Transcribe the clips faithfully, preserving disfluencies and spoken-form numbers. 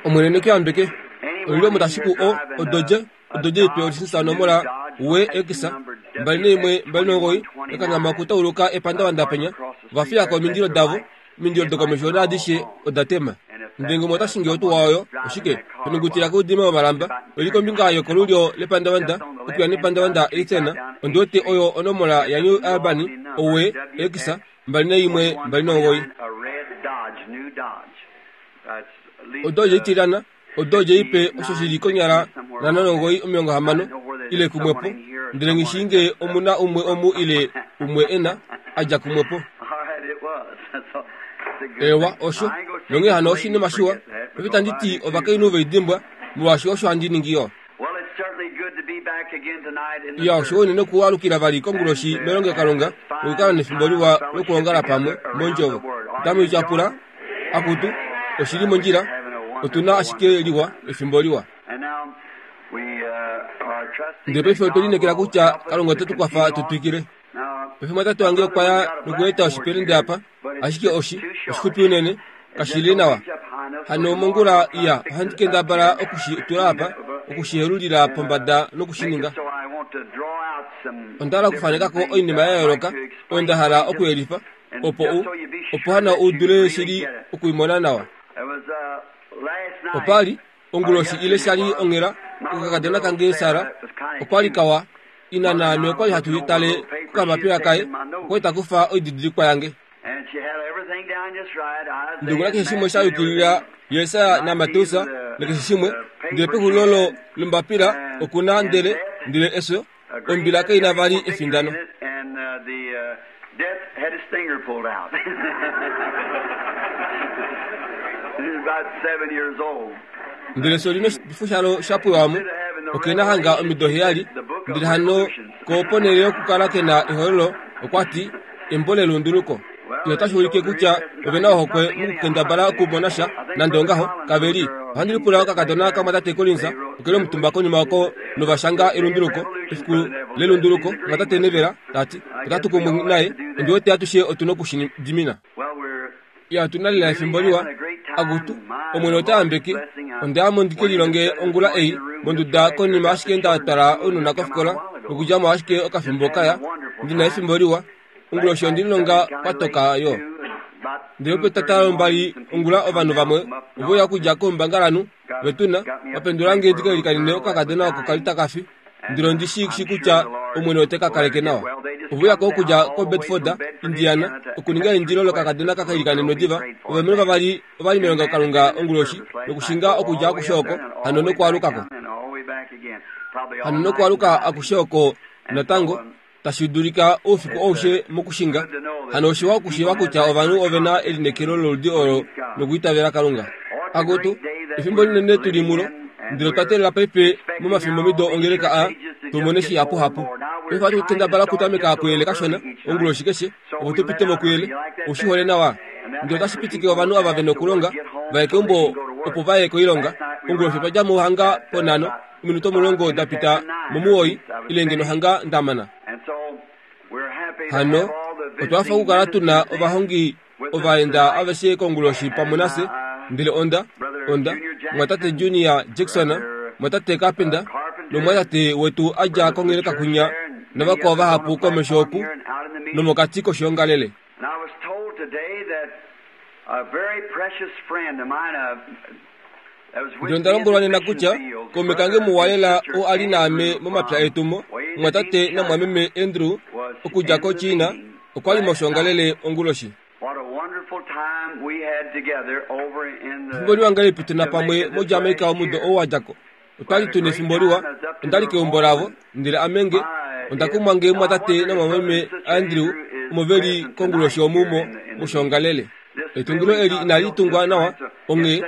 Omwene nekuyambeke olilo mutashiku o odoje odoje ipe olisisa onomola we ekisa mbali neimwe mbali nogoyi ekangama okutauluka epandavanda penya vafiyako omindilo davo omindilo dokomesho naadishe odatema ndenge umwe otashingi otuwa oyo oshike penungutila koudima womalamba oli kombinga yokolulyo lepandavanda okuya nepandavanda eithena ondiwete oyo onomola ya New Albany owe ekisa mbali neimwe mbali nogoyi odoje itilana odoje ipe osho shili konyala nhano nogoyi omilongo hamano ile kumwepo ndele ngishinge omuna umwe omu ile umwe ena adja kumwepo ewa osho nonge hano oshinima shiwa pefita nditi ovakainhu veidimbwa molwaashi osho handi ningi yo iya osho unene okualukila vali konguloshi melongelokalunga nokukala nefimbo liwa lokuongala pamwe mondjovo otamu ityapula akutu oshili mondjila otuna ashike liwa efimbo liwa ndele paife otwe lineekela kutya Kalunga ote tu kwafa tu twikile paife mwatate wange okwa ya nokueta oshipelende apa ashike oshi oshixupi unene kashili nawa hano mongula iya ohandi kendabala okushi tula apa okushihelulila pombada nokushininga onda hala okufanekako oinima ya yooloka oyo nda hala okuyelifa opo u opo hana u dule shili okuimona nawa opali onguloshi ile shali onghela okakadona kange Sara okwali kawa ina naame okwali hatu tale kokamapila kaye okwali takufa oididilikwa yange ndongula keshe shimwe sha yukilila Yesaya naMateus nakeshe shimwe ndele pexulilo lombapila okuna ndele ndele efyo ombila kaina vali efindano ndele efyo lino oshifo shalo shapwewamo okena hanga omido heyali ndele hano ko ponhele yokukala kena ehololo okwati embo lelunduluko otashi ulike kutya ovena ohokwe mokukendabala okumona sha nande ongaho kaveli ohandi lipula okakadona kamwatate Collins okeli omutumba konima oko novashanga elunduluko efiku lelunduluko mwatate Nevela tati otatu kumwe naye ondiwete atushe otuna okushidimina iya otuna lela efimbo liwa akutu Omwene ota yambeke ondayamo ndike lilonge ongula ei monduda konima ashike nda twala ounona kofikola nokudjamo ashike okafimbo kaya ndina efimbo liwa onguloshi ondililonga kwatoka yo ndele petata lombali ongula ovanhu vamwe oveuya okudja koumbangalanhu vetuna vapendulange ndikelikanine okakadona oko kali takafi ndele ondishi shi kutya Omwene ote ka kaleke nawa oveuyako okudja koBedford Indiana okuninga eindilo lokakadona kakelikanenwe diva ovalumenhu vavali ovali melongelokalunga onguloshi nokushinga okudja akushe oko hano nokwaalukako hano nokwaaluka akushe oko natango tashi dulika oufiku aushe mokushinga hano oshiwa okushiiva kutya ovanhu ovena elineekelo loludi olo nokuitavela Kalunga akutu efimbo linene tuli mulo ndele otwa teelela paife momafimbomido ongeleka a tumone shihapuhapu paife ohatu kendabala okutameka kuyele kashona onguloshi keshe opo tupite mokuyele oushihole nawa ndele otashi pitike ovanhu ava vena okulonga vaye keumbo opo vaye koilonga onguloshi otwa dja mohanga ponhano ominute omulongo dapita momuwoi ile ngeno hanga ndamana hano otwa fa okukala tuna ovahongi ovaenda aveshe konguloshi pamwe nafye ndele onda onda mwatate Junior Jackson mwatate Carpenter nomwatate wetu adja kongeleka kwinya navakwao vahapu komesho oku nomokati koshiongalele ndele onda lombwelwa nena kutya kaume kange muwa lela oo ali naame momapya etumo mwatate namwameme Andrew okudja koChina okwali moshiongalele onguloshi efimbo liwa ngahelipi tuna pamwe moJamaica omudo ou wadjako otwali tuna efimbo liwa ondali keumbo lavo ndele amenge onda kumwa nge mwatate namwameme Andrew omo veli konguloshi omumo moshiongalele etungilo eli inali tungwa nawa onghee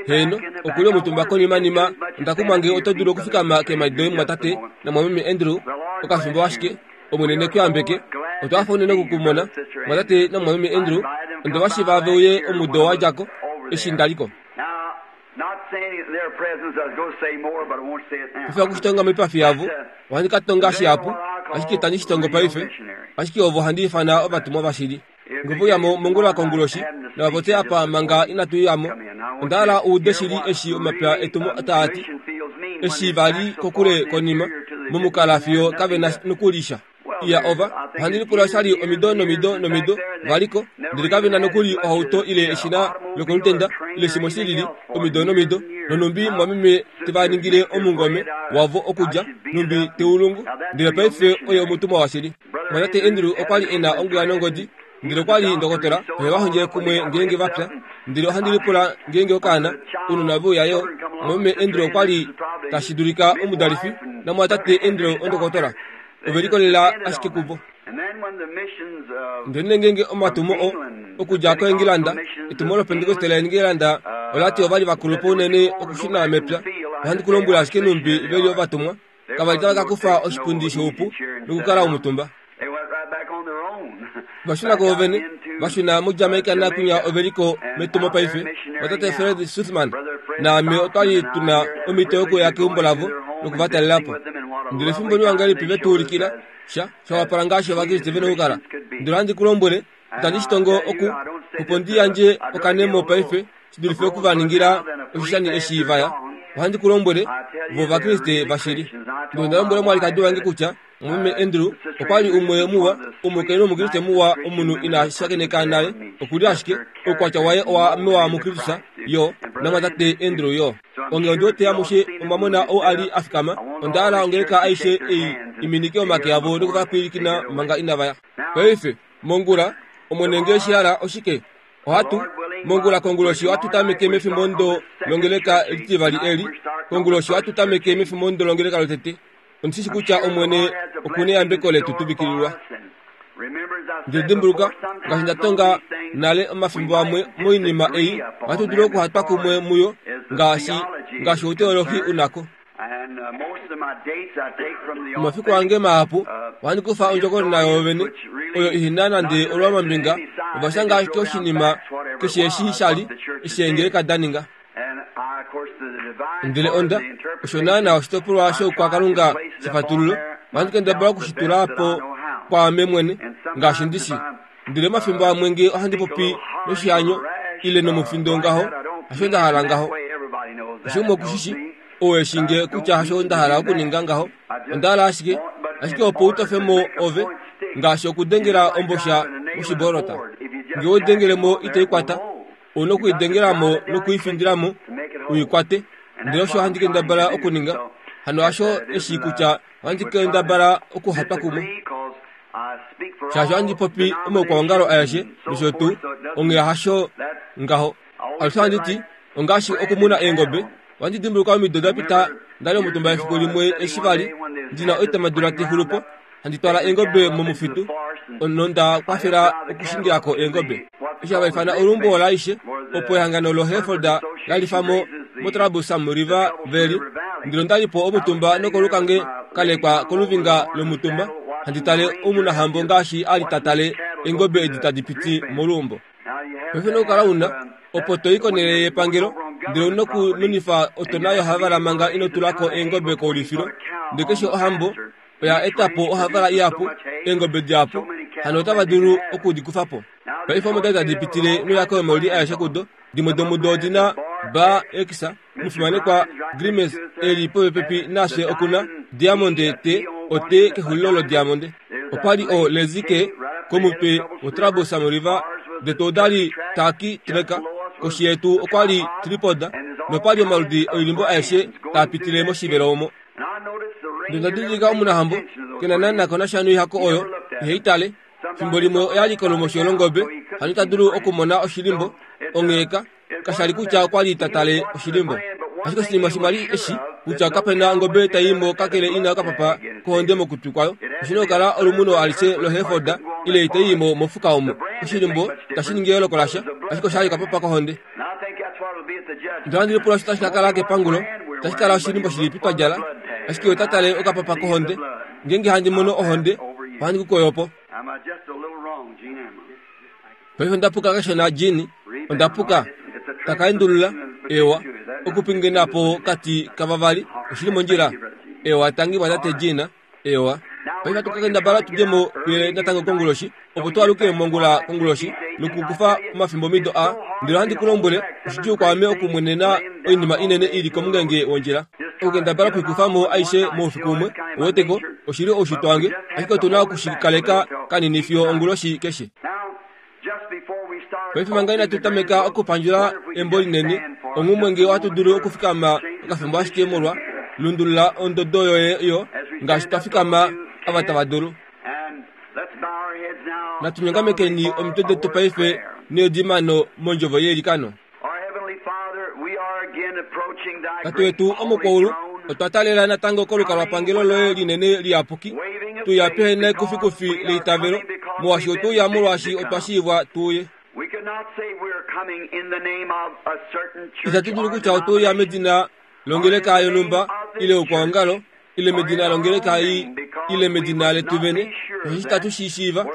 heeno okuli omutumba konimanima onda kumwa nge oto dulu okufikama keemhadi doye mwatate namwameme Andrew okafimbo ashike Omwene nekuyambeke otwa hafa unene okukumona mwatate namwameme Andrew onde vashiva veuye omudo wadjako eshi ndaliko paife okushitonga moipafi yavo ohandi ka tonga shihapu ashike itandi shitongo paife ashike ovo ohandi ifana ovatumwa vashili nge veuyamo mongula konguloshi nava popye apa manga inatu yamo Onda hala uude shili eshi omapya etumo taati eshi vali kokule konima momukala fiyo kave na nokulisha. Iya ova ohandi lipula shali omido nomido nomido valiko ndele kave na nokuli ohauto ile eshina lokolutenda ile shimwe shilili omido nomido nonumbi mwameme tevaningile omungome wavo okulya numbi teulungu ndele paife oye omutumwa washili. Mwatate Andrew okwali ena ongula nongodi ndele okwali ndokotola ohe vahondjele kumwe ngeenge vapya ndele ohandi lipula ngeenge okaana ounona veuyayo. Mwameme Andrew okwali tashi dulika omudalifi namwatate Andrew ondokotola ovelikolela ashike kuvo. Ndele ngeenge omatumo o okudja koEngilanda etumo loPentekoste laEngilanda olati ovali vakulupo unene okushuna mepya. Ohandi kulombwela ashike numbi veli ovatumwa kavali tava kakufa oshipundi shoupu nokukala omutumba. Vashuna ko vene vashuna muJamaica nakunya oveliko metumo paife. Watate Fred Suthman naame otwali tuna omhito yokuya keumbo lavo nokuvatalelapo. Ndele efimbo liwa ngahelipi vetuulikila sha shawapala ngaashi ovakriste vena okukala. Ndele ohandi kulombwele itandi shitongo oku opo ndi yandje okanemo paife shidulife okuvaningila oshishani eshi vaya. Ohandi kulombwele vo ovakriste vashili. Ndele onda lombwela omwalikadi wange kutya mwameme Andrew okwali umwe muwa omukainhu omukriste muwa omunhu ina shakeneka nale okuli ashike oukwatya waye owa mewa muKristus yo namwatate Andrew yo. Onge ondi wete amushe omwamona ou ali afikama. Onda hala ongeleka aishe ei iminike omake avo nokuvapwilikina manga inavaya. Paife mongula omwene nge shihala oshike ohatu mongula konguloshi ohatu tameke mefimbo ndo longeleka litivali eli konguloshi ohatu tameke mefimbo ndo longeleka lotete. Ondishishi kutya omwene okune yambeko letu tuvikililwa. Ndele dimbuluka ngaashi ndatonga nale omafimbo amwe moinima ei ohatu dulu okuhatwa kumwe muyo ngaashi ngaashi outeolohi unako. Omafiku ange mahapu ohandi kufa ondjokonona yoovene oyo ihina nande olwamambinga ovashanga ashike oshinima keshe eshi shali eshi eengeleka daninga. Ndele onda osho naana oshitopolwa shoukwakalunga shefatululo ohandi kendabala okushitula po kwaame mwene ngaashi ndishi. Ndele omafimbo amwe nge ohandi popi noshihanyo ile nomufindo ngaho hasho nda hala ngaho. Osho umwe okushishi ou eshi nge kutya hasho nda hala okuninga ngaho. Onda hala ashike ashike opo utofemo ove ngaashi okudengela ombosha moshibolota. Nge odengelemo itaikwata ouna okuidengelamo nokuifindilamo uikwate. Ndele osho handi kendabala okuninga hano hasho eshi kutya ohandi kendabala okuhatwa kumwe. Shaashi ohandi popi omaukwaongalo aeshe nosho tuu onghee hasho ngaho. Alushe ohandi ti ongaashi okumuna eengobe. Ohandi dimbuluka omido dapita ndali omutumba efiku limwe eshi vali ndina oitamadula tixulupo handi twala eengobe momufitu nonda kwafela okushingilako eengobe. Eshi hava ifana olumbo olaishe opo ehangano loHereford lalifamo moTrabusam River Valley. Ndele ondalipo omutumba nokolukange kalekwa koluvinga lomutumba handi tale omunahambo ngaashi ali tatale eengobe edi tadi piti moluumbo. Paife nokukala una opo toi konele yepangelo ndele ouna okununifa otona yohavala manga ino tulako eengobe koulifilo. Ndele keshe ohambo oya etapo ohavala ihapu eengobe dihapu hano otava dulu okudikufapo. Paife omo tadi pitile noyako yomauli aeshe kudo dimwe domudo odina ba ekisa mufimanekwa Grimes eli popepi nafye okuna Diamond T ote kexulilo lodiamonde. Opali o lezike komutwe woTrabusam River detu odali taki treka koshi yetu okwali tripoda nopali omaludi oilimbo aeshe taapitile moshivelo omo. Ndele ndadidilika omunahambo kena naana konasha noihako oyo iheitale. Fimbo limwe oyali kolumosho longobe hano ita dulu okumona oshilimbo ongheeka kashali kutya okwali tatale oshilimbo. Ashike oshinima shimwe eshi kutya kapena ongobe taimo kakele ina okapapa kohonde mokutwi kwayo. Oshina okukala olumuno alishe loHereford ile itaimo mofuka omo. Oshilimbo tashi ningi eyooloko lasha ashike oshali okapapa kohonde. Ndele ohandi lipula osho tashi kakala kepangulo tashi kala oshilimbo shilipi twa djala ashike otatale okapapa kohonde. Ngeenge handi mono ohonde ohandi kukoyopo. Paife ondapuka kashona Jean, ondapuka takaendulula ewa okupingenapo kati kavavali oshili mondjila ewa tangi mwatate Jean ewa. Paife hatu kakendabala tudjemo kuyele natango konguloshi opo twalukile mongula konguloshi Nokukufa omafimbo mido a ndele ohandi ku lombwele oshidjuu kwaame okumwenena oinima inene ili komungenge wondjila. Okukendabala okuikufamo aishe moufiku umwe, uweteko, oshili oushitwe wange, ashike otu na okushikaleka kanini fiyo onguloshi keshe. Paife manga inatu tameka okupandjula embo linene, onghumwe ngee ohatu dulu okufikama okafimbo ashike molwa lundulula ondodo yoye yo ngaashi twa fikama ava tava dulu. Natu nyongamekeni omitwe detu paife needimano mondjovo yeilikano. Tate wetu omukwaulu, otwa taalela natango kolukalwapangelo loye linene liyapuki, tuya pehene kufikufi leitavelo, molwaashi otuya molwaashi otwa shiivwa tuuye. Itatu dulu kutya otuya medina longeleka yonhumba ile okwaongalo ile medina longeleka ei ile medina letu vene, osheshi tatu shi shiiva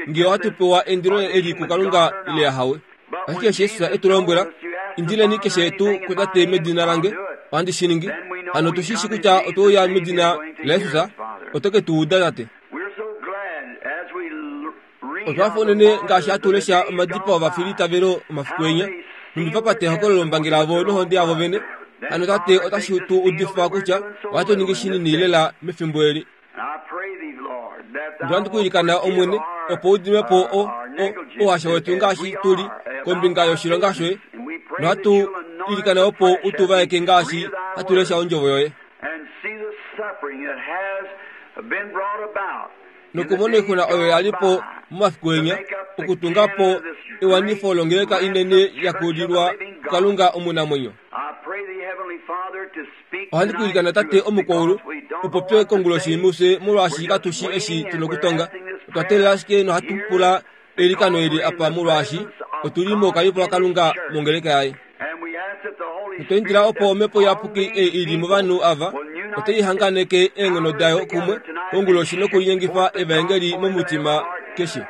ngee ohatu pewa endilo eli kuKalunga ile ahawe. Ashike eshi Jesus e tu lombwela, indileni keshe tuu kuTate medina lange, ohandi shi ningi. Hano otu shi shi kutya otweuya medina laJesus, oto ke tu uda Tate. Otwa fa unene ngaashi hatu lesha omadipao ovafilitavelo omafiku enya, nhumbi va pata ehokololo lombangi lavo nohonde yavo vene. Hano Tate otashi tu udifa kutya ohatu ningi shinini lela mefimbo eli. Ndele ohandi ku ilikana Omwene, opo u dime po o, o, ouhasha wetu ngaashi tu li kombinga yoshilonga shoye, nohatu ilikana opo u tu vaeke ngaashi hatu lesha ondjovo yoye. Nokumona oixuna oyo ya li po momafiku enya, okutunga po ewanifo longeleka inene ya kulilwa kuKalunga omunamwenyo. Ohandi ku ilikana Tate omukwaulu, u popye konguloshi mufye molwaashi katu shi eshi tu nokutonga. Otwa teelela ashike nohatu pula eilikano eli apa molwaashi otu li moukalipo waKalunga mongeleka yaye. Otwa indila opo omhepo iyapuki ei ili movanhu ava otai hanganeke eenghono dayo kumwe konguloshi nokulinyengifa evaengeli momutima keshe.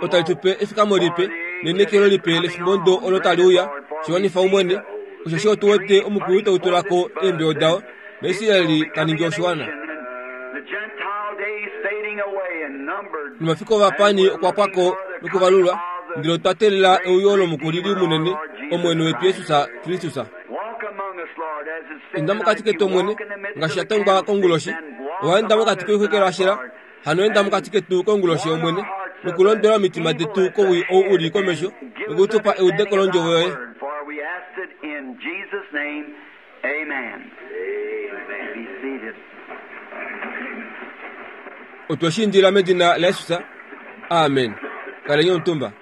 Otali tu pe efikamo lipe neinekelo lipe lefimbo ndo olo tali uya, shiwanifa Omwene, osheshi otu wete omukulu tau tula ko eembeo dao, naIsraeli ta ningi oshiwana. Nomafiku ovapani okwa pwa ko nokuvalulwa, ndele otwa teelela euyo lomukulili munene, Omwene wetu Jesus Kristus. Enda mokati ketu Omwene, ngaashi sha tongwa konguloshi, owa enda mokati koixwekelwashela, hano enda mokati ketu konguloshi Omwene, nokulondwela omitima detu kowii ou u li komesho, nokutupa eudeko londjovo yoye. Otwe shi indila medina laJesus. Amen. Kaleni omutumba.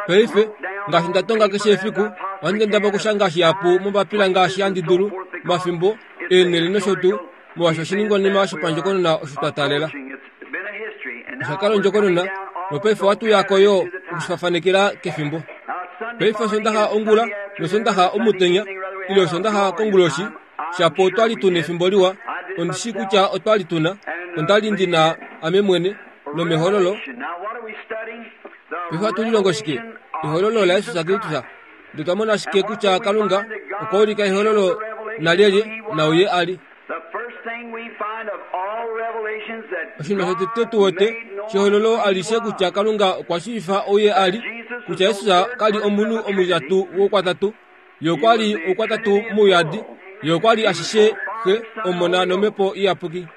Paife, ngaashi nda tonga keshe efiku, ohandi kendabala okushanga shihapu mombapila ngaashi handi dulu, omafimbo, eenhele nosho tuu, molwaashi oshiningwanima shopandjokonona osho twa taalela. Osha kala ondjokonona, nopaife ohatu uya ko yo okushifafanekela kefimbo. Paife Osondaxa ongula nOsondaxa omutenya, ile Osondaxa konguloshi, shapo otwa li tu nefimbo liwa, ondi shii kutya otwa li tu na, onda li ndi na ame mwene, nomehololo. Paife ohatu lilongo shike? Ehololo laJesus Kristus. Ndele otwa mona ashike kutya Kalunga okwa ulika ehololo nalyelye nauye a li. Oshinima shotete tu wete shehololo alishe kutya Kalunga okwa shiivifa ouye a li, kutya Jesus ka li omunhu omutitatu woukwatatu, ye okwa li oukwatatu mouyadi, ye okwa li ashishe Xe, Omona nOmhepo Iyapuki.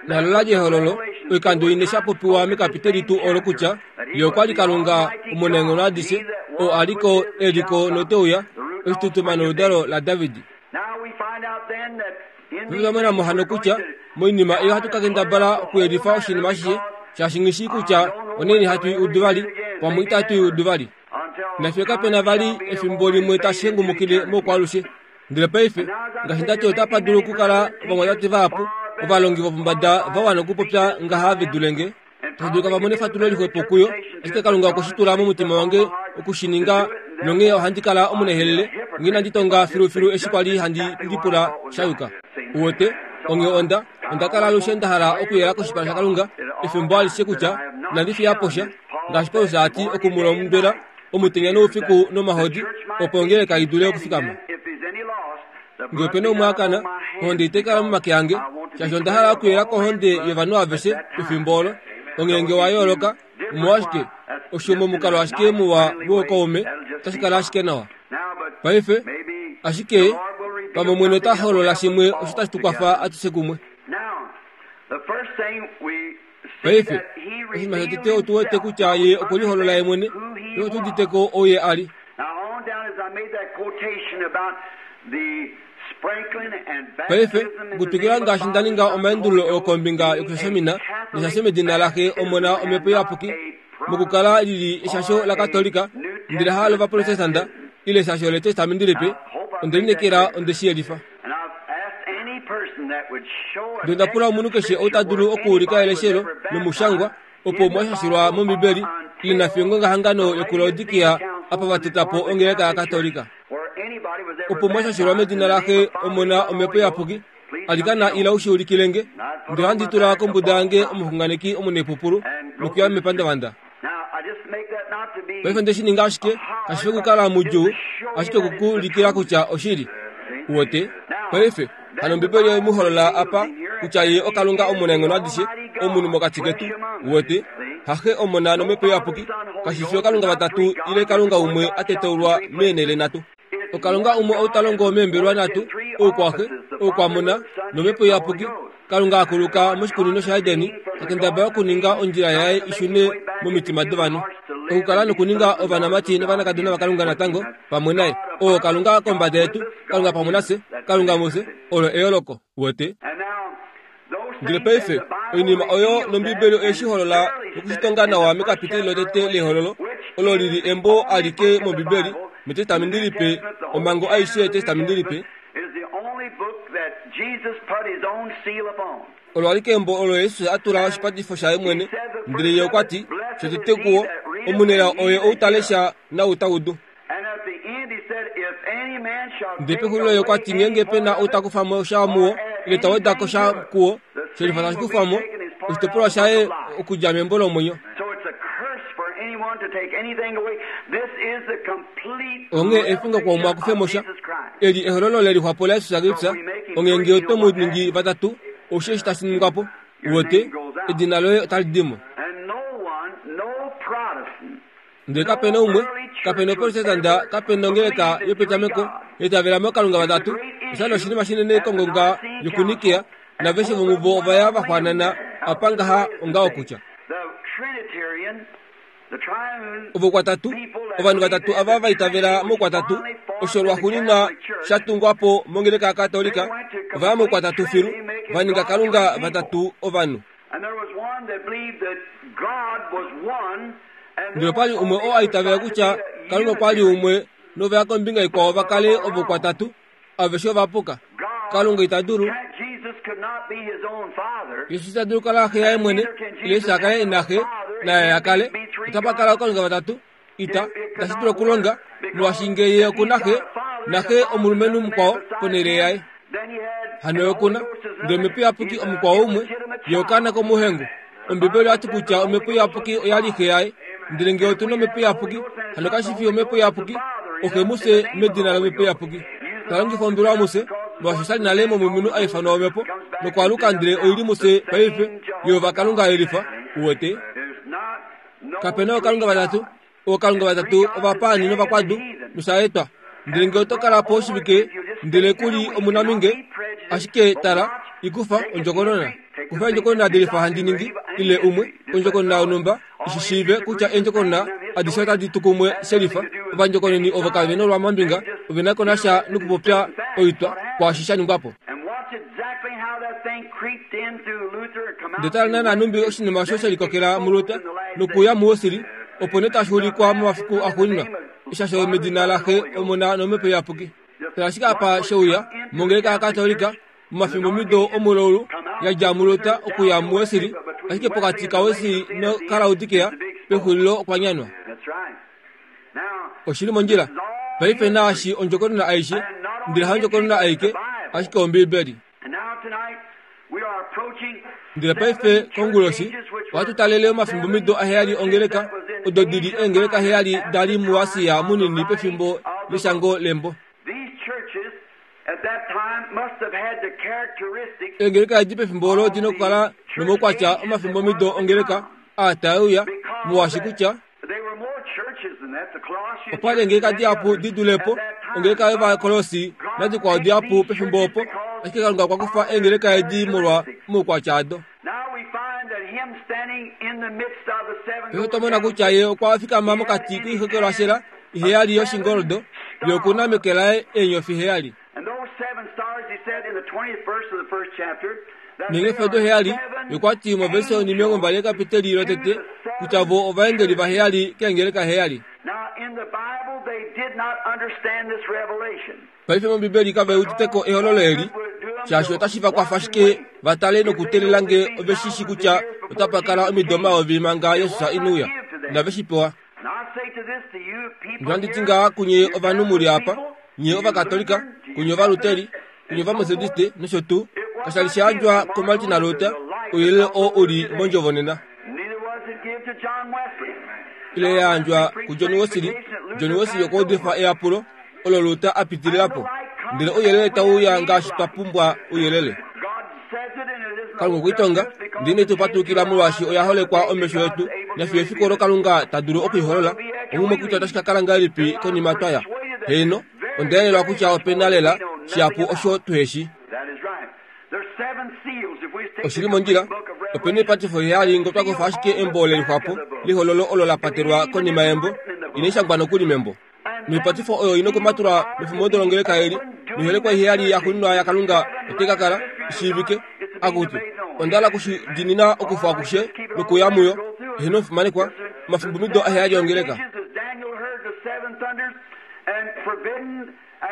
Nalo la li ehololo oikando ine sha popiwa mekapiteli tuu olo kutya ye okwa li Kalunga omunaenghono adishe, oo a li ko, e li ko note uya, oshitutuma noludalo laDavid. Paife otwa mona mo hano kutya moinima ei ohatu ka kendabala okuyelifa oshinima ashishe, shaashi nghi shii kutya onaini hatu i udu vali, pamwe itatu i udu vali. Nafye kape na vali efimbo limwe tashi hengumukile moukwaalushe. Ndele paife, ngaashi nda ti, otapa dulu okukala ovamwatate vahapu, ovalongi vopombada va wana okupopya ngaha ve dule nge. Tashi dulika va mone efatulo lixwepo kuyo, ashike Kalunga okwe shi tula momutima wange oku shi ninga, nonghee ohandi kala omunehelele, onghee inandi tonga filufilu eshi kwa li handi lipula sha yuka. Uwete? Onghee onda, onda kala alushe nda hala okuyela koshipala shaKalunga efimbo alishe kutya inandi fiya po sha, ngaashi Paulus a ti oku mu londwela omutenya noufiku nomahodi, opo ongeleka i dule okufikama. Ngee ope na umwe a kana, ohonde itai kala momake ange, Shaashi onda hala okuyela kohonde yovanhu aveshe pefimbo olo. Ongenge wa yooloka, omolwashike osho momukalo ashike muwa wookaume otashi kala ashike nawa. Paife, ashike pamwe Omwene ota holola shimwe osho tashi tu kwafa atushe kumwe. Paife, oshinima shotete otu wete kutya ye okweliholola ye mwene, ye otu uditeko ouye a li. Paife, okutwikila ngaashi nda ninga omaendululo oo kombinga yokushashamina neshasho medina laxe Omona Omhepo Iyapuki, mokukala lili eshasho laKatolika, ndele halo Ovaprotestanta, ile eshasho leTestamenti Lipe, onde lineekela onde shi yelifa. Ndele onda pula omunhu keshe ou ta dulu okuulika eleshelo lomushangwa opo mwashashilwa mOmbibeli ile nafiyo ngongahangano yokuLaodikia apa va tota po ongeleka yaKatolika. Opo mwashashilwa medina laxe Omona Omhepo Iyapuki, alikana ila u shi ulikile nge, ndele ohandi tula kombuda yange omuxunganeki omunaipupulu nokuya mepandavanda. Paife onde shi ninga ashike, kashi fi okukala mudjuu, ashike oku ulikila kutya oshili. Uwete? Paife, hano Ombibeli oye mu holola apa kutya ye oKalunga omunaenghono adishe, omunhu mokati ketu. Uwete? Haxe Omona nOmhepo Iyapuki, kashi fi oKalunga vatatu ile Kalunga umwe a tetaulwa meenhele nhatu. Okalunga umwe ou ta longo meembelwa nhatu, oukwaxe, oukwamona nOmhepo Iyapuki. Kalunga akuluka moshikunino shaEdeni, ta kendabala okuninga ondjila yaye i shune momitima dovanhu. Okukala nokuninga ovanamati novanakadona vaKalunga natango pamwe naye. Oo Kalunga kombada yetu, Kalunga pamwe nafye, Kalunga mufye, olo eyooloko. Uwete? Ndele paife, oinima oyo nOmbibeli oye shi holola nokushitonga nawa mekapiteli lotete lehololo, olo lili embo alike mOmbibeli, mEtestamenti Lipe, omhango aishe yEtestamenti Lipe. Olo alike embo olo Jesus a tula oshipatifo shaye mwene, ndele ye okwa ti, shotete kuwo, omunelao oye ou ta lesha naou ta udu. Ndele pexulilo ye okwa ti ngeenge pe na ou ta kufa mo sha muwo, ile ta weda ko sha kuwo, shelifa tashi kufwa mo, oshitopolwa shaye okudja membo lomwenyo. Onghee efingo kwaumwe a kufe mo sha. Eli ehololo lelixwapo laJesus Kristus, onghee ngee oto mu ningi vatatu, oushi eshi tashi ningwa po. Uwete, edina loye otali di mo. Ndele kape na umwe, kape na oprotestanta, kape na ongeleka yopetameko yaitavela mookalunga vatatu. Osha li oshinima shinene kongonga yokuNikea, naveshe vomuvo ova ya va xwaanana apa ngaha ongaho kutya ovokwatatu, ovanhu vatatu ava va itavela moukwatatu, osho lwaxuuninwa sha tungwa po mongeleka yaKatolika, ova ya moukwatatu filu, va ninga Kalunga vatatu ovanhu. Ndele opa li umwe oo a itavela kutya Kalunga okwa li umwe nova ya kombinga ikwao va kale ovokwatatu, aveshe ova puka. Kalunga ita dulu. Jesus ita dulu kala xe yaye mwene, ile Jesus a kale ina xe, naye a kale. Otapa kala ookalunga vatatu. Ita, itashi dulu okulonga, molwaashi ngee ye oku na xe, naxe omulumenhu mukwao ponhele yaye. Hano ye oku na, ndele Omhepo Iyapuki omukwao umwe, ye okaana komuhengu. Ombibeli oya ti kutya Omhepo Iyapuki oya li xe yaye. Ndele ngee otu na Omhepo Iyapuki, hano kashi fi Omhepo Iyapuki, oxe mufye medina lOmhepo Iyapuki. Ta longifa ombili wamufye, molwaashi osha li nale momunhu a ifanwa Omhepo, nokwaaluka ndele oi li mufye paife, Jehova Kalunga a yelifa. Uwete? Kape na ookalunga vatatu. Ookalunga vatatu ovapaani novakwadu, nosha etwa. Ndele ngee oto kala po oshivike, ndele ku li omunaminge, ashike tala, i kufa ondjokonona. Kufa eendjokonona delifa handi ningi, ile umwe, ondjokonona yonhumba, ishi shiive kutya eendjokonona adishe otadi tu kumwe shelifa. Ovandjokononi ovo kave nolwamambinga, ove na ko nasha nokupopya oitwa kwaashi sha ningwa po. Ndele tala naana nhumbi oshinima osho she likokela muLuther nokuuya muWesley, opo nee tashi ulikwa momafiku axuuninwa, eshasho medina laXe, Omona nOmhepo Iyapuki. Tala ashike apa she uya mongeleka yaKatolika momafimbomido omulaulu ya dja muLuther okuya muWesley, ashike pokati kaWesley nokaLaodikea pexulilo okwa nyanwa. Oshi li mondjila paife naashi ondjokonona aishe, ndele haondjokonona aike, ashike Ombibeli. Ndele paife konguloshi ohatu talele omafimbomido aheyali ongeleka, odo di li eengeleka heyali da li muAsia munini pefimbo leshango lembo. Eengeleka edi pefimbo olo odina okukala nomaukwatya omafimbomido ongeleka aa tae uya, molwaashi kutya opa li eengeleka dihapu di dulepo ongeleka yOvakolossi nadikwao dihapu pefimbo opo, ashike Kalunga okwa kufa eengeleka edi molwa omaukwatya ado. Paife otwa mona kutya ye okwa fikama mokati koixokelwashela iheyali yoshingoldo, ye okuna meke laye eenyofi heyali. Neenyofi odo heyali, ye okwa ti moverse onimilongo mbali yekapiteli lotete kutya vo ovaengeli vaheyali keengeleka heyali. Paife mOmbibeli kave uditeko ehololo eli, shaashi otashi va kwafa ashike va tale nokuteelela nge ove shi shi kutya otapa kala omido omayovi manga Jesus ine uya. Inave shi pewa. Nohandi ti ngaha kunye ovanhu mu li apa, nye Ovakatolika, kunye Ovaluteri, kunye Ovametodiste nosho tuu, kasha li sha yandjwa kuMartin Luther, ouyelele oo u li mondjovo nena. Ile ya yandjwa kuJohn Wesley, John Wesley okwa udifa eyapulo olo Luther a pitilila po. Ndele ouyelele tau uya ngaashi twa pumbwa ouyelele. Kalunga okwe i tonga, ndele ine tu patulukila molwaashi oya holekwa omesho etu, nafiyo efiku olo Kalunga ta dulu okuiholola omumwe kutya otashi ka kala ngahelipi konima twa ya. Heeno, onda yelelwa kutya ope na lela shihapu osho tuheshi. Oshili mondjila, ope na oipatifo heyali ngee otwa kufa ashike embo lelixwapo lehololo olo la patelwa konima yembo, inali shangwa nokuli membo. Noipatifo oyo ina okumatulwa mefimbo longeleka eli, noiholekwa iheyali yaxuuninwa yaKalunga otai ka kala ishiivike. Akutu, onda hala okushidinina okufa akushe nokuya muyo, eheno omufimanekwa, omafimbomido aheyali ongeleka.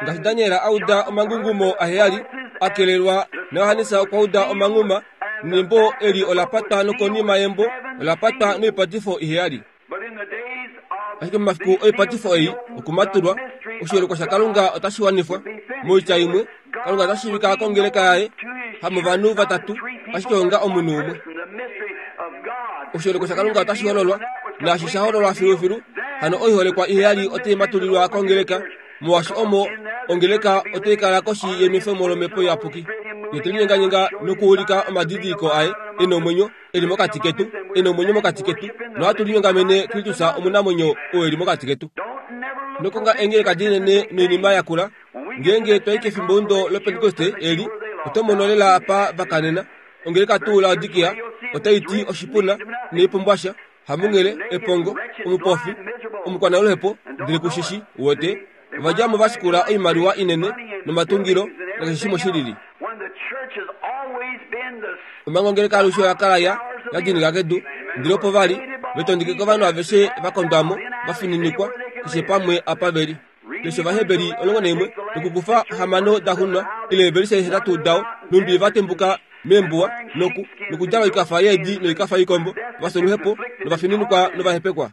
Ngaashi Daniel a uda omangungumo aheyali a kelelwa, naJohannes okwa uda omanghuma, nembo eli ola patwa nokonima yembo ola patwa noipatifo iheyali. Ashike momafiku oipatifo ei okumatulwa, oshiholekwa shaKalunga otashi wanifwa. Moitya imwe, Kalunga ota shiivika kongeleka yaye, hamovanhu vatatu, ashike onga omunhu umwe. Oshiholekwa shaKalunga otashi hololwa, naashi sha hololwa filufilu, hano oiholekwa iheyali otai matulilwa kongeleka, molwaashi omo ongeleka otai kala koshi yenwefemo lOmhepo Iyapuki. Ye te linyenganyenga nokuulika omadidiliko aye e nomwenyo e li mokati ketu, e nomwenyo mokati ketu, nohatu linyongamene Kristus omunamwenyo oo e li mokati ketu. Nokonga eengeleka dinene noinima yakula, ngeenge twa i kefimbo lOpentekoste eli, oto mono lela apa va kanena. Ongeleka tuu Laodikia otai ti oshipuna inai sha, hamunghele, epongo, omupofi, omukwanaluhepo, ndele kushishi, uwete. Ova dja mo va shikula oimaliwa inene nomatungilo nakeshe shimwe shilili. Omanga ongeleka alushe oya kala ya ya dinika kedu, ndele opo va li ve tondike kovanhu aveshe va kondwa mo, va fininikwa keshe pamwe apa ve li. Lesha Ovaheberi omulongo naimwe nokukufa hamano da xunwa ile eevelise hetatu dao, nhumbi va tembuka meembuwa noku nokudjala oikafa yeedi noikafa yoikombo, va fya oluhepo novafininikwa novahepekwa.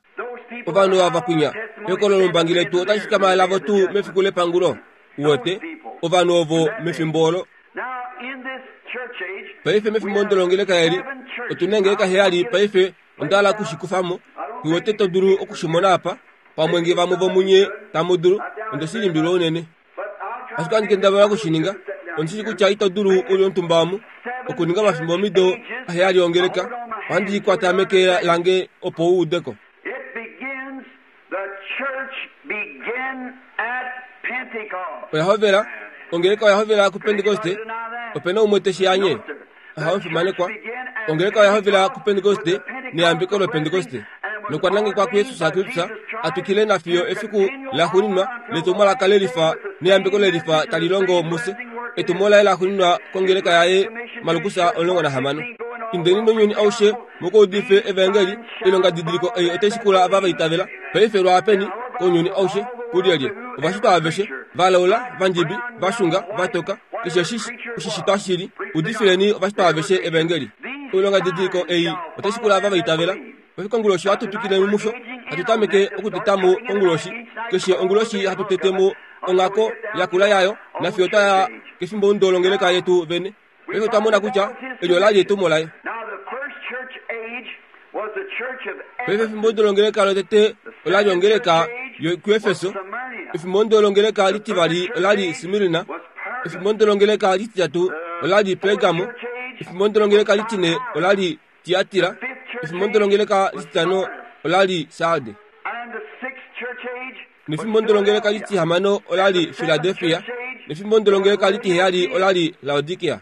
Ovanhu ava kwinya, ehokololo lombangi letu otali fikama lavo tuu mefiku lepangulo. Uwete, ovanhu ovo mefimbo olo. Paife mefimbo longeleka eli, otu na eengeleka heyali paife onda hala okushikufa mo. Nghi wete to dulu okushimona apa, pamwe nge vamwe vomunye tamu dulu, onde shi limbililwa unene. Ashike ohandi kendabala okushininga, ondi shii kutya ito dulu u li omutumba omu, okuninga omafimbomido aheyali ongeleka. Ohandi i kwata meke lange opo u ude ko. Oya hovela, ongeleka oya hovela kuPentekoste. Ope na umwe te shi anye? Aha, omufimanekwa. Ongeleka oya hovela kuPentekoste neyambeko loPentekoste, nokwa nangekwa kuJesus Kristus a twikile nafiyo efiku laxuuninwa letumwalaka lelifa neyambeko lelifa tali longo mufye. Etumo laye laxuuninwa kongeleka yaye, Markus omulongo nahamano. Indeni mounyuni aushe mukaudife evaengeli, oilongadidiliko ei otai shikula ava va itavela. Paife lwaapeni kounyuni aushe, kulyelye? Ovashitwa aveshe, valaula, vandjibi, vashunga, vatoka, keshe eshi oshishitwa shili, udifileni ovashitwa aveshe evaengeli. Oilongadidiliko ei otai shikula ava va itavela. Paife konguloshi ohatu twikile musho, hatu tameke okuteta mo konguloshi, keshe onguloshi hatu tete mo onghako yakula yayo, nafiyo twa ya kefimbo longeleka yetu vene. Paife otwa mona kutya eli ola li etumo laye. Paife efimbo longeleka lotete ola li ongeleka yokuEfeso. Efimbo longeleka litivali ola li Smirna. Efimbo ndolongeleka lititatu olali Pergamo. Efimbo ndolongeleka litine olali Tiatira. Efimbo ndolongeleka lititano olali Sarde. Nefimbo ndolongeleka litihamano olali Philadelphia. Nefimbo ndolongeleka litiheyali olali Laodikia.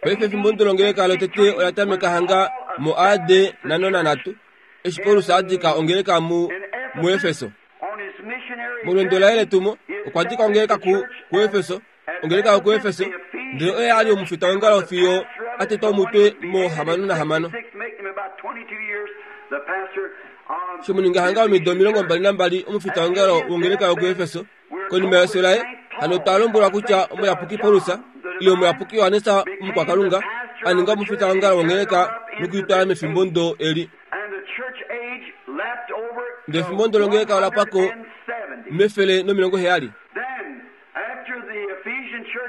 Paife efimbo ndolongeleka lotete ola tameka hanga mo A D nano nanhatu eshi Paulus a dika ongeleka mu muEfeso. Molwendo laye letumo okwa dika ongeleka ku kuEfeso, ongeleka yokuEfeso, ndele oye ali omufita wongalo fiyo a tetwa omutwe mo hamano nahamano. Shomuninga hanga omido omilongo mbali nambali omufita wongalo wongeleka yokuEfeso. Konima yefyo laye, hano otwa lombwelwa kutya omuyapuki Paulus ile omuyapuki Johannes omukwakalunga a ninga omufita wongalo wongeleka nokuitwala mefimbo ndo eli. Ndele efimbo ndo longeleka ola pwako mefele nomilongo heyali.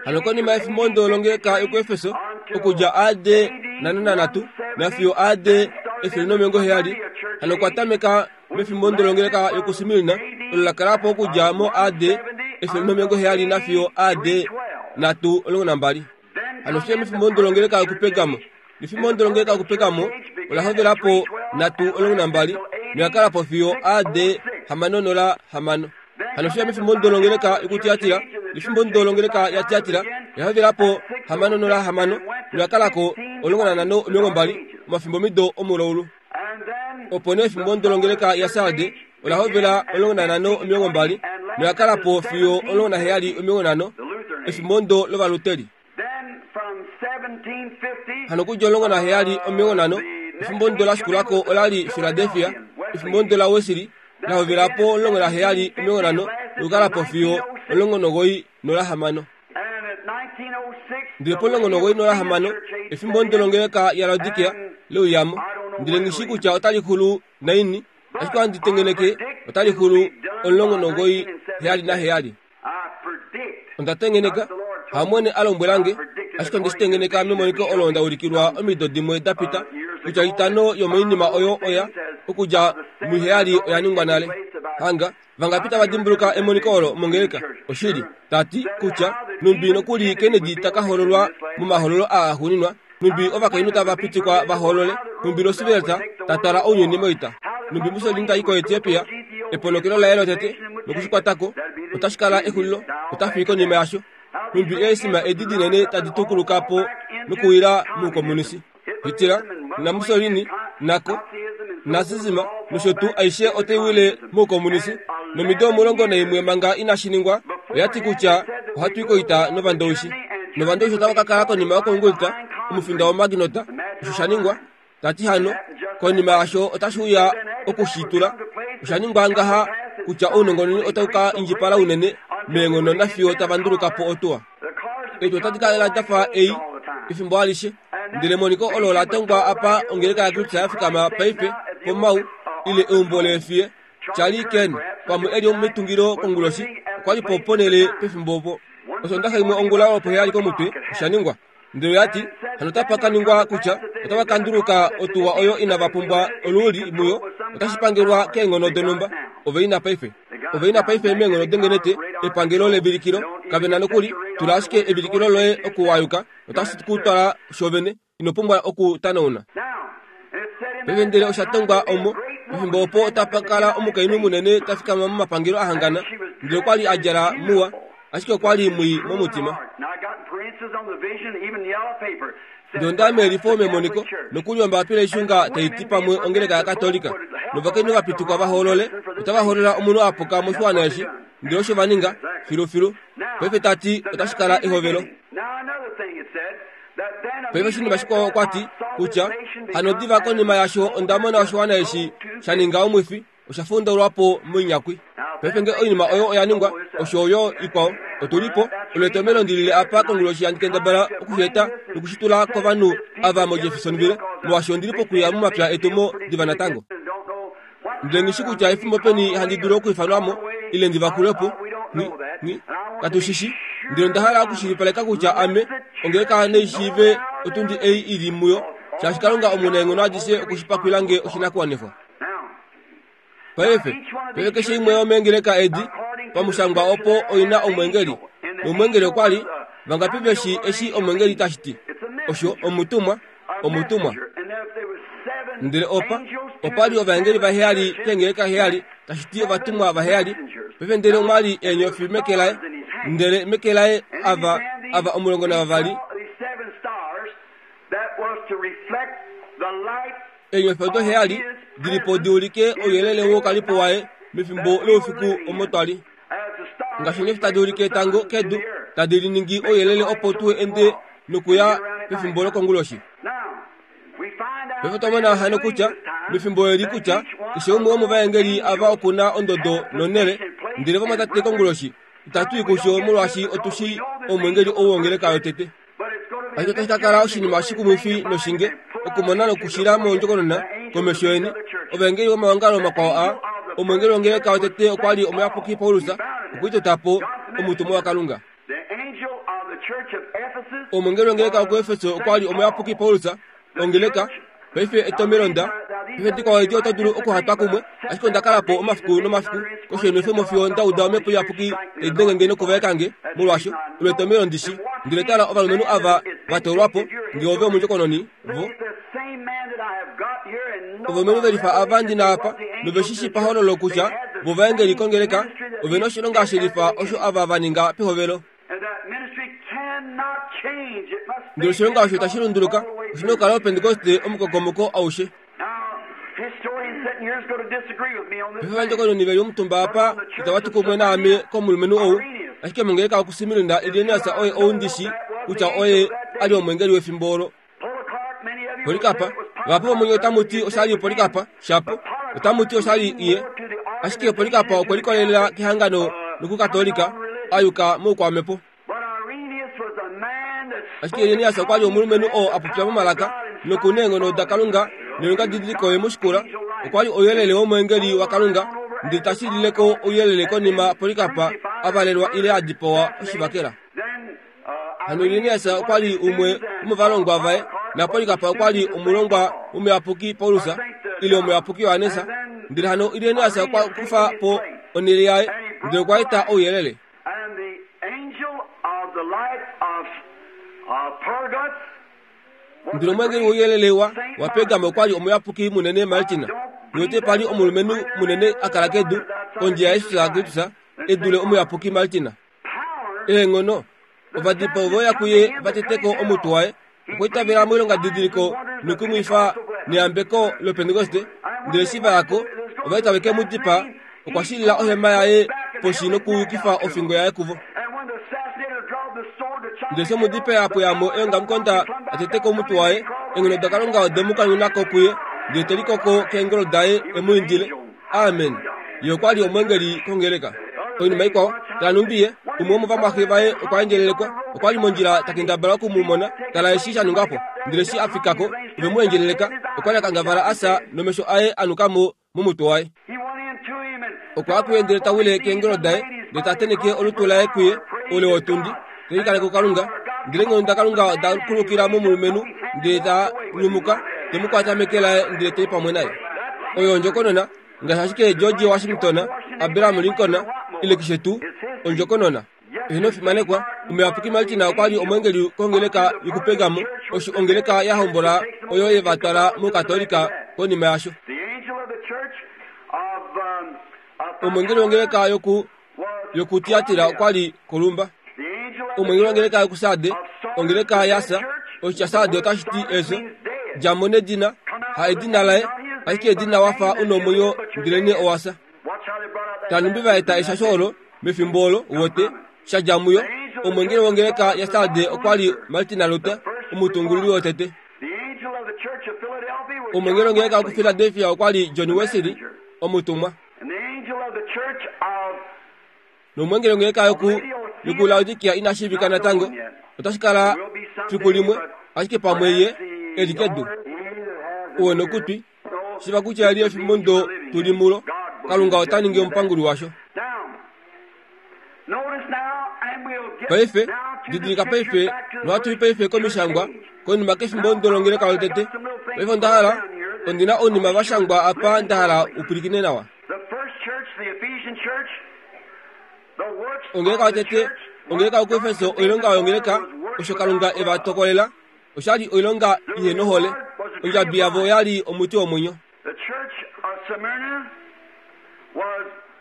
Hano konima yefimbo ndo longeleka yokuEfeso okudja A D nano nanhatu nafiyo A D efele nomilongo heyali, hano okwa tameka mefimbo ndo longeleka yokuSmirna olo la kala po okudja mo A D efele nomilongo heyali nafiyo A D nhatu omulongo nambali. Hano fiyo mefimbo ndo longeleka yokuPergamo. Nefimbo ndo longeleka yokuPergamo ola hovela po nhatu omulongo nambali noya kala po fiyo A D hamano nola hamano. Hano fiyo mefimbo ndo longeleka yokuTiatira. Nefimbo ndo longeleka yaTiatira oya hovela po hamano nola hamano noya kala ko omulongo nanhano omilongo mbali omafimbo mido omulaulu. Opo nee efimbo ndo longeleka yaSarde ola hovela omulongo nanhano omilongo mbali noya kala po fiyo omulongo naheyali omilongo nhano efimbo ndo lOvaluteri. Hano okudja omulongo naheyali omilongo nhano efimbo ndo la shikulako olali Philadelphia. Efimbo ndo la Wesley la hovela po omulongo naheyali omilongo nhano nokukala po fiyo omulongo nogoi nola hamano. Ndele pomulongo nogoi nola hamano efimbo ndo longeleka yaLaodikia leuyamo. Ndele ngishi kutya otali xulu naini, ashike ohandi tengeneke otali xulu omulongo nogoi heyali naheyali. Onda tengeneka, hamwene a lombwelange, ashike onde shi tengeneka memoniko olo nda ulikilwa omido dimwe da pita kutya itano yomoinima oyo oya okudja muheyali oya ningwa nale. Hanga vangapi tava dimbuluka emoniko olo mongeleka? Oshili tati kutya numbi nokuli Kennedy taka hololwa momahololo aa axuuninwa, numbi ovakainhu tava pitikwa va holole, numbi Roosevelt ta twala ounyuni moita, numbi Mussolini tai koEthiopia, eponokelo laye lotete nokushikwatako otashi kala exulilo, ota fi konima yasho, numbi eesima edi dinene tadi tukuluka po nokuwila muukomunisi. Hitler na Mussolini nako nazism nosho tuu aishe otai wile muukomunisi. Nomido omulongo naimwe manga inashi ningwa oya ti kutya ohatu i koita novandowishi. Novandowishi otava ka kala konima yokongulita omufinda womaginota. Osho sha ningwa, tati hano konima yasho otashi uya okushitula. Osha ningwa ngaha kutya ounongononi otau ka indjipala unene meenghono nafiyo tava nduluka po otuwa. Etu otadi kala dafa ei efimbo alishe. Ndele emoniko olo la tongwa apa ongeleka yaKristu ya fikama paife pomau ile eumbo leefiye. Charlie Ken pamwe eli omitungilo konguloshi okwa li po ponele pefimbo opo. Osondaxa imwe ongula opo heyali komutwe osha ningwa. Ndele oya ti hano otapa ka ningwa kutya otava ka nduluka otuwa oyo inava pumbwa oluuli muyo, otashi pangelwa keenghono donhumba. Ove ina paife. Ove ina paife meenghono dengenete epangelo levilikilo. Kave na nokuli tula ashike evilikilo loye okuwayuka otashi ku twala shovene, ino pumbwa okutanauna. Paife ndele osha tongwa omo pefimbo opo otapa kala omukainhu munene ta fikama momapangelo a hangana, ndele okwa li a djala muwa, ashike okwa li mwii momutima. Ndele onda meelifo memoniko nokuli ombapila ishunga tai ti pamwe ongeleka yaKatolika novakainhu va pitikwa va hoolole, otava hoolola omunhu a puka moshiwana eshi, ndele osho va ninga filufilu. Paife ta ti otashi kala ehovelo. Paife oshinima shikwao okwa ti kutya hano diva konima yasho onda mona oshiwana eshi sha ninga omwifi, osha fundaulwa po moinyakwi. Paife nge oinima oyo oya ningwa, osho yo ikwao otu li po. Olo etomhelo ndi lile apa konguloshi handi kendabala okuxeta nokushitula kovanhu ava moJeffersonville, molwaashi ondi li pokuya momapya etumo diva natango. Ndele ngishi kutya efimbo peni handi dulu okwiifanwa mo ile ndi vakulwe po, ngi, ngi, katu shishi. Ndele onda hala okushilipaleka kutya ame ongeleka neishiive otundi ei ili muyo, shaashi Kalunga omunaenghono adishe okushipakwila nge oshinakuwanifwa. Paife, paife keshe imwe yomeengeleka edi Pamushangwa opo oina omwengeli. Nomwengeli okwa li vangapi veshi eshi omwengeli tashi ti. Osho omutumwa, omutumwa. Ndele opa, opa li ovaengeli vaheyali kengeleka heyali, tashi ti ovatumwa vaheyali. Paife ndele omwa li eenyofi meke laye, ndele meke laye ava, ava omulongo navavali. Eenyofi odo heyali dilipo di ulike ouyelele wokalipo waye mefimbo loufiku omo twali. Ngaashi eenyofi tadi ulike etango kedu, tadi liningi ouyelele opo tu ende nokuya pefimbo lokonguloshi. Paife twamona hano kutya mefimbo eli kutya keshe umwe womovaengeli ava okuna ondodo nonele, ndele vamwatate konguloshi itatu i kusho molwaashi otushi omwengeli ou wongeleka yotete. Ashike otashi ka kala oshinima shikumwifi noshinge okumona nokushila mondjokonona komesho yeni ovaengeli vomaongalo makwao a omwengeli wongeleka yotete okwa li omuyapuki Paulus okwiitota po omutumwa waKalunga. Omwengeli wongeleka yokuEfeso okwa li omuyapuki Paulus ongeleka. Paife etomelonda paife dikwao edi oto dulu okuhatwa kumwe, ashike onda kala po omafiku nomafiku koshenwefemo fiyo nda uda omhepo iyapuki tai denge nokuvaeka nge molwaasho olo etomelo ndishi. Ndele tala ovalumenhu ava va toolwa po nge ove omundjokononi vo ovalumenhu velifa ava ndina apa noveshishi pahololo kutya vo vaengeli kongeleka ove noshilonga shelifa osho ava va ninga pehovelo. Ndele oshilonga osho itashi lunduluka, oshina okukala opentekoste omukokomoko aushe. Paife ovandjokononi veli omutumba apa itava tu kumwe naame komulumenhu ou, ashike mongeleka yokuSmirna Irenaeus oye ou ndishi kutya oye a li omwengeli wefimbo olo. Polikapa, vahapu vomunye otamu ti oshali Polikapa, shapo otamu ti oshali iye, ashike Polikapa okwe likolelela kehangano nokukatolika a yuka moukwamhepo. Ashike Irenaeus okwa li omulumenhu oo a popya momalaka nokuna eenghono daKalunga noilonga didiliko ye mu shikula. Okwa li ouyelele womwengeli waKalunga, ndele tashi lileko ouyelele konima Polikapa a valelwa ile a dipawa oshivakela. Hano Irenaeus okwa li umwe womovalongwa vaye, na Polikapa okwa li omulongwa womuyapuki Paulus ile omuyapuki Johannes. Ndele hano Irenaeus okwa kufa po onhele yaye, ndele okwa eta ouyelele. Ndele omwengeli wouyelele wa waPergamo okwa li omuyapuki munene Martina. Note pali omulumenhu munene a kala kedu kondje yaJesus Kristus e dule omuyapuki Martina. Eenghono ovadipao voya kuye vateteko omutwe waye, okwiitavela moilonga didiliko nokumwifa neyambeko lopentekoste. Ndele eshi va yako ova itave ke mu dipaa, okwa shilila ohema yaye poshi nokuyukifa ofingo yaye kuvo. Ndele eshi omudipaa a pweya mo eongamukonda a teteko omutwe waye, eenghono daKalunga ode mu kanyuna ko kuye, ndele te likoko keengolo daye e mu indile. Amen. Ye okwa li omwengeli kongeleka. Oinima ikwao, tala numbi ye, umwe womovamwaxe vaye okwa endjelelekwa, okwa li mondjila ta kendabala oku mu mona, tala eshi sha nunga po. Ndele eshi a fika ko, ove mu endjeleleka, okwa li a kangavala a fya nomesho aye a nuka mo momutwe waye. Okwa ya kuye ndele ta wile keengolo daye, ndele ta tenheke olutu laye kuye oule wotundi, te likaleke kuKalunga. Ndele eenghono daKalunga oda kulukila momulumenhu, ndele ta nyumuka, te mu kwata meke laye ndele ta i pamwe naye. Oyo ondjokonona, ngaashi ashike George Washington, Abraham Lincoln, ile keshe tuu, ondjokonona. Eheno fimanekwa, omuyapuki Martina okwa li omwengeli kongeleka yokuPergamo, osho ongeleka ya hombola oyo ye va twala mukatolika konima yasho. Omwengeli wongeleka yoku yokutiatira okwa li Kolumba. Omwengeli wongeleka yokuSarde, ongeleka yaSa, oshitya Sarde otashi ti efyo, djamo nedina, ha edina laye, ashike edina wafa una omwenyo ndelenee owafya. Tanumbi va eta eshasho olo mefimbo olo wote sha dja muyo. Omwengeli wongeleka yaSarde okwa li Martin Luther, omutungululi wotete. Omwengeli wongeleka yokuPhiladelphia okwa li John Wesley, omutumwa. Nomwengeli wongeleka yoku yokuLaodikia ina shiivika natango, otashi kala fiku limwe, ashike pamwe ye e li kedu. Uwe nokutwi, shiva kutya eli efimbo ndo tuli mulo, Kalunga ota ningi omupanguli washo. Paife, didilika paife, nohatu i paife komishangwa, konima kefimbo ndo longeleka lotete. Paife onda hala, ondina oinima va shangwa apa nda hala u pwilikine nawa. Ongeleka yotete, ongeleka yokuEfeso oilonga yongeleka osho Kalunga e va tokolela oshali oilonga ihe nohole. Ondjabi yavo oyali omuti womwenyo.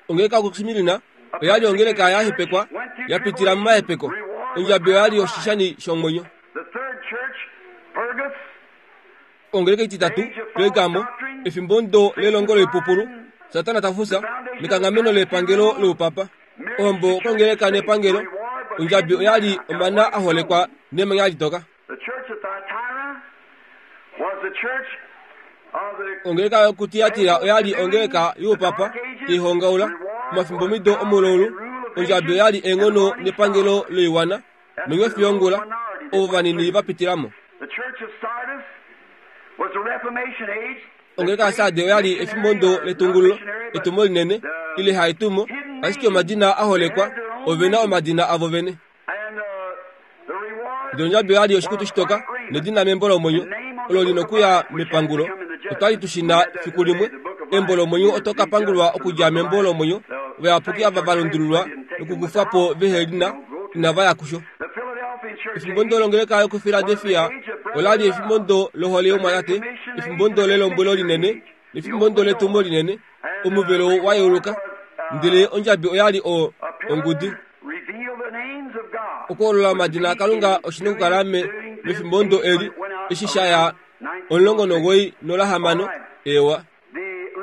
Ongeleka yokuSmirna oyali ongeleka ya hepekwa ya pitila momahepeko. Ondjabi oyali oshishani shomwenyo. Ongeleka ititatu, Pergamo, efimbo ndo lelongo loipupulu, Satana tafusa nekanghameno lepangelo loupapa. Ohombo kongeleka nepangelo, ondjabi oyali omana aholekwa nemanya litoka. Ongeleka yokuTiatira oyali ongeleka youpapa teihongaula omafimbo mido omulaulu. Ondjabi oyali eenghono nepangelo loiwana nonyofi yongula ovo vanini vapitilamo. Ongeleka yaSarde oyali efimbo ndo letungululo, etumo linene ile haetumo, ashike omadina aholekwa ovena omadina avo vene. Ndele ondjabi oyali oshikutu shitoka nedina membo lomwenyo olo lina okuya mepangulo. Otwali tushina fiku limwe embo lomwenyo oto kapangulwa okudja membo lomwenyo. Ovayapuki ava valundululwa nokukufwa po vehe lina inava ya kusho. Efimbo ndo longeleka yokuFiladelfia olali efimbo ndo lohole yomwatate, efimbo ndo lelombwelo linene, nefimbo ndo letumo linene. Omuvelo wayeuluka, ndele ondjabi oyali o ongudi. Okuholola omadina aKalunga oshina okukala mefimbo ndo eli eshi shaya omulongo nogoi nolahamano ewa.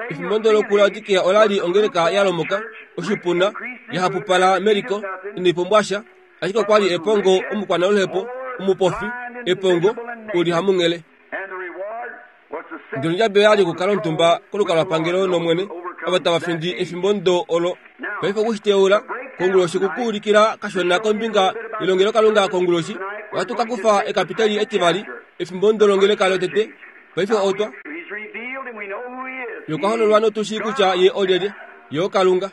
Efimbo ndo lokuLaodikea olali ongeleka yalomoka oshipuna yahapupala meliko inaipumbwasha, ashike okwali epongo omukwanaluhepo omupofi epongo uli hamunghele. Ndele ondjabi oyali okukala omutumba kolukalwapangelo nomwene ava tava findi efimbo ndo olo. Paife okushiteula konguloshi kukuulikila kashona kombinga yelongelokalunga konguloshi. Ohatu ka kufa ekapiteli etivali efimbo ndo longeleka lotete. Paife otwa yokahololwa notushi kutya ye olyelye, ye oKalunga.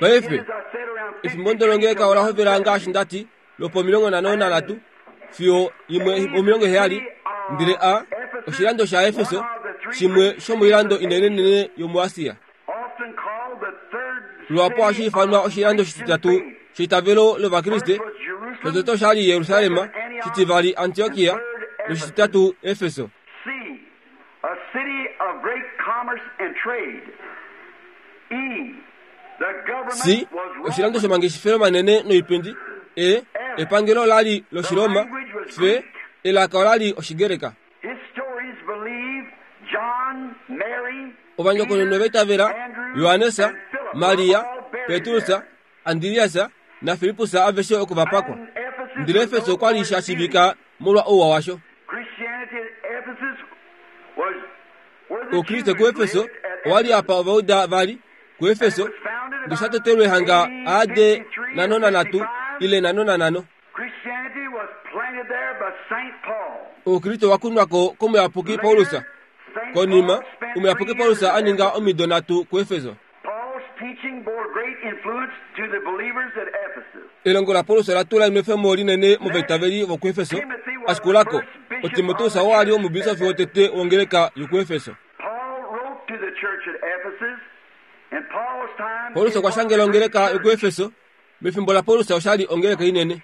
Paife efimbo ndo longeleka ola hovela ngaashi ndati lopo omilongo nhano nanhatu fiyo imwe omilongo heyali. Ndele a oshilando shaEfeso shimwe shomoilando inenenene yomuAsia. Luhapu ohashi ifanwa oshilando shititatu sheitavelo lOvakriste. Shotete oshali Jerusalem, shitivali Antiokia, noshititatu Efeso. C oshilando shomangeshefelo manene noipindi. E epangelo olali lOshiroma. F elaka olali Oshigreka. Ovandjokonona vaitavela Johannes, Maria, Petrus, Andreas naFilippus aveshe oko vapakwa. Ndele Efeso okwali sha shiivika molwa ouwa washo. Oukriste kuEfeso owali apa Ovauda vali kuEfeso ndosha hanga A D nhano nanhatu ile nhano nanhano. Oukriste wakunwako komuyapuki Paulus. Konima omuyapuki Paulus aninga omido nhatu kuEfeso. Elongo laPaulus ola tula enwefemo linene movaitaveli vokuEfeso. Ashikulako, oTimoteus oo ali omubisofi wotete wongeleka yokuEfeso. Paulus okwa shangela ongeleka yokuEfeso. Mefimbo laPaulus oshali ongeleka inene.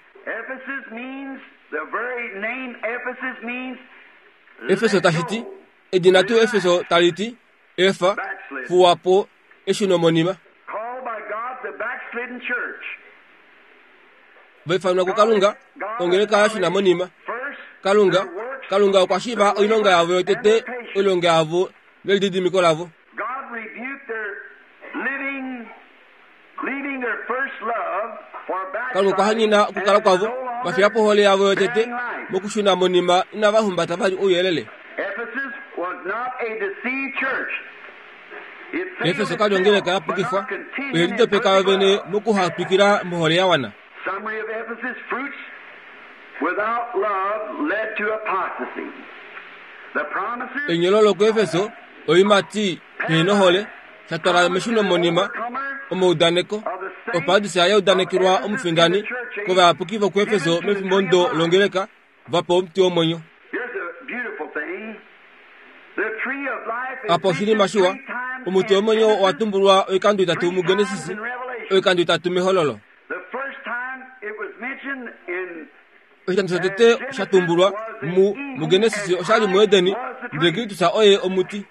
Efeso tashiti edina tuu Efeso taliti efa fuwapo eshunomonima. Vaifanwa kuKalunga ongeleka yashunamonima. Kalunga Kalunga okwa shiiva oilonga yavo yotete, oilonga yavo nelididimiko lavo. Kalunga okwa hanyena okukala kwavo vafiya po ohole yavo yotete mokushuna monima inava humbata vali ouyelele. Efeso kali ongeleka yapukifwa, oye lidopeka yo vene mokuhatwikila mohole ya wana. Enyolo lokuEfeso oiimati pehenohole shatwala meshuno monima omaudaneko oparadisa yaudanekelwa omufindani kovayapuki vokuEfeso mefimbo ndo longeleka vapewa omuti womwenyo. Apa oshinima shiwa, Omuti womwenyo owa tumbulwa oikando itatu muGenesis, oikando itatu mEhololo. Oshikando shotete sha tumbulwa mu muGenesis oshali muEdeni, ndele Kristus oye omuti.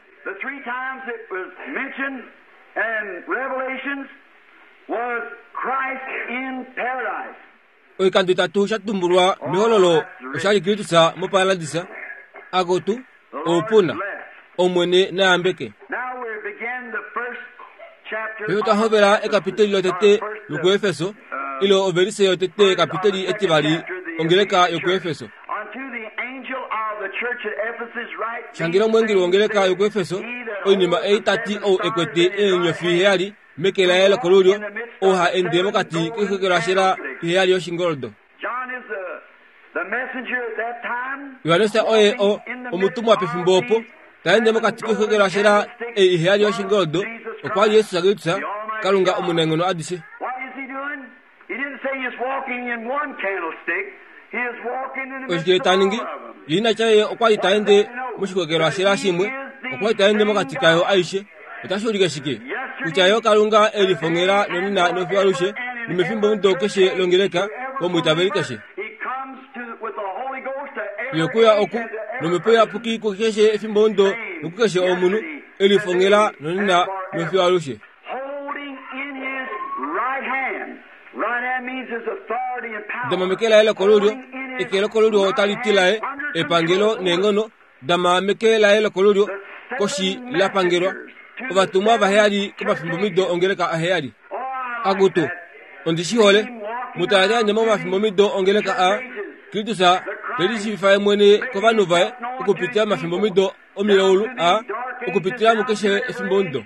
Oikando itatu sha tumbulwa mEhololo oshali Kristus moparadisa. Agotu oupuna Omwene nayambeke. Paife twahovela ekapiteli lotete lokuEfeso, ile overise yotete ekapiteli etivali ongeleka yokuEfeso. Shangela omweengeli wongeleka yokuEfeso oinima ei tati ou ekwete eenyofi heyali meke laye lokolulyo, ou ha ende mokati koikokelwashela iheyali yoshingoldo. Johannes oye o omutumwa pefimbo opo ta ende mokati koikokelwashela ei iheyali yoshingoldo, okwa li Jesus Kristus, Kalunga omunaenghono adishe. Oshike ta ningi? Ye ina tya ye okwa li ta ende moshikokelwashela shimwe, okwa li ta ende mokati kayo aishe. Otashi ulike shike? Kutya ye Kalunga e lifongela nonena nofiyo nomefimbo mudo keshe longeleka womwiitaveli keshe. Ye okuya oku nomhepo iyapuki kukeshe efimbo mudo nokukeshe omunhu e lifongela nonena nofiyo alushe. Dama meke laye lokolulyo, eke lokolulyo otali ti laye epangelo neenghono. Dama meke laye lokolulyo koshi la pangelwa. Ovatumwa vaheyali komafimbomido ongeleka aheyali. Akutu, ondi shi hole. Mutala ende momafimbomido ongeleka a Kristus te lishiivifa ye mwene kovanhu vaye okupitila momafimbomido omilaulu a okupitila mukeshe efimbomudo.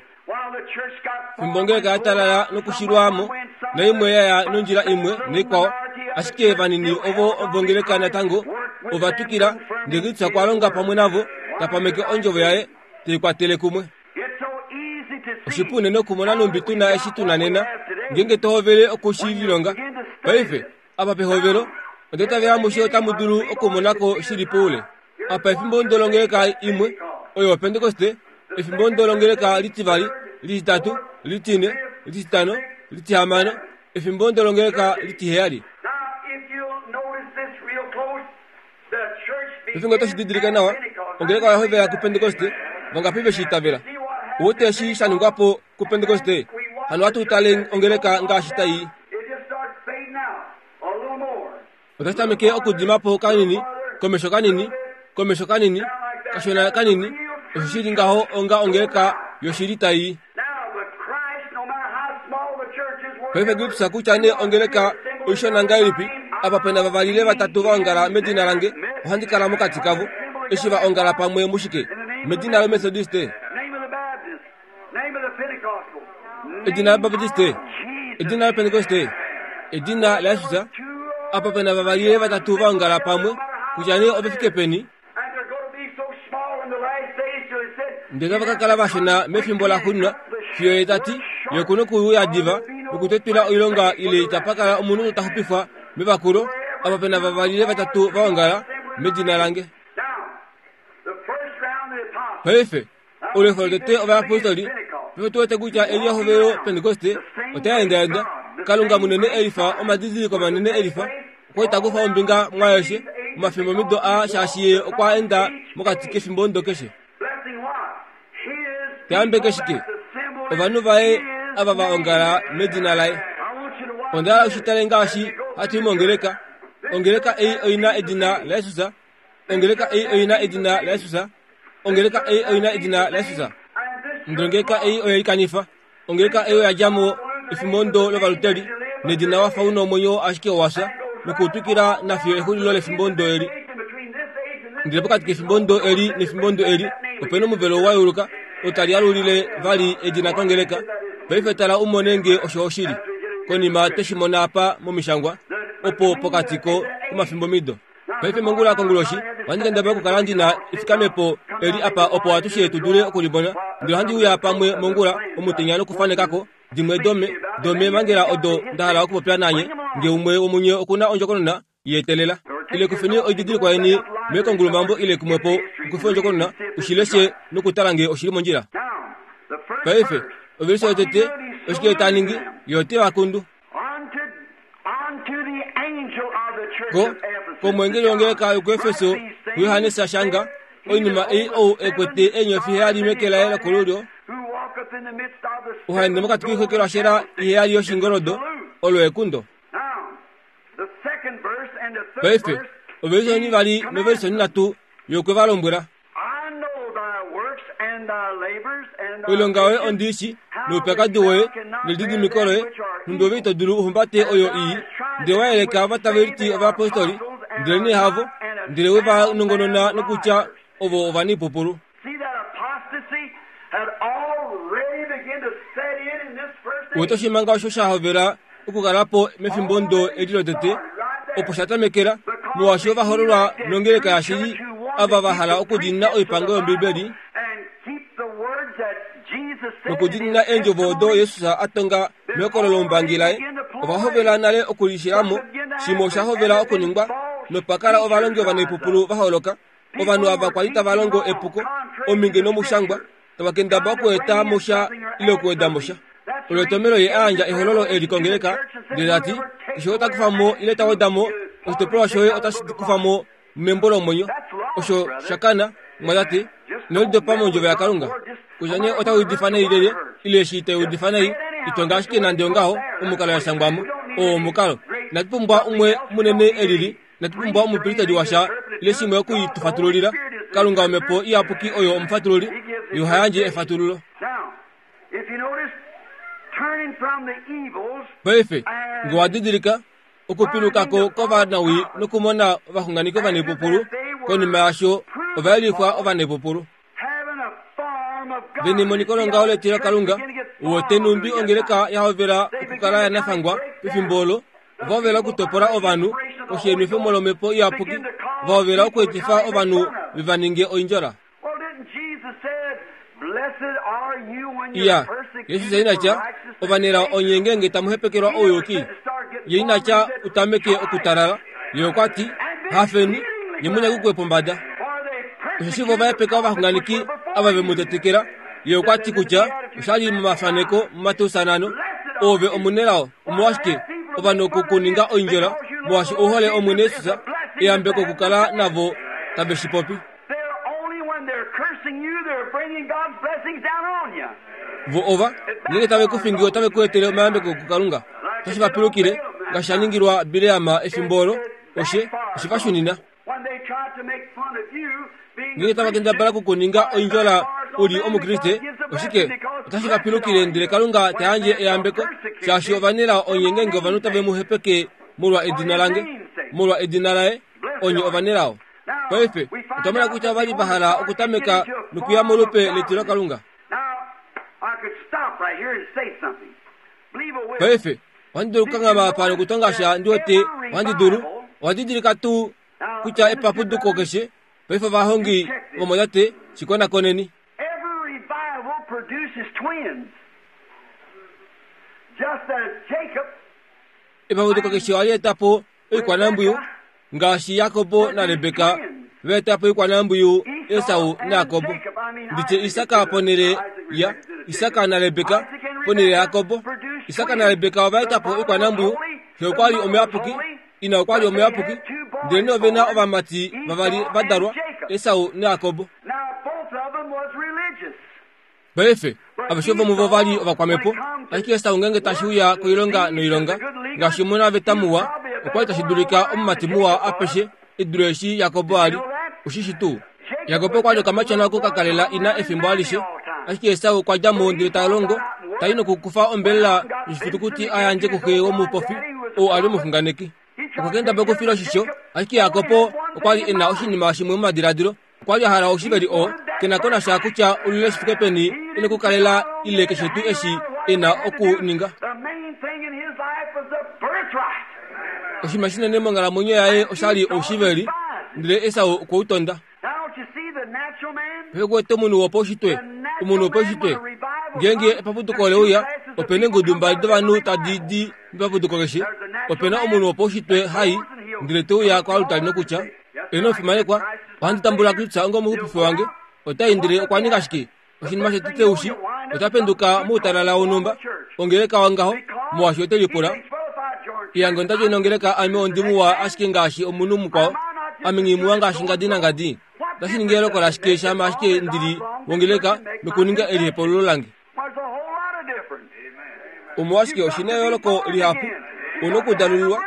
Fimbo ongeleka ya talala nokushilwamo, naimwe yaya nondjila imwe naikwao, ashike vanini ovo vongeleka natango ovatukila, ndele Kristus okwa longa pamwe navo, tapameke ondjovo yaye, teikwatele kumwe. Oshipu unene okumona numbi tuna eshi tuna nena, ngeenge tohovele okushililonga. Paife, apa pehovelo, ondetavela amushe otamu dulu okumonako shili poule. Apa efimbo ndolongeleka imwe, oyo Pentekoste, efimbo ndolongeleka litivali, lititatu, litine, lititano, litihamano, efimbo ndolongeleka litiheyali. Pefimbo toshi didilika nawa, ongeleka oya hovela kuPentekoste, vangapi veshi itavela? Ouwete eshi sha ningwa po kuPentekoste? Hano ohatu tale ongeleka ngaashi tai. Otashi tameke okudima po kanini, komesho kanini, komesho kanini, kashona kanini, osho shili ngaho onga ongeleka yoshili tai. Paife Kristus kutya nee ongeleka oishona ngahelipi, apa pena vavali ile vatatu va ongala medina lange, ohandi kala mokati kavo. Eshi va ongala pamwe mushike? Medina lOmethodiste, edina lObaptiste, edina lOpentekoste, edina laJesus. Apa pena vavali ile vatatu va ongala pamwe, kutya nee ove fike peni, ndele otava ka kala vashona mefimbo laxuuninwa, fiyo ye ta ti, ye oku na okuuya diva nokutetwila oilonga ile itapa kala omunhu ta xupifwa mevakulo. Apa pena vavali ile vatatu va ongala medina lange. Paife, olefo lotete ovayapostoli, paife tu wete kutya eli ehovelo Pentekoste otai endaenda. Kalunga munene elifa, omadidiliko manene elifa, okwa ita kufa ombinga mwaeshe omafimbomido a shaashi ye okwa enda mokati kefimbo ndo keshe. Tayambeke shike? Ovanhu vaye ava va ongala medina laye. Onda hala ushitale ngaashi hatu i mongeleka. Ongeleka ei oina edina laJesus. Ongeleka ei oina edina laJesus. Ongeleka ei oina edina laJesus. Ndele ongeleka ei oye likanifa. Ongeleka ei oya dja mo efimbo ndo lovaluteli, nedina wafa una omwenyo ashike owafya, nokuutwikila nafiyo exulilo lefimbo ndo eli. Ndele pokati kefimbo ndo eli nefimbo ndo eli, opena omuvelo wa yeuluka, otali alulile vali edina kongeleka. Paife tala umone nge osho oshili. Konima tweshi mona apa momishangwa, opo pokati ko komafimbomido. Paife mongula konguloshi, ohandi kendabala okukala ndi na efikamepo eli apa opo atushe tu dule okulimona. Ndele ohandi uya pamwe mongula omutenya nokufanekako dimwe dome domeemhangela odo nda hala okupopya nanye, nge umwe womunye okuna ondjokonona yeetelela. Ile kufeni oididilikwa yeni mekongulumambo ile kumwepo okufe ondjokonona ushileshe nokutala nge oshili mondjila. Paife ovelishe yotete oshike ta ningi ye ote va kundu ko komwengeli wongeleka yokuefeso kuyohanesi ashanga oinima ei ou ekwete eenyofi heyali meke laye lokolulyo uhaende mokati koixokelwashela iheyali yoshingoldo olo ekundo. Paife ovelishe onivali novelishe onhinhatu yokwe va lombwela oilonga yoye ondiishi noupyakadi woye nelididimiko loye nhumbi ove ito dulu uhumbate oyo ii ndele wa yeleka ovataveliti ovayapostoli ndele nee havo ndele we va nongonona nokutya ovo ovanaipupulu. Uwete oshimanga osho sha hovela okukala po mefimbo ndo eli lotete opo sha tamekela molwaashi ova hololwa nongeleka yashili ava va hala okudiinina oipango yOmbibeli nokudiinina eendjovo odo Jesus a tonga mehokololo lombangi laye. Ova hovela nale okulishilamo shimwe osha hovela okuningwa nopa kala ovalongi ovanaipupulu va holoka. Ovanhu ava kwali tava longo epuko ominge nomushangwa tava kendaba okueta mosha ile okuweda mosha. Olo etomelo ye a yandja ehololo eli kongeleka ndele ta ti keshe oo ta kufa mo ile ta weda mo oshitopolwa shoye otashi kufa mo membo lomwenyo. Osho sha kana mwatate ino lidopa mondjovo yaKalunga kutya nee ota udifa nai lyelye ile eshi ita udifa nai itonga ashike nande ongaho omukalo ya shangwamo oo omukalo. Inatu pumbwa umwe munene elili, inatu pumbwa omupristeli washa ile shimwe okuitufatululila. Kalunga omhepo iyapuki oyo omufatululi, ye oha yandje efatululo. Paife nge wa didilika okupilukako kovanawii nokumona ovaxunganeki ovanaipupulu konima yasho ova yelifwa ovanaipupulu. Vene emoniko longaho letilo Kalunga wote numbi ongeleka ya hovela okukala ya nafangwa pefimbo olo ova hovela okutopola ovanhu koshienwefemo lomhepo iyapuki va hovela okuetifa ovanhu veva ninge oindjola. Iya Jesus ina tya ovanelao onye ngeenge tamu hepekelwa ouyuki ye ina tya utameke okutalala ye okwa ti hafeni nye munyakukwe pombada. Osheshi vo va hepeka ovaxunganeki ava ve mu tetekela ye okwa ti kutya oshali momafaneko muMateus nhano ove omunelao omolwashike ovanhu okukuninga oindjola molwaashi ouhole Omwene Jesus eyambeko okukala navo tave shi popi. Vo ova ngeenge tave ku fingi otave ku etele omayambeko kuKalunga. Otashi va pilukile ngaashi sha ningilwa Bileam efimbo olo oshe oshe va shunina. Ngeenge tava kendabala okukuninga oindjola u li Omukriste oshike otashi va pilukile ndele Kalunga ta yandje eyambeko shaashi ovanelao onye ngeenge ovanhu tave mu hepeke molwa edina lange molwa edina laye onye ovanelao. Paife otwa mona kutya ova li va hala okutameka nokuya molupe letilo Kalunga. Paife ohandi dulu okukanghama apa nokutonga sha ndi wete ohandi dulu. Owa didilika tuu kutya epapuduko keshe paife ovahongi vomwatate shikonakoneni. Epapuduko keshe ohali eta po oikwanambwiyu ngaashi Jakobo naRebeka va eta po oikwanambwiyu Esau naJakobo. Nditye Isaka ponhele ya Isaka naRebeka ponhele yaJakobo. Isaka naRebeka ova eta po oikwanambwiyu. Xe okwa li omuyapuki, ina okwa li omuyapuki, ndele nee ove na ovamati vavali va dalwa, Esau naJakobo. Paife aveshe vomuvo ova li ovakwamhepo, ashike Esau ngeenge tashi uya koilonga noilonga ngaashi omunaveta muwa okwa li tashi dulika omumati muwa apeshe e dule eshi Jakobo a li. Oshishi tuu Jakobo okwa li okamatyona oko ka kalela ina efimbo alishe, ashike Esau okwa dja mo ndele ta longo ta i nokukufa ombelela yoshifitukuti a yandje kuxe womupofi ou a li omuxunganeki. Okwa kendabala okufila oshisho, ashike Jakobo okwa li e na oshinima shimwe momadiladilo. Okwa li a hala oshiveli oo ke na ko nasha kutya olule shi fike peni e na okukalela ile keshe tuu eshi e na okuninga. Oshinima shinene monghalamwenyo yaye osha li oushiveli, ndele Esau okwe u tonda. Paife ku wete omunhu wopaushitwe, omunhu wopaushitwe ngeenge epapuduko ole uya ope na eengudu mbali dovanhu tadi di mepapuduko keshe. Ope na omunhu wopaushitwe hai ndele te uya koalutali nokutya eno omufimanekwa ohandi tambula Kristus onga omuxupifi wange. Ota i ndele okwa ninga shike? Oshinima shetete ushi ota penduka moutalala wonhumba ongeleka wangaho molwaashi ote lipula iyange onda djoina ongeleka ame ondimuwa ashike ngaashi omunhu mukwao ame nghimuwa ngaashi ngadi nangadi otashi ningi eloko lashike shama ashike ndili wongeleka nokuninga elihepululo lange. Omolwashike oshina eyooloko lihapu una okudalululwa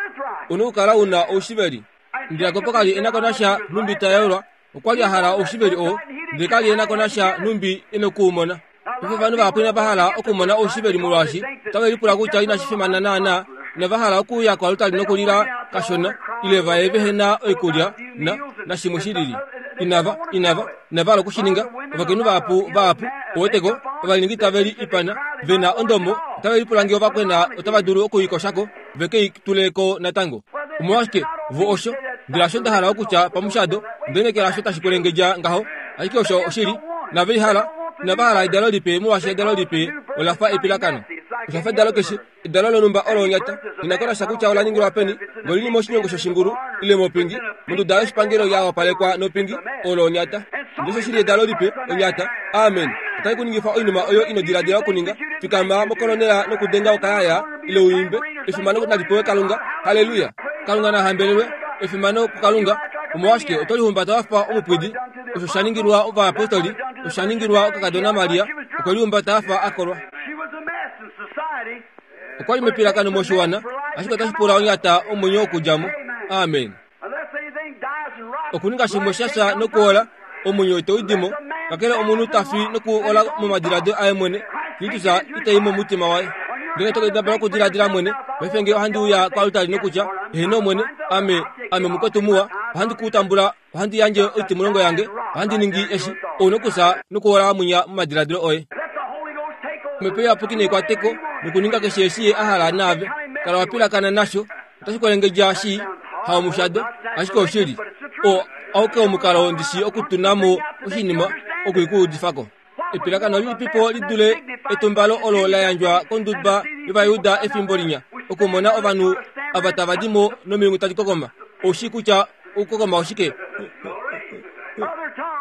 una okukala una oushiveli. Ndele Jakob kali e na ko nasha nhumbi ta yolwa okwa li a hala oushiveli oo ndele kali e na ko nasha nhumbi e nokuumona. Paife ovanhu vahapu inava hala okumona oushiveli molwaashi otave lipula kutya inashi fimana naanaa inava hala okuuya koaltari nokulila kashona ile vaye vehe na oikulya na nashimwe shilili. Inava inava inava hala okushininga. Ovakainhu vahapu vahapu oweteko ovalingi tave li ipana vena ondomo otave lipula ngee ovakwena otava dulu okuikoshako veke i tuleko natango. Omolwashike vo osho ndele hasho nda hala okutya pamushado ndenekela hasho tashi kwelengedja ngaho ashike osho oshili nave ihala inava hala edalo lipe molwaashi edalo lipe olafa epilakano. Oshafa edalo keshe edalo lonhumba olo onyata linakonasha kutya ola ningilwa peni ngolili moshinyongo shoshingulu ile mopingi monduda yoshipangelo ya wapalekwa nopingi olo onyata. Ndele osho shili edalo lipe onyata. Amen. Otai kuningifa oinima oyo ino diladila okuninga. Fikama mokolonela nokudenga okayaya ile uimbe efimano nalipewe Kalunga. Haleluya. Kalunga nahambelelwe. Efimano kuKalunga. Omolwashike oto lihumbata wafa omupwidi? Osho sha ningilwa ovayapostoli, osho sha ningilwa okakadona Maria, okwe lihumbata afa a kolwa. Okwa li mepilakano moshiwana, ashike otashi pula onyata omwenyo okudja mo. Amen. Okuninga shimwe sha sha nokuola omwenyo ito u dimo, kakele omunhu ta fi nokuola momadiladilo aye mwene, Kristus itai momutima waye. Ngenge to kendabala okudiladila mwene, paife ngee ohandi uya koaltari nokutya, eheno mwene, ame, ame mukwetu muwa, ohandi ku tambula, ohandi yandje oitimulongo yange, ohandi ningi eshi, ou nokufya nokuola mwinya momadiladilo oye. Omhepo Iyapuki neikwateko nokuninga keshe eshi ye a hala naave. Kala wa pilakana nasho, otashi kwelengedja shi haomushado, ashike oshili. Oo auke omukalo ndishi okutuna mo oshinima okuikuudifako. Epilakano lilipipo li dule etumbalo olo la yandjwa konduba yOvayuda efimbo linya okumona ovanhu ava tava di mo nomilungu tadi kokoma. Oushi kutya okukokoma oshike?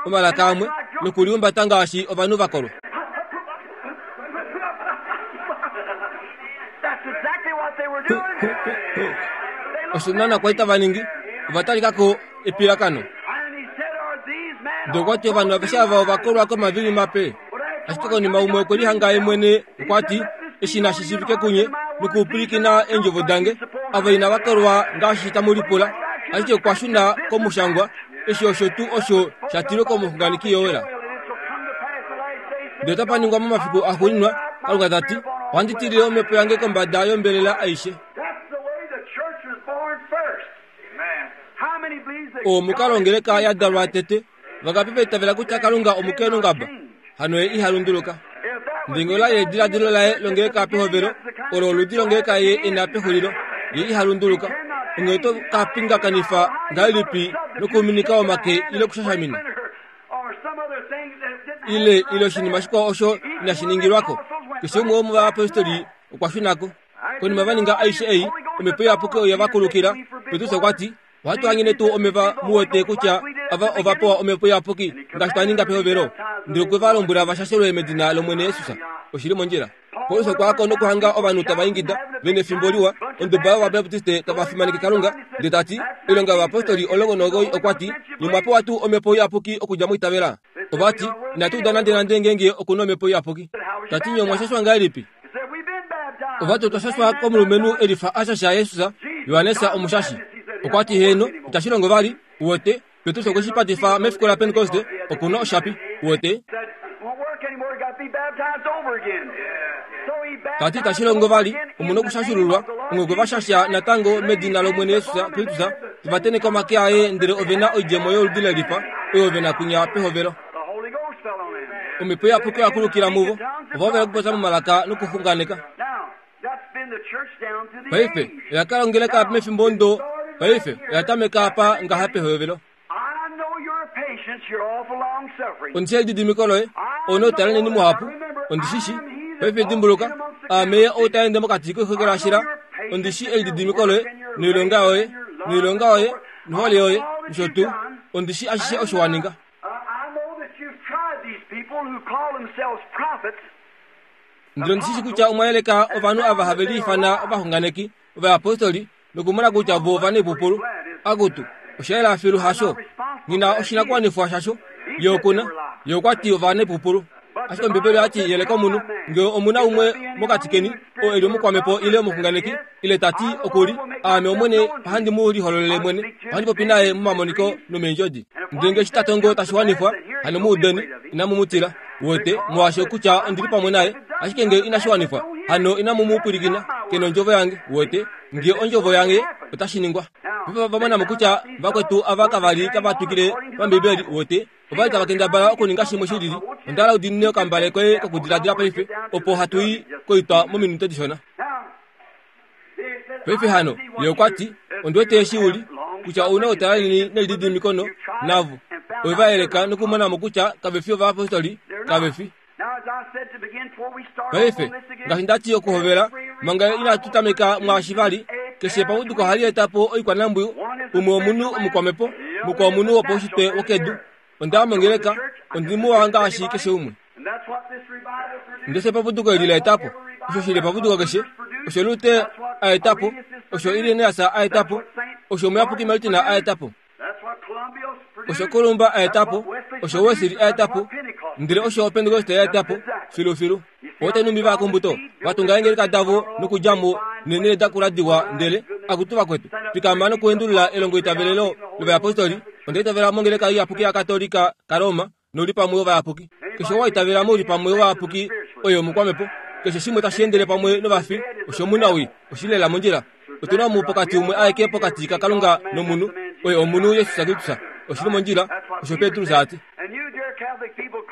Omalaka amwe nokulihumbata ngaashi ovanhu va kolwa. Osho naana kwali tava ningi, ova talikako epilakano. Ndele okwa ti ovanhu aveshe ava ova kolwa komaviinyu mape. Ashike konima umwe okwe lihanga ye mwene okwa ti, eshi nashi shiivike kunye nokupwilikina eendjovo dange, ava inava kolwa ngaashi tamu lipula. Ashike okwa shuna komushangwa, eshi osho tuu osho sha tilwe komuxunganeki Joel. Ndele otapa ningwa momafiku axuuninwa, Kalunga ta ti, ohandi tilile omhepo yange kombada yombelela aishe. Oo omukalo ongeleka ya dalwa tete. Vangapi va itavela kutya Kalunga omukeenongaba? Hano ye iha lunduluka. Ndele ngee ola li ediladilo laye longeleka pehovelo, olo oludi longeleka ye e na pexulilo. Ye iha lunduluka. Onghee oto ka pingakanifa ngahelipi nokuminika omake ile okushashamina ile ile oshinima shikwao osho inashi ningilwako? Keshe umwe womovayapostoli okwa shuna ko. Konima va ninga aishe ei, omhepo iyapuki oye va kulukila. Petrus okwa ti, ohatu hanyene tuu omeva mu wete kutya ava ova pewa omhepo iyapuki ngaashi twa ninga pehovelo? Ndele okwe va lombwela va shashelwe medina lOmwene Jesus. Oshi li mondjila. Paulus okwa ya ko nokuhanga ovanhu tava ingida ve nefimbo liwa, onduba yOvabaptiste tava fimaneke Kalunga, ndele ta ti, oilonga yovapostoli omulongo nomuwoi okwa ti, nye omwa pewa tuu omhepo iyapuki okudja mwiitavela? Ova ti, inatu uda nandenande ngeenge oku na omhepo iyapuki. Ta ti, nye omwa shashwa ngahelipi? Ova ti otwa shashwa komulumenhu e lifa a shasha Jesus, Johannes omushashi. Okwa ti heeno, itashi longo vali, uwete, Petrus okwe shi patifa mefiku laPentekoste, oku na oshapi, uwete. Ta ti itashi longo vali, omu na okushashululwa, onghee okwe va shasha natango medina lOmwene Jesus Kristus, te va tenheke omake aye ndele ove na oidjemo yoludi le lifa oyo ve na kunya pehovelo. Omhepo Iyapuki oya kulukila muvo, ova hovela okupopya momalaka nokuxunganeka. Paife oya kala ongeleka mefimbo ndo, paife oya tameka apa ngaha pehovelo. Ondi shii elididimiko loye, ou noutalanheni muhapu, ondi shi shii. Paife dimbuluka, aame ye ou ta ende mokati koixokelashila, ondi shii elididimiko loye, noilonga yoye, noilonga yoye, nohole yoye, nosho tuu. Ondi shii ashishe osho wa ninga. Ndele ndishi kutya omwayeleka ovanhu ava have liifana ovaxunganeki ovayapostoli nokumona kutya vo ovaneipupulu. Akutu osha filu hasho ngina oshinakuwanifwa shasho yokuna yokwati ovaneipupulu. Ashike Ombibeli oyati yeleka omunhu nge omuna umwe mokati keni oo eli omukwamepo ile omuxunganeki ile tati okuli aame omwene ohandi mu lihololele mwene ohandi popi naye momamoniko nomeendjodi. Ndele nge shitatongo tashi wanifwa hano muudeni inamu mu tila wote molwaashi kutya ondili pamwe naye. Ashike nge inashi wanifwa hano inamu mu pwilikina kena ondjovo yange wote nge ondjovo yange otashi ningwa. Vamona kutya vakwetu ava kavali tava twikile pambibeli wote ovali tava kendabala okuninga shimwe shilili. Ondala udinine okambale koye kokudiladila paife opo hatui koitwa mominute dishona. Paife hano ye okwati ondiwete eshi uli kutya ouna otalaleni nelididimikono navo oivaeleka nokumonamo kutya kavefi ovayapostoli kavefi. Paife ngaashi ndati okuhovela manga inatu tameka mwaashi vali keshe pamuduko ohali etapo oikwanambwiyu umwe omunhu omukwamepo mukwao omunhu wopaushitwe wokedu. Onda mongeleka ondimuwa ngaashi keshe umwe. Ndese papuduko eli la etapo osho shili papuduko keshe osho Lute a etapo osho Irenaeus a etapo osho Muyapuki Martin a etapo osho Columba a etapo osho Wesley a etapo ndele osho Pentecost a etapo filu filu. Otenumbi vakumbuto vatunga engeleka davo nokudjamo nenele dakula diwa ndele akutu vakwetu fikama nokuendulula elongo itavelelo lovayapostoli. Onda itavela mongeleka iyapuki ya Katolika kaRoma noli pamwe ovayapuki. Keshe wa itavela moli pamwe ovayapuki oyo omukwamepo. Keshe shimwe tashi endele pamwe novafi osho munawi oshilela mondjila. Otuna mu pokati umwe aeke pokati kaKalunga nomunhu oyo omunhu Yesus Kristus oshili mondjila osho Petrus ati.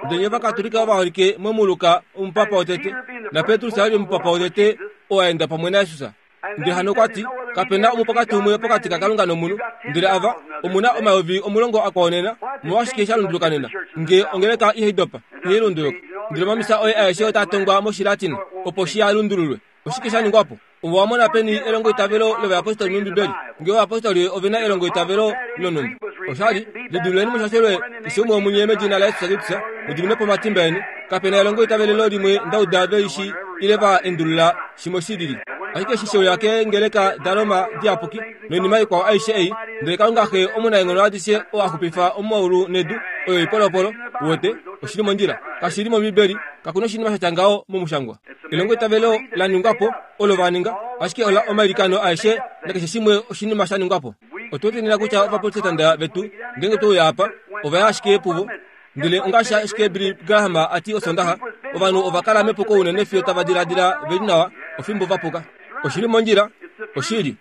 Ndele vakatolika ovaholike momuluka omupapa wotete na Petrus ali omupapa wotete oo aenda pamwe naJesus. Ndele hano okwati kapena omupokati umwe pokati kaKalunga nomunhu ndele ava omuna omayovi omulongo akwaonena molwashike sha lunduluka nena nge ongeleka ihaidopa ihailunduluka. Ndele omamisa oye aeshe otatongwa moshilatina opo shi alundululwe. Oshike sha ningwapo? Ovo wamona peni elongo itavelo lovayapostoli mOmbibeli nge ovayapostoli ovena elongo itavelo lonumba. Oshali lidululeni mushashelwe keshe umwe womunye medina laYesus Kristus mudiminepo omatimba eni. Kapena elongo itavelelo limwe ndauda veishi ile va endulula shimwe shilili. Ashike shisho yake ngeleka daroma diapuki noinima ikwao aishe ei ndele Kalunga xe omunaenghono adishe oo axupifa omaulu nedu oyo ipolopolo wote oshili mondjila kashili mOmbibeli kakuna oshinima shatya ngaho momushangwa. Elongo itavelo la ningwapo olo vaninga ashike ola omailikano aeshe nakeshe shimwe oshinima sha ningwapo. Ototenena kutya ovaprotestanta vetu ngenge touya apa ovaya ashike puvo ndele ongaashi ashike Billy Graham ati osondaxa ovanhu ovakala mepuko unene fiyo tava diladila veli nawa ofimbo vapuka. Oshili mondjila oshili.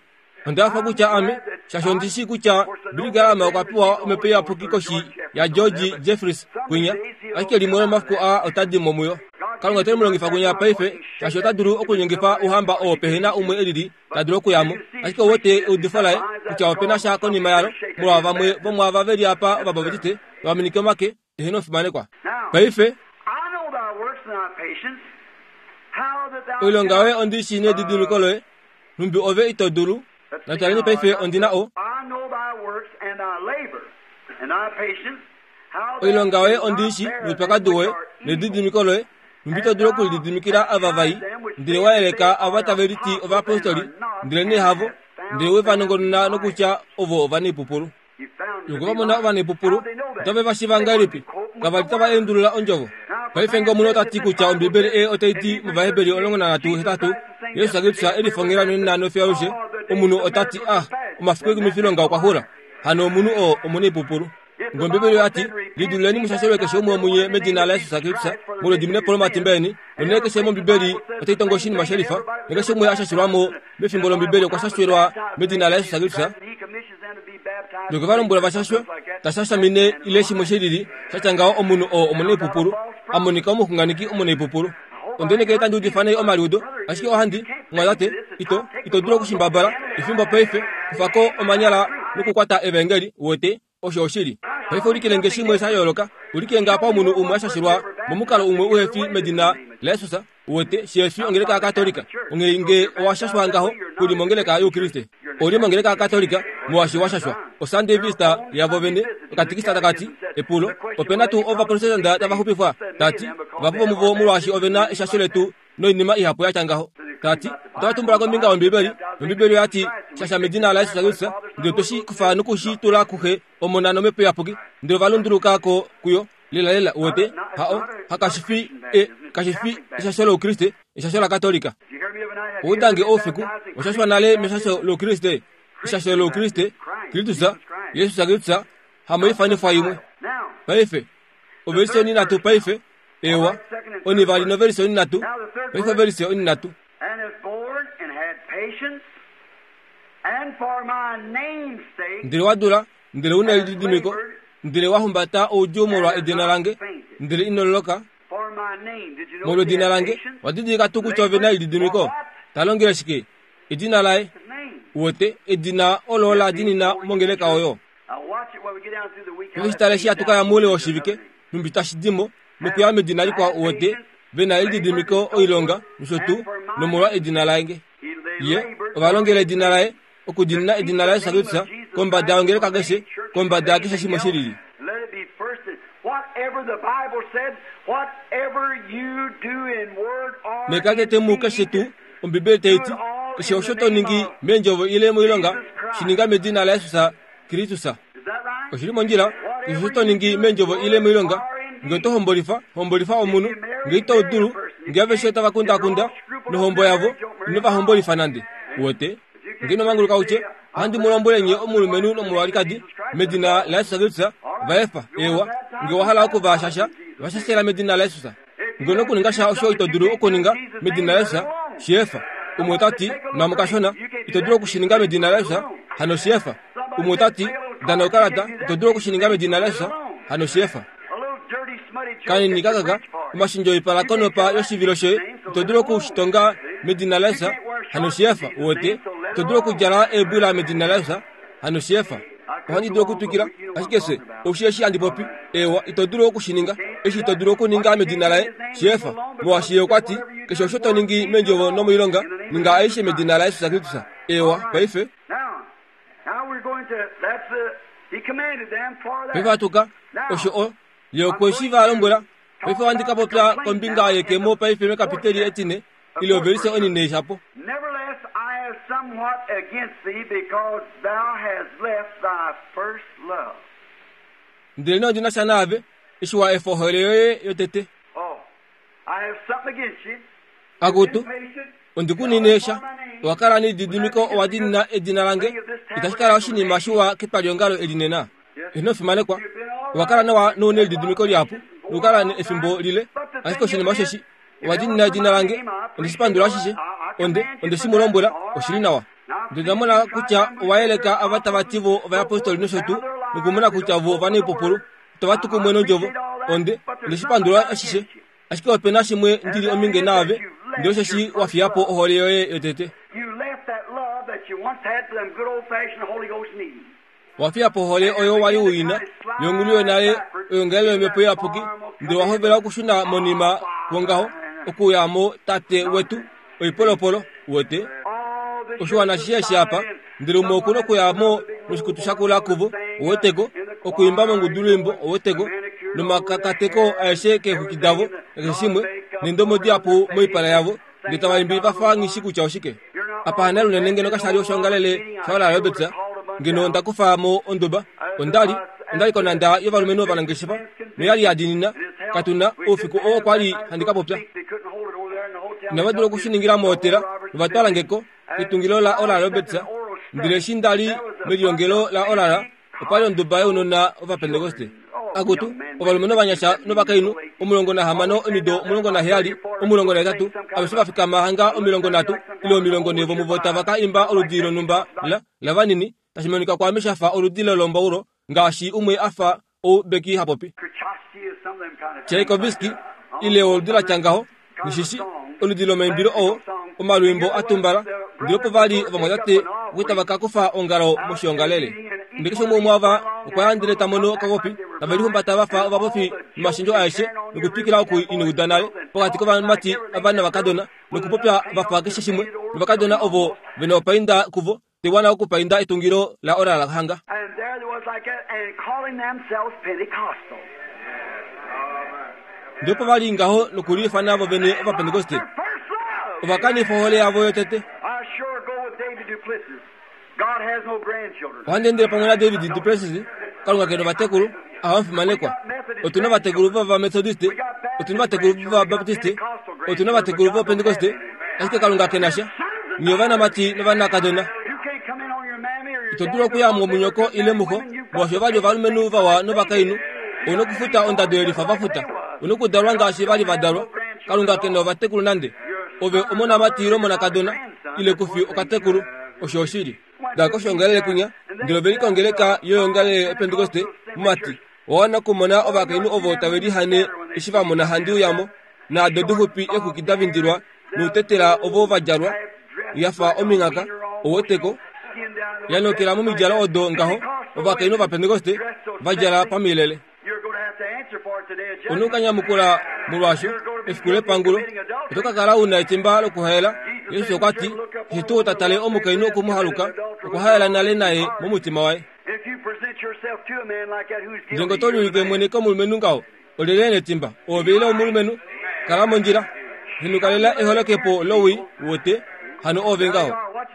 Onda fa kutya ame shasho ondishi kutya Billy Graham okwa pewa omhepo iyapuki koshi ya George Jeffreys kwinya ashike limwe lomafiku aa otadi mo muyo. Kalunga ote mu longifa kwinya paife shaashi ota dulu okunyengifa ouhamba oo pehena umwe elili ta dulu okuyamo. Ashike ouwete eudifo laye kutya opena sha konima yalo molwa vamwe vomwaava veli apa ovabaptiste vaminike omake ehena ofimanekwa. Paife oilonga yoye ondishi nedidimiko loye numbi ove ito dulu. Nataleni paife ondina o oilonga yoye ondishi noupyakadi woye nedidimiko loye numbi ito dulu okulididimikila ava vai ndele waeleka ava tave liti ovayapostoli ndele nee havo ndele wevanongonona nokutya ovo ovaneipupulu. Loko vamona ovaneipupulu otave va shiva ngahelipi? Kavali tava endulula ondjovo. Paife nge omunhu otati kutya Ombibeli ei otai ti mOvaheberi omulongo nanhatu hetatu Yesus Kristus elifongela nonena nofiyo alushe omunhu otati ah omafiku ekumifilonga okwa xula hano omunhu oo omuneipupulu. Nge Ombibeli oyati lidululeni mushashelwe keshe umwe womunye medina laYesus Kristus molwediminepo lomatimba eni nonene keshe mOmbibeli otai tongo oshinima shelifa nekeshe umwe ashashilwamo mefimbo lOmbibeli okwa shashwelwa medina laYesus Kristus. Loko valombwela vashashwe tashashamine ile shimwe shilili shatya ngaho omunhu oo omuneipupulu amonika omuxunganeki omuneipupulu. Ondeneke tandi udifa nai omaliudo ashike ohandi mwatate ito ito dulu okushimbabala efimbo paife kufako omanyala nokukwata evangeli wote osho oshili. Paife ulikile nge shimwe sha yooloka ulikile nga apa omunhu umwe ashashilwa momukalo umwe uhefi medina laYesus wote shefi ongeleka ya Katolika onghee nge owashashwa ngaho kuli mongeleka youkriste oli mongeleka ya Katolika Molwaashi washashwa oSunday Vista yavo vene okatikisa takati epulo opena tuu ovaprotestanta tava xupifwa tati vahapu vomuvo molwaashi ovena eshasho letu noinima ihapu yatya ngaho tati otava tumbula kombinga yOmbibeli nOmbibeli oyati shasha medina laYesus Kristus ndele toshi kufa nokushi tula kuxe omona nomhepo iyapuki ndele ovalunduluka ko kuyo lela lela uwete hao hakashifi e kashifi eshasho loukriste eshasho lakatolika oudange oufiku oshashwa nale meshasho loukriste eshasho loukriste Kristus Yesus Kristus hamoifanifwa imwe paife overise oninatu paife ewa onivali noverise oninatu paife overise oninatu ndele wadula ndele una elididimiko ndele wahumbata oudjuu molwa edina lange ndele inololoka molwa edina lange wadidilika tuu kutya ove na elididimiko talongele shike edina laye uwete edina olo la dinina mongeleka oyo pefishitale eshi hatu kaya moule woshivike nhumbi tashi dimo nokuya medina likwao uwete vena elididimiko oilonga nosho tuu nomolwa edina lange ye ovalongela edina laye okudinina edina laye Yesus Kristus kombada yongeleka keshe kombada yakeshe shimwe shilili nekatete mu keshe tuu Ombibeli taiti keshe osho to ningi meendjovo ile moilonga shininga medina laYesus Kristus oshili mondjila keshe osho to ningi meendjovo ile moilonga ngee oto hombolifa hombolifa omunhu ngee ito dulu ngee aveshe tava kundakunda nohombo yavo ino va hombolifa nande uwete ngee ino manguluka utye ohandi mu lombwele nye omulumenhu nomulwalikadi medina laYesus Kristus vaefa ewa ngee owa hala okuvashasha vashashela medina laYesus ngee nokuninga sha osho ito dulu okuninga medina laYesus shiefa umwe otati nwamo kashona ito dulu okushininga medina laYesus hano shiefa umwe otati dana okalata ito dulu okushininga medina laYesus hano shiefa kanini kakaka omashinjo oipala konopa yoshivilo shoye ito dulu okushitonga medina laYesus hano shiefa uwete ito dulu okudjala eebwila medina laYesus hano shiefa ohandi dulu okutwikila ashike se oushi eshi handi popi ewa ito dulu okushininga eshi ito dulu okuninga medina laye shiefa molwaashi ye okwati keshe osho to ningi meendjovo nomoilonga ninga aishe medina laYesus Kristus ewa paife paife atuka osho o ye okweshi va lombwela paife ohandi ka popya kombinga yekemo paife mekapiteli etine ile overise onine shapo ndele nee ondina sha naave eshi wa efa ohole yoye yotete akutu ondikunine sha owakala nelididimiko owa dinina edina lange itashi kala oshinima shiwa ketwaliongalo elinena inofimanekwa owakala nawa nouna elididimiko lihapu nokukala efimbo lile ashike oshinima osheshi owa dinina edina lange ondeshipandula ashishe onde ondeshi mu lombwela oshili nawa ndele ndamona kutya owayeleka ava tava ti vo ovayapostoli nosho tuu nokumona kutya vo ovanaipupulu itava tu kumwe nondjovo onde ondeshipandula ashishe ashike opena shimwe ndili ominge naave ndele osheshi wafiyapo ohole yoye yotete wafiyapo ohole oyo wali uina yongulu yonale oyongelelo yomhepo iyapuki ndele wahovela okushuna monima kwongaho okuyamo tate wetu oipolopolo uwete oshiwana shishe eshi apa ndele umwe okuna okuyamo noshikutu shakula kuvo oweteko okuimba mongudu lwimbo oweteko nomakakateko aeshe keexwiki davo nakeshe shimwe nendomo dihapu moipala yavo ndele tavaimbi vafa nghishi kutya oshike apa hana lunene ngeno kashali oshongalele shaola Roberts ngeno ndakufa mo onduba ondali ondali konanda yovalumenhu ovanangeshefa noyali yadinina katuna oufiku oo kwali handi ka popya inava dula okushiningila mohotela novatwalangeko ketungilo la Oral Roberts ndele eshi ndali melilongelo la Oral opali onduba younona ovapentekoste akutu ovalumenhu ovanyasha novakainhu omulongo nahamano omido omulongo naheyali omulongo nahetatu aveshe vafikama hanga omilongo nhatu ile omilongo nhee vomuvo tava ka imba oludi lonhumba la lavanini tashi monika kwaame shafa oludi lolombaulo ngaashi umwe afa oubeki hapopi Tchaikovsky ile oludi latya ngaho nishishi oludi lomaimbilo oo omalwimbo atumbala ndele opo vali ovamwatate okwi tava ka kufa ongalo moshiongalele ndele keshe umwe umwe okwa ya ndele ta mono okakopi tave lihumbata vafa ovapofi nomashendjo aeshe nokutwikila oku inauda nale pokati kovamati ava novakadona nokupopya vafa keshe shimwe novakadona ovo vena opainda kuvo Tewana okupainda etungilo la ora la hanga. And there there was like that, and calling themselves Pentecostal. Ndipo vali ngaho nokuliifana vo vene Ovapentekoste. Their first love. Ovakanifa ohole yavo yotete. I sure go with David Duplessis. God has no grandchildren. Ohandi endele pamwe naDavid Duplessis, Kalunga kena ovatekulu, ahamufimanekwa. Otuna ovatekulu vOvamethodiste, otuna ovatekulu vOvabaptiste, otuna ovatekulu vOpentekoste, ashike Kalunga kena sha. Nye ovanamati novanakadona. You can't come in on your mammy or your Ito dulu okuya munyoko ile muho, molwaashi ovali ovalumenhu vawa novakainhu, ouna okufuta ondado yelifa vafuta, ouna okudalwa ngaashi vali vadalwa. Kalunga kena ovatekulu nande. Ove omonamati ile omonakadona, ile kufi okatekulu, osho oshili. Dala koshongalele kunya, ndele ove likongeleka yoyongalele yOpentekoste, mumati, owawana okumona ovakainhu ovo tave lihane eshi va mona handi uyamo, naado dixupi eexwiki da vindilwa noutetela ovo va djalwa, yafa ominghaka, oweteko, yanokela momidjalo odo ngaho, ovakainhu Ovapentekoste va djala pamilele. You're going to have to answer for it today at Ouna judgment. okanyamukula molwaasho efiku lepangulo, oto ka kala una etimba lokuhaela. Yesu okwa ti, eshi tuu ta tale omukainhu okumuhaluka, okwa haela nale naye momutima waye. If you present yourself to a man like that who's Ndele guilty, ngee oto liulike mwene komulumenhu ngaho, olyelye ena etimba, oove ile omulumenhu? Kala mondjila. Henukalela eholokepo lowii wote, hano oove ngaho.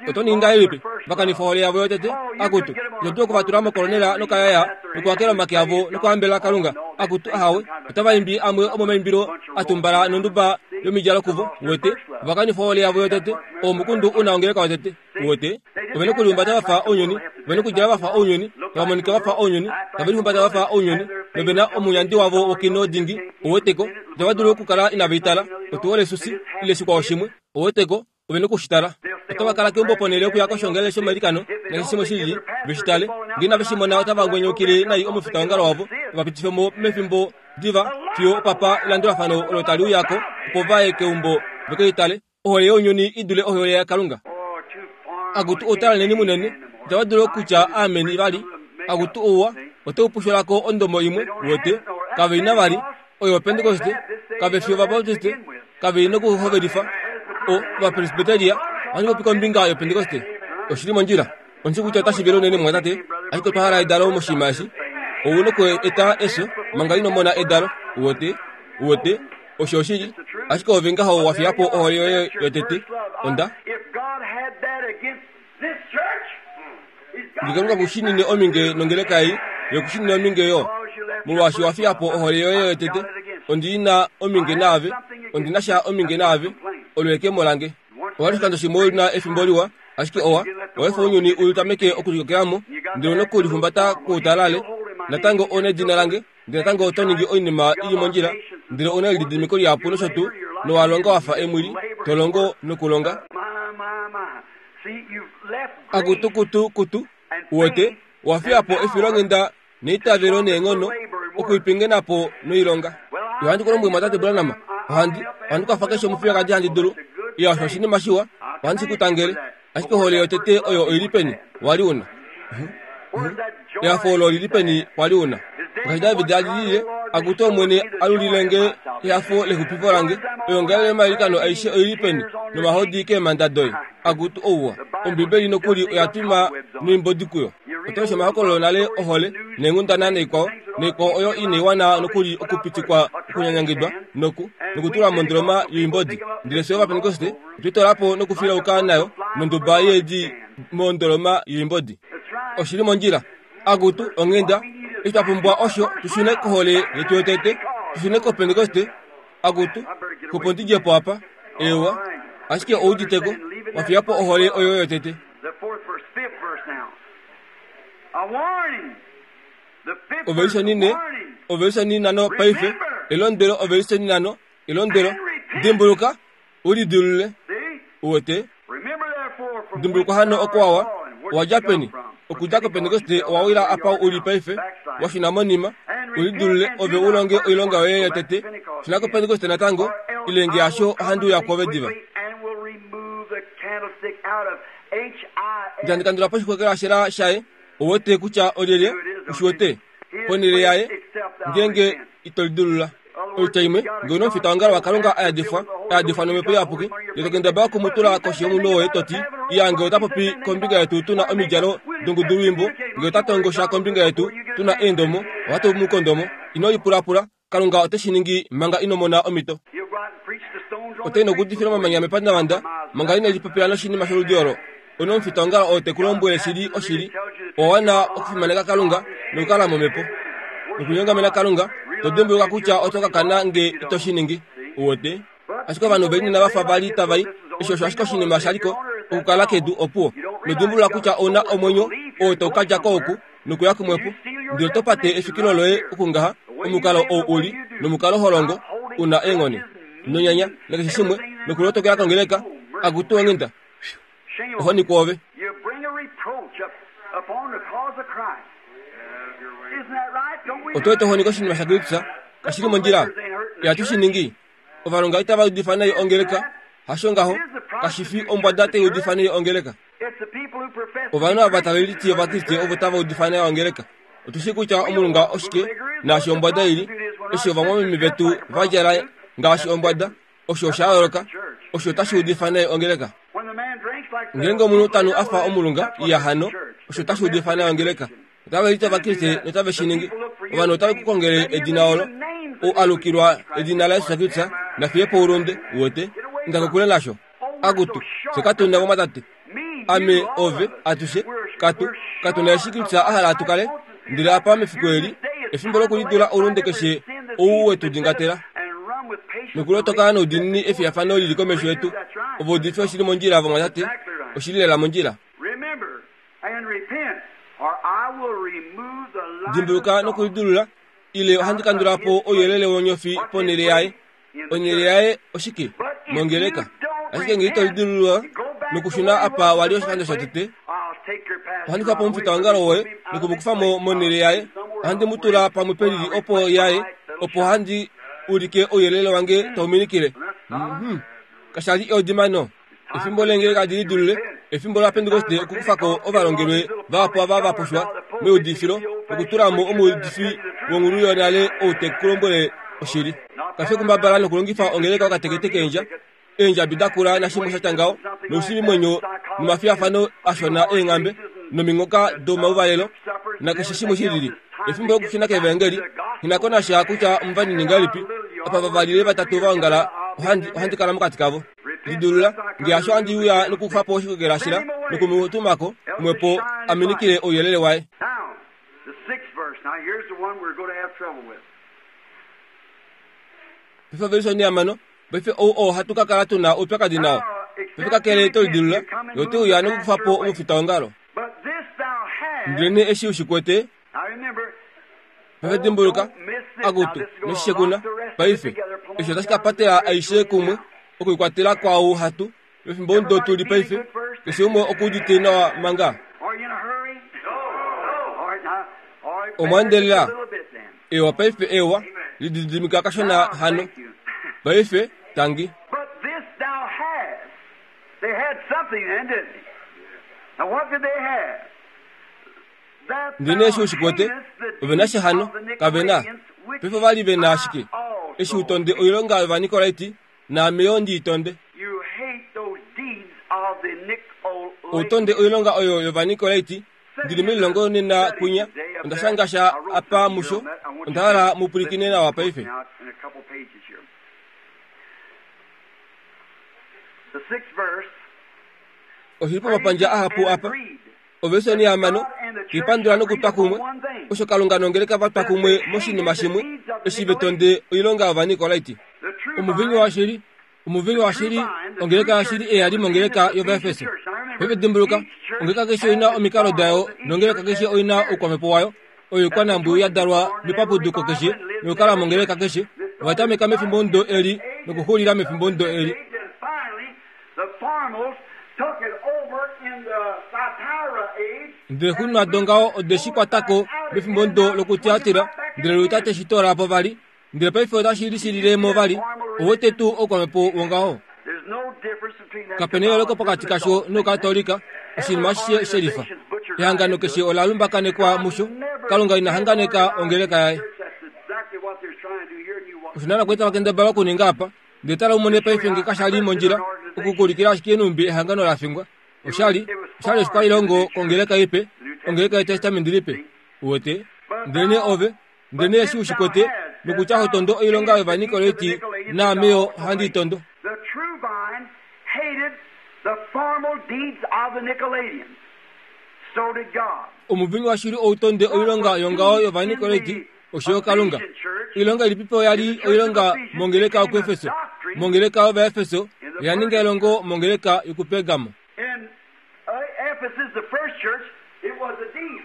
Oto ningi ngahelipi? Vakanifa ohole yavo yotete, akutu, ito dulu okuvatula mokolonela nokayaya, nokuhakela omake avo nokuhambela Kalunga. Akutu ahawe, otava imbi amwe omomaimbilo a tumbala nonduba yomidjalo kuvo, wote, ovakanifa ohole yavo yotete, omukundu una ongeleka yotete, wote, ovena okulihumbata vafa ounyuni, ovena okudjala vafa ounyuni, tava monika vafa ounyuni, tave lihumbata vafa ounyuni, novena omuyandi wavo wokino dingi, oweteko, itava dulu okukala inava itala, otuwole susi, ile shikwao shimwe, oweteko, ovena okushitala. Otava kala keumbo ponhele yokuya koshongalele shomailikano, nakeshe shimwe shilili, veshitale. Ngee inave shi mona otava ngwenyaukile nai omufitaongalo wavo, vavapitife mo mefimbo diva fiyo opapa elandulafano olo tali uyako, opo vaye keumbo vekelitale. Ohole younyuni i dule ohole yaKalunga. Oh, too far. Akutu outalaneni munene, itava dulu okutya ameni vali. Akutu ouwa, otau pusholako ondomo imwe, wote, kave ina vali, oyo Opentekoste, kave fi Ovabaptiste, kave ina okuhovelifa, o Ovapresbyteria, ohandi popi kombinga yOpentekoste. Oshili mondjila. Ondi shi kutya otashi vele unene mumwatate, ashike otwa hala edalo moshinima eshi. Ouna oku eta efyo, manga ino mona edalo, wote, wote, osho oshili, ashike ove ngaho wa fiya po ohole yoye yotete. Onda If God had that against this church, he's got Ngee Kalunga kushinine ominge nongeleka ei, ye kushinine ominge yo. Molwaashi wa fiya po ohole yoye yotete, ondi na ominge naave, ondi na sha ominge naave, olo ekemo lange. Owa li oshikando shimwe una efimbo liwa, ashike owa, owa efa ounyuni u tameke okulikokelamo, ndele ouna okulihumbata koutalale. Natango ouna edina lange, ndele natango oto ningi oinima ili mondjila, ndele ouna elididimiko lihapu nosho tuu, nowa longa wafa emwili, to longo nokulonga. My, my, my. See, you've left Akutu kutu kutu, wote, owa fiya po efilonghenda neitavelo neenghono, okuipingena po noilonga. Ohandi ku lombwele mumwatate Branham, ohandi, ohandi kwafa keshe omufiyekadi handi dulu. Iya, osho oshinima shiwa, ohandi shi ku tangele. Ashike ohole yotete oyo oili peni, wali una. Where's that joy? Ehafo olo lili peni wali una. Ngaashi David a lilile, akutu Omwene alulilenge ehafo lexupifo lange, oyongalele yomailikano aishe oili peni, nomahodi keemhanda doye. Akutu ouwa. Ombibeli nokuli oya twima noimbodi kuyo. Oto lesha omahokololo nale ohole, neenghundana naikwao, naikwao oyo inaiwana nokuli okupitikwa okunyanyangidwa noku, nokutulwa mondoloma yoimbodi. Ndele fye Ovapentekoste otwe po nokufilauka nayo nonduba yeedi mondoloma yoimbodi. That's right. Oshili mondjila. Akutu onghenda, eshi twa pumbwa osho tushune kohole yetu yotete, tushune kOpentekoste. Akutu, opo ndidje po apa, ewa, ashike ouditeko, wa fiya po ohole oyo yotete. The fourth verse, fifth verse now. A warning. The fifth Ovelisha verse, a nine, warning. ovelisha ninano paife, elondwelo ovelisha ninano, elondwelo, dimbuluka, ulidulule, See? uwete, Remember therefore from dimbulukwa whence hano thou okwawa, art fallen, where owa did you dja come peni, from? okudja kOpentekoste owa wila apa uli paife, wa shuna monima, ulidulule ove ulonge oilonga yoye yotete, shuna kOpentekoste natango, ilenge yasho ohandi uya kwove diva. And will remove the candlestick out of H I Ndele kandula po oshixwekelwashela shaye, owete kutya olyelye, ushiwete, ponhele yaye, ngeenge ito lidulula. Oitya imwe, ngee una omufitaongalo waKalunga a yadifwa, a yadifwa nomhepo iyapuki, ndele to kendabala okumutula koshi yomunwe woye to ti, Iya nge ota popi kombinga yetu tuna omidjalo dongudulwiimbo, nge ota tongosha kombinga yetu tuna eendomo, ohatu mu kondomo. Ino lipulapula, Kalunga ote shi ningi manga ino mona omhito. Ote nokudifila omamanya mepandavanda manga ine lipopila noshinima sholudi olo. Ono omufitaongalo oo te ku lombwele shili oshili, owa wana okufimaneka Kalunga nokukala momhepo. Nokunyongamena Kalunga, to dimbuluka kutya oto ka kana nge ito shi ningi. Uwete? Ashike ovanhu veli nena vafa vali tava i, eshi osho ashike oshinima shaliko okukala kedu opuwo. Nodimbulula kutya ouna omwenyo oo tau ka dja ko oku nokuya kumwepo, ndele oto pate efikilo loye okungaha, omukalo ou uli nomukalo holongo una eengone nonyanya nakeshe shimwe nokulotokela kongeleka akutu onghenda ohoni kwoove. Oto eta ohoni koshinima shaKristus kashili mondjila. Ihatu shi ningi. Ovalonga itava udifa nai ongeleka, hasho ngaho, kashi fi ombwada tai udifa nai ongeleka. Ovanhu ava tave liti Ovakriste ovo tava udifa nai ongeleka. Otu shii kutya omulunga oshike naashi ombwada ili, eshi ovamwameme vetu va djala ngaashi ombwada, osho osha yooloka, osho otashi udifa nai ongeleka. Ngeenge omunhu tanu a fa omulunga, iya hano, osho otashi udifa nai ongeleka. Otave liti Ovakriste notave shi ningi. Ovanhu otave ku kongele edina olo, ou alukilwa edina laJesus Kristus, nafiye po oulunde, uwete, inda kokule nasho. Akutu, fye katu na vamwatate. Ame, ove, atushe, katu, katu na eshi Kristus a hala tu kale. Ndele apa mefiku eli, efimbo lokulidula oulunde keshe ou wetu dingatela. Nokulotoka noudiinini efiyafano lili komesho yetu. Ovo udife oshili mondjila vamwatate, oshili lela mondjila. Dimbuluka nokulidulula, ile ohandi kandula po ouyelele wonyofi ponhele yaye. Onhele yaye oshike? Mongeleka. Ashike ngee ito lidulula nokushuna apa wali oshikando shotete, ohandi kufa po omufitaongalo woye noku mu kufa mo monhele yaye. Ohandi mu tula pamwe pelili opo yaye, opo handi ulike ouyelele wange tau minikile. Mhm. Kasha li eudimano. Efimbo leengeleka li lidulule, efimbo laPentekoste okukufa ko ovalongelwe vahapu ava va pushwa meudifilo nokutula mo omuudifi wonghulu yonale ou te ku lombwele oshili. Kafi okumbabala nokulongifa ongeleka okatekete eendja, eendjabi dakula nashimwe sha tya ngaho, noushiivimwenyo nomafiyafano ashona eenghambe nominghoka domauvalelo nakeshe shimwe shilili. Efimbo lokushuna kevangeli, nghi ko nasha kutya omuvanini ngahelipi, apa vavali ile vatatu va ongala, ohandi, ohandi kala mokati kavo. Lidulula, nge hasho handi uya nokukufa po oshikokela shila nokumutumako kumwepo a minikile ouyelele waye. Now, the sixth verse. Now, here's the one we're going to have trouble with. Paife ovelisha onhihamano, paife ou oo hatu ka kala tuna oupyakadi nao. Paife kakele to lidulula, ye ote uya nokukufa po omufitaongalo. But this thou hast. Ndelenee eshi u shi kwete, Now remember, paife dimbuluka, akutu, noshishekuna, paife, eshi otashi ka patela aishe kumwe, okuikwatela kwaau hatu, mefimbo ndo tuli paife, keshe umwe okuudite nawa manga. are you in a hurry? No. All right, now, all right, Omwandelela. bear just a little bit then. Ewa paife ewa, lididimika kashona hano. Thank you. Paife, tangi. But this thou hast. They had something then, didn't they? Now what did they have? That Ndele thou eshi u shi kwete, hatest the ove na deeds shi hano, of the kave na. Nicolaitans, which Paife vali ve na I ashike. also Eshi u tonde oilonga yOvanikolaiti, naame yo ndi i tonde. You hate those deeds of the Nicolaitans. Ou tonde oilonga oyo yOvanikolaiti, ndili melilongo nena kwinya, onda shanga sha apa musho, onda hala mu pwilikine nawa paife. Now, in a couple pages here. The sixth verse. Oshili pomapandja ahapu apa. Ovelisha onhihamano, tuipandula nokutwa kumwe, osho Kalunga nongeleka va twa kumwe moshinima shimwe, eshi ve tonde oilonga yOvanikolaiti. The true Omuvinyu washili, omuvinyu washili, ongeleka yashili eyali mongeleka yOvaefeso. Paife dimbuluka, ongeleka keshe oina omikalo dayo, nongeleka keshe oina oukwamhepo wayo, oyo ikwanambwiyu ya dalwa mepapuduko keshe, nokukala mongeleka keshe, ovatameka mefimbo ndo eli, nokuxulila mefimbo ndo eli. And finally, the foremost took it over in the Thyatira age. Ndele xununa dongaho ode shi kwatako mefimbo ndo lokutiatira, ndele luta te shi toola po vali, ndele paife otashi lishilile mo vali, owete tuu oukwamhepo wongaho. There's no difference between that Kapena eyooloko pokati kasho noukatolika, oshinima ashishe shelifa. Ehangano keshe ola lumbakanekwa musho, Kalunga ina hanganeka ongeleka yaye. That's exactly what they're trying to do here. And you Osho naana kweta vakendabala okuninga apa, ndele tala umone paife nge kasha li mondjila, okukulikila ashike numbi ehangano la fingwa. Oshali oshali oshikwailongo kongeleka ipe, ongeleka yetestamenti lipe. Uwete ndelene ove ndelene eshi ushikwete nokutya ho tondo oilonga yOvanikoleti naameyo handi tondo. The true vine hated the formal deeds of the Nicolaitans. So did God. Omuvinyu washili outonde oilonga yongaho yOvanikoleti osho Kalunga. Oilonga ilipipo yali oilonga mongeleka yokuEfeso, mongeleka yOvaefeso oya ninga elongo mongeleka yokuPergamo. In uh, Ephesus, the first church, it was a deed.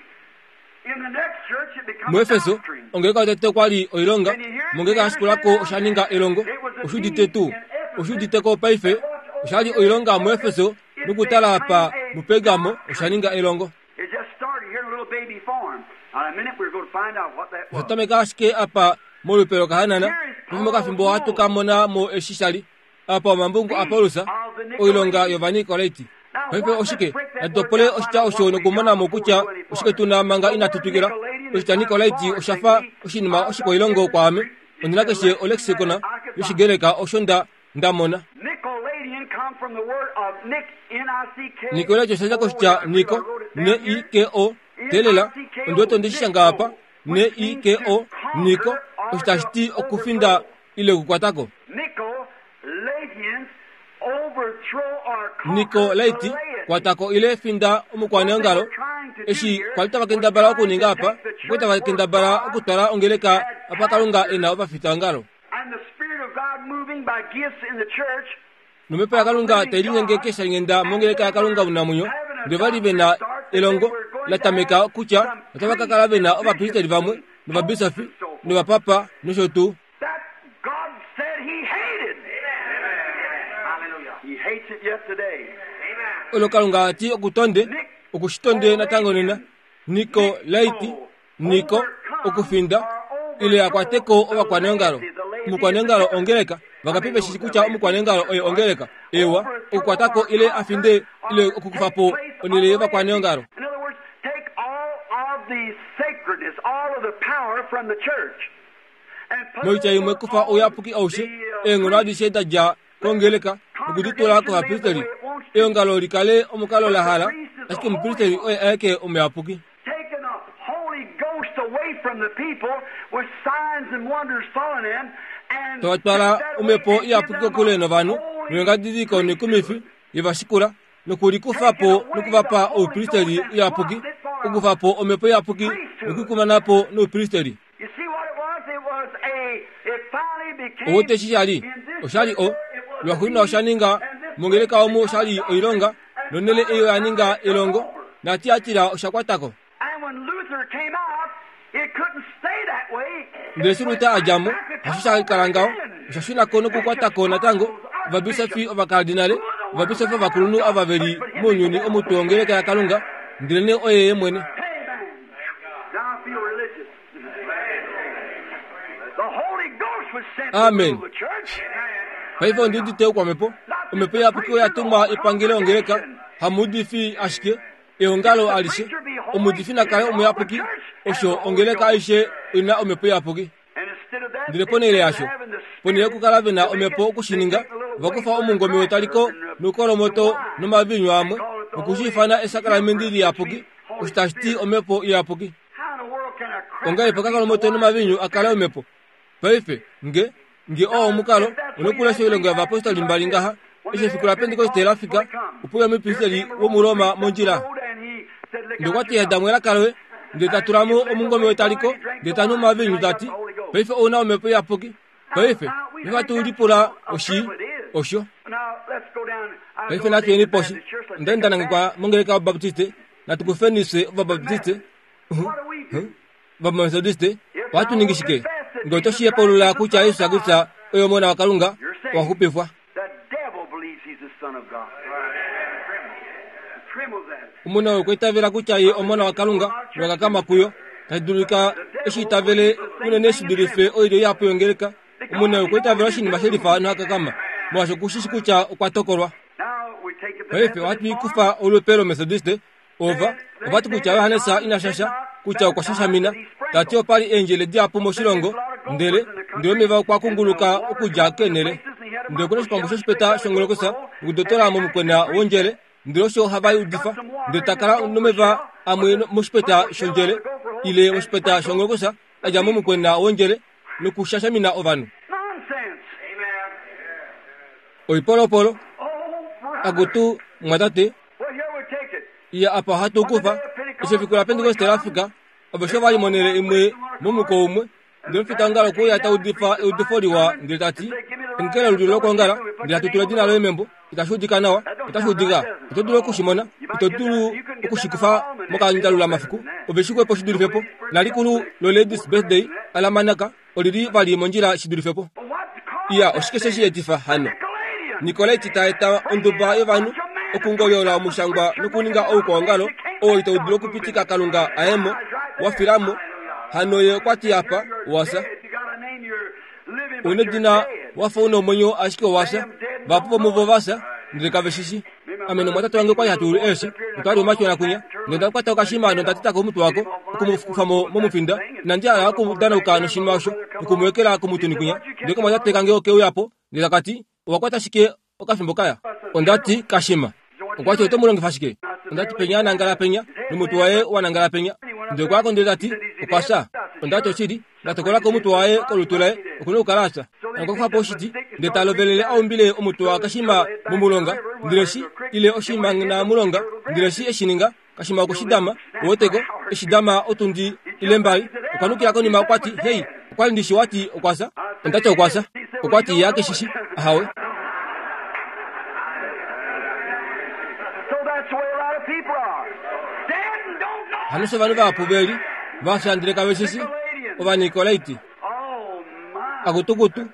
In the next church, it became a muEfeso doctrine. ongeleka yotete okwali oilonga, mongeleka yashikulako osha ninga elongo. Oshuudite tuu oshuuditeko paife oshali oilonga muEfeso nokutala apa muPergamo osha ninga elongo. It just started here in a little baby form. Now, in a minute, we're going to find out what that was. Osha tameka ashike apa molupe lokahanana, nomokafimbo ohatu ka mona mo eshi shali apa omambungu aPaulus oilonga yOvanikoleti. Paife oshike natutopole oshitya osho nokumona mo kutya oshike tuna manga inatu twikila. Oshitya Nikolaiti osha fa oshinima oshikwailongo kwaame. Ondina keshe olexicon yoshigreka osho nda nda mona. Nicolaitan come from the word of Nick, N I C K. Nikolaiti osha dja koshitya Niko, N I K O, telela, ondiwete onde shi shanga apa, N I K O, Niko, osho tashi ti okufinda ile okukwatako. Nicolaitans overthrow or conquer Nikolaiti the laity. kwatako ile finda omukwaneongalo. Eshi kwali tava kendabala okuninga apa, okwali tava kendabala okutwala ongeleka apa Kalunga e na ovafitaongalo. And the Spirit of God moving by gifts in the church. Nomhepo yaKalunga tai linyenge kesha ngenda mongeleka yaKalunga omunamwenyo, ndele vali ve na elongo la tameka kutya otava ka kala ve na ovapristeli vamwe novabisofi novapapa nosho tuu. That God said He hated. Hallelujah. He hates it yet today. Olo Kalunga ati okutonde okushitonde natango nena. Nikolaiti, Niko, okufinda ile akwateko ovakwaneongalo. Omukwaneongalo ongeleka, vangapi veshi kutya omukwaneongalo oye ongeleka? Ewa, okukwatako ile afinde ile okukufa po onhele yovakwaneongalo. In other words, take all of the sacredness, all of the power from the church. And put Moitya imwe kufa ouyapuki aushe, eenghono adishe da dja kongeleka nokuditula kovapristeli. Eongalo likale omukalo la hala, ashike omupristeli oye aeke omuyapuki. Taking the Holy Ghost away from the people with signs and wonders following them, and Tovatwala omhepo iyapuki kokule novanhu noingadidiliko noikumifi yevashikula nokulikufa po nokuvapa oupristeli uyapuki, okukufa po omhepo iyapuki nokuikumana po noupristeli. You see what it was? It was a, it finally became Owote eshi shali oshali o lwaxuuninwa osha ninga mongeleka omu oshali oilonga nonhele eyo ya ninga elongo naTiatira osha kwatako. And when Luther came out, it couldn't stay that way. Ndele eshi Luther a dja mo, hasho sha kala ngaho, osha shuna ko nokukwatako natango ovabisofi ovakardinale, ovabisofi ovakulunhu ava veli mounyuni omutwe wongeleka yaKalunga, ndelenee oye ye mwene. Amen. Now I feel religious. The Holy Ghost was sent to Amen. rule the church. Paife ondi udite oukwamhepo, omhepo iyapuki oya tumwa epangele ongeleka, hamuudifi ashike, eongalo alishe, omuudifi na kale omuyapuki, osho ongeleka aishe ina omhepo iyapuki. And instead of that, Ndele ponhele yasho, instead of having the ponhele yokukala ve na omhepo okushininga, ovakufa omungome wetaliko noukolomoto nomaviinyu amwe, nokushiifana esakalamende liyapuki, osho tashi ti omhepo iyapuki. How in the world can a cracker Ongahelipi okakolomoto nomaviinyu a kale omhepo? Paife, nge nge oo omukalo onokulesha oilonga yovapostoli mbali ngaha, eshi efiku laPentekoste la fika, opo uya omupristeli womuRoma mondjila. Ndele okwa ti yada mo elaka loye, ndele ta tula mo omungome wetaliko, ndele ta nu omaviinyu ta ti, paife ou na omhepo iyapuki. Paife, ihatu lipula oshi osho. Now let's go down. I Paife natuyeni poshi. Onda nda nangekwa mongeleka yOvabaptiste, natukufenise Ovabaptiste, Ovametodiste, ohatu ningi shike? Ngee oto shi hepulula kutya Jesus Kristus oye Omona waKalunga, owa xupifwa. The devil believes he's the Son of God. Trembles at it. Omuna okwa itavela kutya ye Omona waKalunga nowakakama kuyo, tashi dulika eshi itavele unene shi dulife oilyo ihapu yongeleka. Omuna okwa itavela oshinima shelifa nohakakama, molwaashi okushishi kutya okwa tokolwa. Now we take it the Paife ohatu ikufa olupe lomethodiste, ova ovati kutya Johannes ina shasha, kutya okwa shashamina, tati opali eendjele dihapu moshilongo, ndele ndele omeva okwa kunguluka okudja keenhele. Ndele okuna oshikwambu shoshipeta shongolokosa nokudotola momukwena wondjele, Ndele osho hava udifa ndele takala nomeva amwe moshipeta shondjele ile moshipeta shongolokosa adja momukwena wondjele nokushashamina ovanhu. Oipolopolo akutu mwatate iya apa hatu kufa efiku la Pentekoste lafika aveshe vali monele imwe momuko umwe ndele mfitangalo kuya taudifa eudifo liwa ndele tati ngele luli lokongala ndele atutula dina loye membo itashudika nawa itashudika ito dulu okushimona ito dulu okushikufa mokandalula mafiku oveshikwepo shidulifepo nalikulu lo ladies birthday alamanaka olili vali mondjila shidulifepo iya oshike sheshiyetifa hano Nikolaiti taeta onduba yovanhu okungolyola omushangwa nokuninga oukwongalo oo ito dulu okupitika Kalunga aemo wafilamo hano ye okwati apa wasa unedina wafa una omwenyo ashike wasa vapo muvo vasa ndele kaveshishi amene mwatatu wange kwali hatu eshi otwali omachona kunya ndenda kwata okashima nondatitako omutu wako okumufamo momufinda nandjala okudanauka noshinima osho okumwekela komutuni kunya ndeke mwatate kange okeuyapo ndele takati owakwata shike okafimbo kaya ondati kashima okwati oto mulongifa shike ondati penya nangala penya nomutu waye wanangala penya ndele kwako ndele tati okwasa ondati oshili ndatokolako omutu waye kolutu laye okuna okukala asa okwakufapo oshiti ndele talovelele aumbile omutu wa kashima momulonga ndele shi ile oshima na mulonga ndele shi eshininga kashima okushidama oweteko eshidama otundi ile mbali okwanukila konima okwati hei okwali ndishi wati okwasa ondati okwasa okwati yake shishi ahawe. Hano vanhu vapu veli vashandile kaveshishi ovanikolaiti akutukutu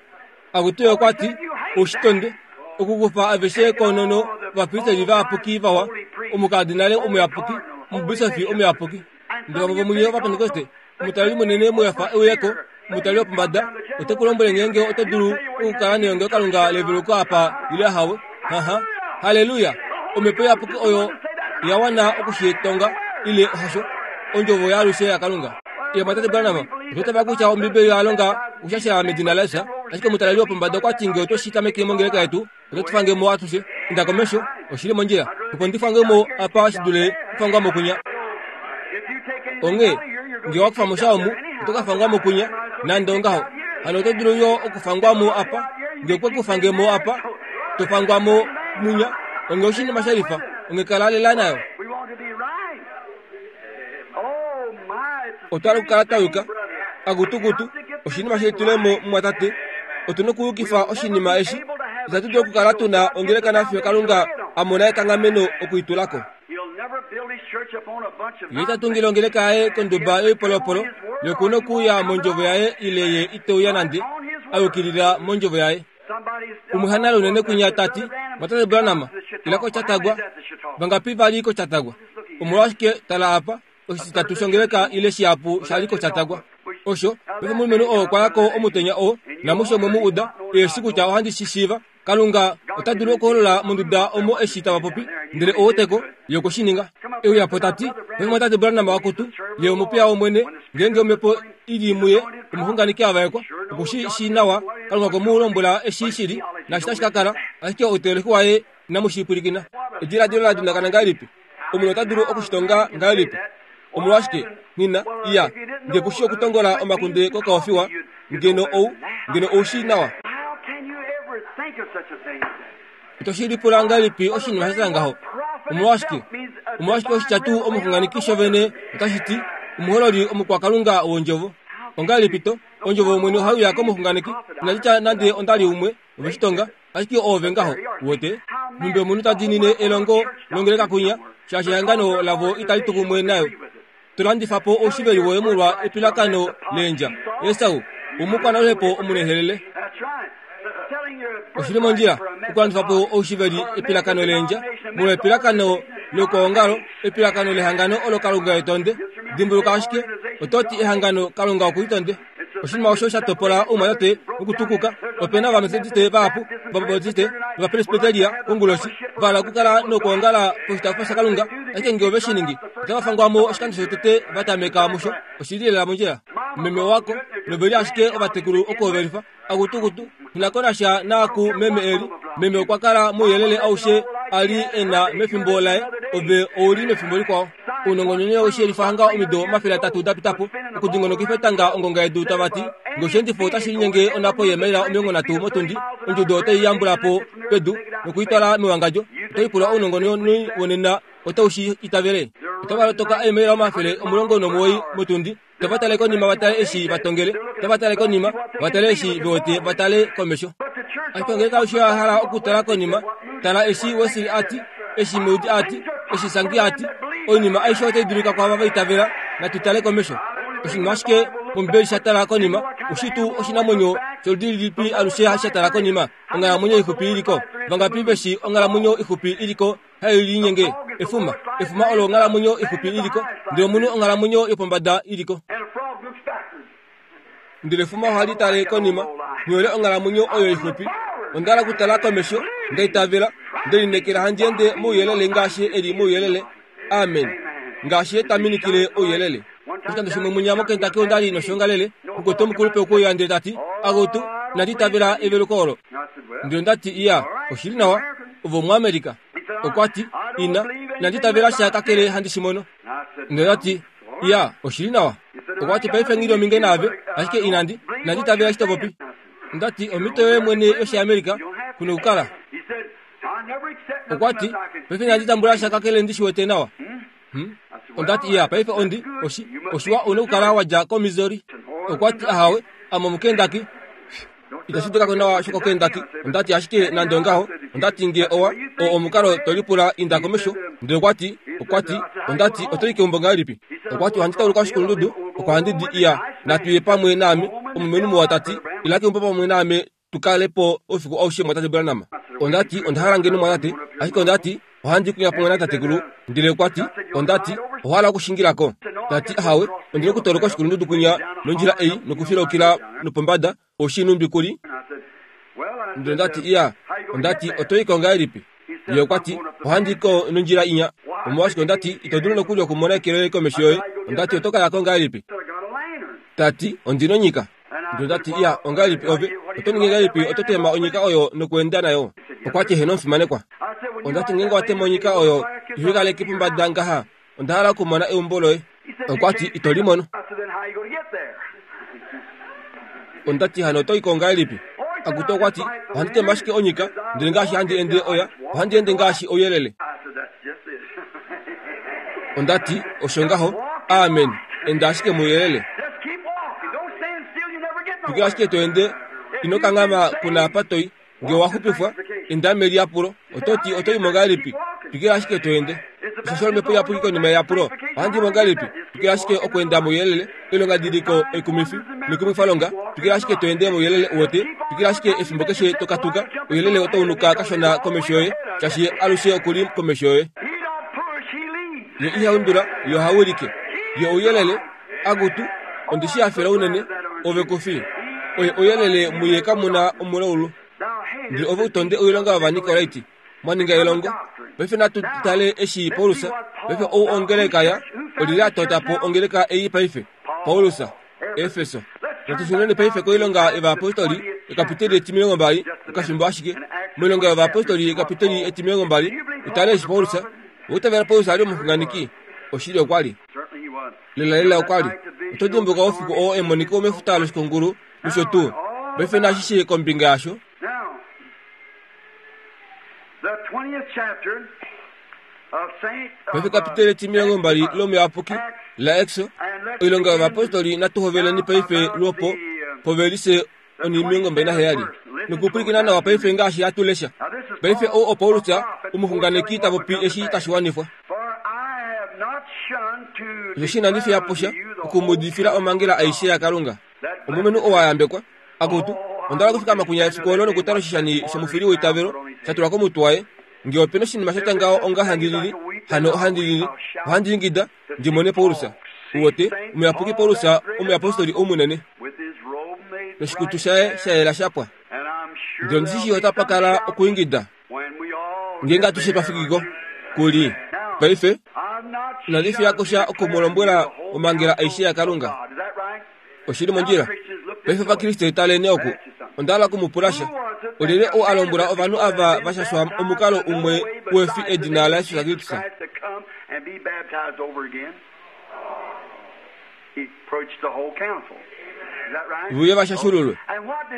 akutuyo okwati oshitonde okukufa aveshe konono vapristeli vayapuki vawa omukadinale omuyapuki omubisofi omuyapuki ndele vamwe vomunye vapentekoste omutali munene muyafa euyeko omutali wopombada otekulombwele ngeenge oto dulu okukala nelongelokalunga leveluko apa ile ahawe. Haha, haleluya! Omhepo iyapuki oyo yawana okushitonga ile hasho ondjovo yaalushe yaKalunga. Ye mwatate Branham ototava kutya Ombibeli yalonga okushashela medina laJesus, ashike omutaleli wopombada okwati nge oto shi tameke mongeleka yetu oto tufange mo atushe. Inda komesho oshili mondjila opo ndifange mo apa shidule kufangwa mokunya. Onge nge wakufa mo sha omu oto kafangwa mokunya nande ongaho hano oto dulu yo okufangwa mo apa nge okwe kufange mo apa tofangwa mo munya onge oshinima shalifa onge kala lela nayo. Otwala okukala twayuka akutukutu oshinima shetulemo mwatate otuna okuyukifa oshinima eshi itatu dulu okukala tuna ongeleka nafiyo Kalunga amona ekanghameno okuitulako. Ye tatungile ongeleka yaye konduba yoipolopolo yokuna okuuya mondjovo yaye ile ye iteuya nande ayukilila mondjovo yaye. Umwe hanale unene kunya tati mwatate Branham ila kochatagwa vangapi vali kochatagwa omolwashike tala apa oshitatu shongeleka ile shihapu shali kochatagwa osho pefimbo omulumenhu oo okwayako omutenya oo namusho mwe mu uda eshi kutya ohandi shishiiva Kalunga ota dulu okuholola monduda omo eshi tava popi ndele owoteko yokushininga. Euyapo tati pefimbo mwatate Branham wakutu ye omupiya wOmwene ngeenge omhepo ili muye omuxunganeki avaekwa okushi shi nawa Kalunga okwe mu lombwela eshi shili nashi tashi ka kala ashike outeeleki waye inamushipwilikina. Ediladilo la dundakana ngahelipi? Omunhu ota dulu okushitonga ngahelipi? Omolwashike nina iya nge kushi okutongola omakunde kokaofiwa ngeno ou ngeno oushi nawa. Ito shilipula ngahelipi oshinima sha ngaho? Omolwashike omolwashike oshitya tuu omuxunganeki shovene otashi ti omuhololi omukwakalunga wondjovo. Ongahelipi to ondjovo yOmwene ohaiuya komuxunganeki inatitya nande ondali umwe oveshitonga ashike oove ngaho wote numbe omunhu ta diinine elongo longeleka kunya shaashi ehangano lavo itali tu kumwe nayo. Tolandifapo oushiveli woye molwa epilakano leendja. Esau omukwanoluhepo omunehelele. Oshili mondjila okulandifapo oushiveli epilakano leendja molwa epilakano lokwoongalo epilakano lehangano olo Kalunga etonde. Dimbuluka ashike ototi ehangano Kalunga okulitonde. Oshinima osho sha topola oumwatate okutukuka. Opena ovametodiste vahapu vabautiste novapresbiteria konguloshi vala okukala nokwoongala poshitaafula shaKalunga ashike nge ove shi ningi otava fangwamo oshikando shotete vatameka musho. Oshili lela mondjila. Meme wako noveli ashike ovatekulu okuhovelifa akutukutu inakonasha naaku meme eli. Meme okwa kala mouyelele aushe ali ena mefimbo laye ove ouli mefimbo likwao. Ounongononi oshelifa hanga omido omafele atatu dapitapo okudingonokifa etanga ongonga yedu tavati ngoshendifo otashi linyenge onapo yeemaila omilongo nhatu motundi ondjudo otai yambulapo pedu nokuitwala mewangadjo. Otoipula ounongononi wonena otaushi itavele. Otava lotoka eemaila omafele omulongo nomuwoi motundi. Tava tale konima vatale eshi vatongele, tava tale konima vatale eshi vewete vatale komesho. Ashike ngenge osho ya hala okutala konima, tala eshi Wesley ati, eshi Moody ati, eshi Sankey ati, oinima aishe otai dulika kwaava vaitavela, natu tale komesho. Oshinima ashike mOmbibeli sha tala konima, oshitu oshinamwenyo sholudi lilipi alushe sha tala konima, onghalamwenyo ixupi iliko. Vangapi veshi onghalamwenyo ixupi iliko hai linyenge? Efuma, efuma olo onghalamwenyo ixupi iliko, ndele omunhu onghalamwenyo yopombada iliko. Ndele efuma ohali tale konima, nyole onghalamwenyo oyo ixupi. Onda kutala komesho, ndaitavela, ndelinekela handi ende mouyelele ngaashi eli mouyelele. Amen. Ngaashi etaminikile ouyelele. Oshikando shimwe munya moKentucky ondali noshongalele, mukwetu omukulupe okuya ndele tati, "Agotu, inandi itavela eveluko olo." Ndele ndati, "Iya, oshili nawa, ovo muAmerika." Okwati, "Ina, inandi itavela sha kakele handi shimono." Ndele ndati, "Iya, oshili nawa." Okwati, "Paife ngili ominge naave, ashike inandi, inandi itavela shitopopi." Ndati, "Omhito yoye mwene yoshiAmerika kuna okukala." Okwati, "Paife inandi tambula sha kakele ndi shiwete nawa." Hmm? Ondati, "Iya, paife ondi oshi oshiwa une okukala wadja koMissouri." Okwati, "Ahawe, ame omuKentucky." Itashi dulika nawa shokoKentucky. Ondati, "Ashike nande ongaho, ondati nge owa o omukalo tolipula inda komesho." Ndele okwati, okwati, ondati otoi keumbo ngahelipi? Okwati, "Ohandi tauluka oshikulundudu oko handi di. Iya, natuye pamwe naame." Omulumenhu muwa tati, "Ila keumbo pamwe naame tukalepo oufiku aushe mwatate Branham." Ondati, "Onda hala ngeno mwatate, ashike ondati ohandi kuya pamwe natatekulu." Ndele okwati, ondati, "Ohala okushingilako?" Tati, "Ahawe, ondina okutoloka oshikulundudu kunya nondjila ei nokufilokila nopombada oshinumbi kuli." Ndele ndati, "Iya." Ondati, "Otoiko ngahelipi?" Ye okwati, "Ohandi ko nondjila inya." Omolwashike ondati ito dulu nokuli okumona eke loye komesho yoye. Ondati otokayako ngahelipi? Tati, "Ondina onyika." Ndele ndati, "Iya, ongahelipi ove oto ningi ngahelipi oto tema onyika oyo nokuenda nayo?" Okwati, "Heno omufimanekwa." Ondati, "Ngenge watema onyika oyo ihikaleke pombada ngaha, onda hala okumona eumbo loye." Okwati, "Ito limono." Ondati, "Hano otoiko ngahelipi?" Akutu okwati, "Ohandi tema ashike onyika, ndele ngaashi handi ende oya, ohandi ende ngaashi ouyelele." Ondati, "Osho ngaho, amen, enda ashike mouyelele. Twikila ashike to ende, ino kanghama kuna apa toi. Nge owa xupifwa, enda meliyapulo, ototi otoimo ngahelipi? Twikila ashike to ende. Osho omhepo iyapuki konima yeyapulo, ohandi mo ngahelipi? Twikila ashike okuenda mouyelele, oilongadidiliko oikumifi noikumwifalonga. Twikila ashike to ende mouyelele uwete, twikila ashike efimbo keshe tokatuka, ouyelele otaunuka kashona komesho yoye, shaashi alushe okuli komesho yoye. Ye ihaundula, ye ohawilike. Ye ouyelele, akutu, ondishi hafela unene, ove kufi. Oye ouyelele muye kamuna omulaulu. Ndele ove utonde oilonga yOvanikolaiti, mwaninga elongo. Paife natu tale eshi Paulus, paife ou ongeleka ya, olili atota po ongeleka ei paife, Paulus, Efeso. Natu shuneni paife koilonga yovayapostoli, ekapiteli etimilongo mbali, okafimbo ashike. Moilonga yovayapostoli ekapiteli etimilongo mbali, utale eshi Paulus, outavela Paulus ali omuxunganeki, oshili okwali. Lelalela okwali. Oto dimbuluka oufiku oo emoniko mefuta loshikungulu nosho tuu. Paife nashishe kombinga yasho. Paife kapiteli etimilongo mbali lomuyapuki la Exo, oilonga yovayapostoli natu hoveleni paife lwopo povelise onimilongo mbali naheyali. Nokupwilikina nawa paife ngaashi hatu lesha. Paife ou oPaulus omuxunganeki tapopi eshi tashi wanifwa. Osheshi inandi fiya po sha okumudifila omhangela aishe yaKalunga. Omulumenhu oo a yambekwa, akutu, onda hala okufikama kunya efiku olo nokutala oshishani shomufili weitavelo sha tulwa komutwe waye. Nge opena oshinima shatya ngaho onga handi lili, hano ohandi lili, ohandi ingida ndi mone Paulus. Uwete, omuyapuki Paulus, omuyapostoli oumunene, noshikutu shaye sha yela shapwa. Ndele ondishi otapa kala okuingida ngeenge atushe twafikiko kuli. Paife inandi fiyako sha okumulombwela omhangela aishe yaKalunga. Oshili mondjila. Paife Ovakriste taleni oku, onda hala okumupula sha. Olyelye ou a lombwela ovanhu ava va shashwa omukalo umwe wefi edina laJesus Kristus? Vuye va shashululwe.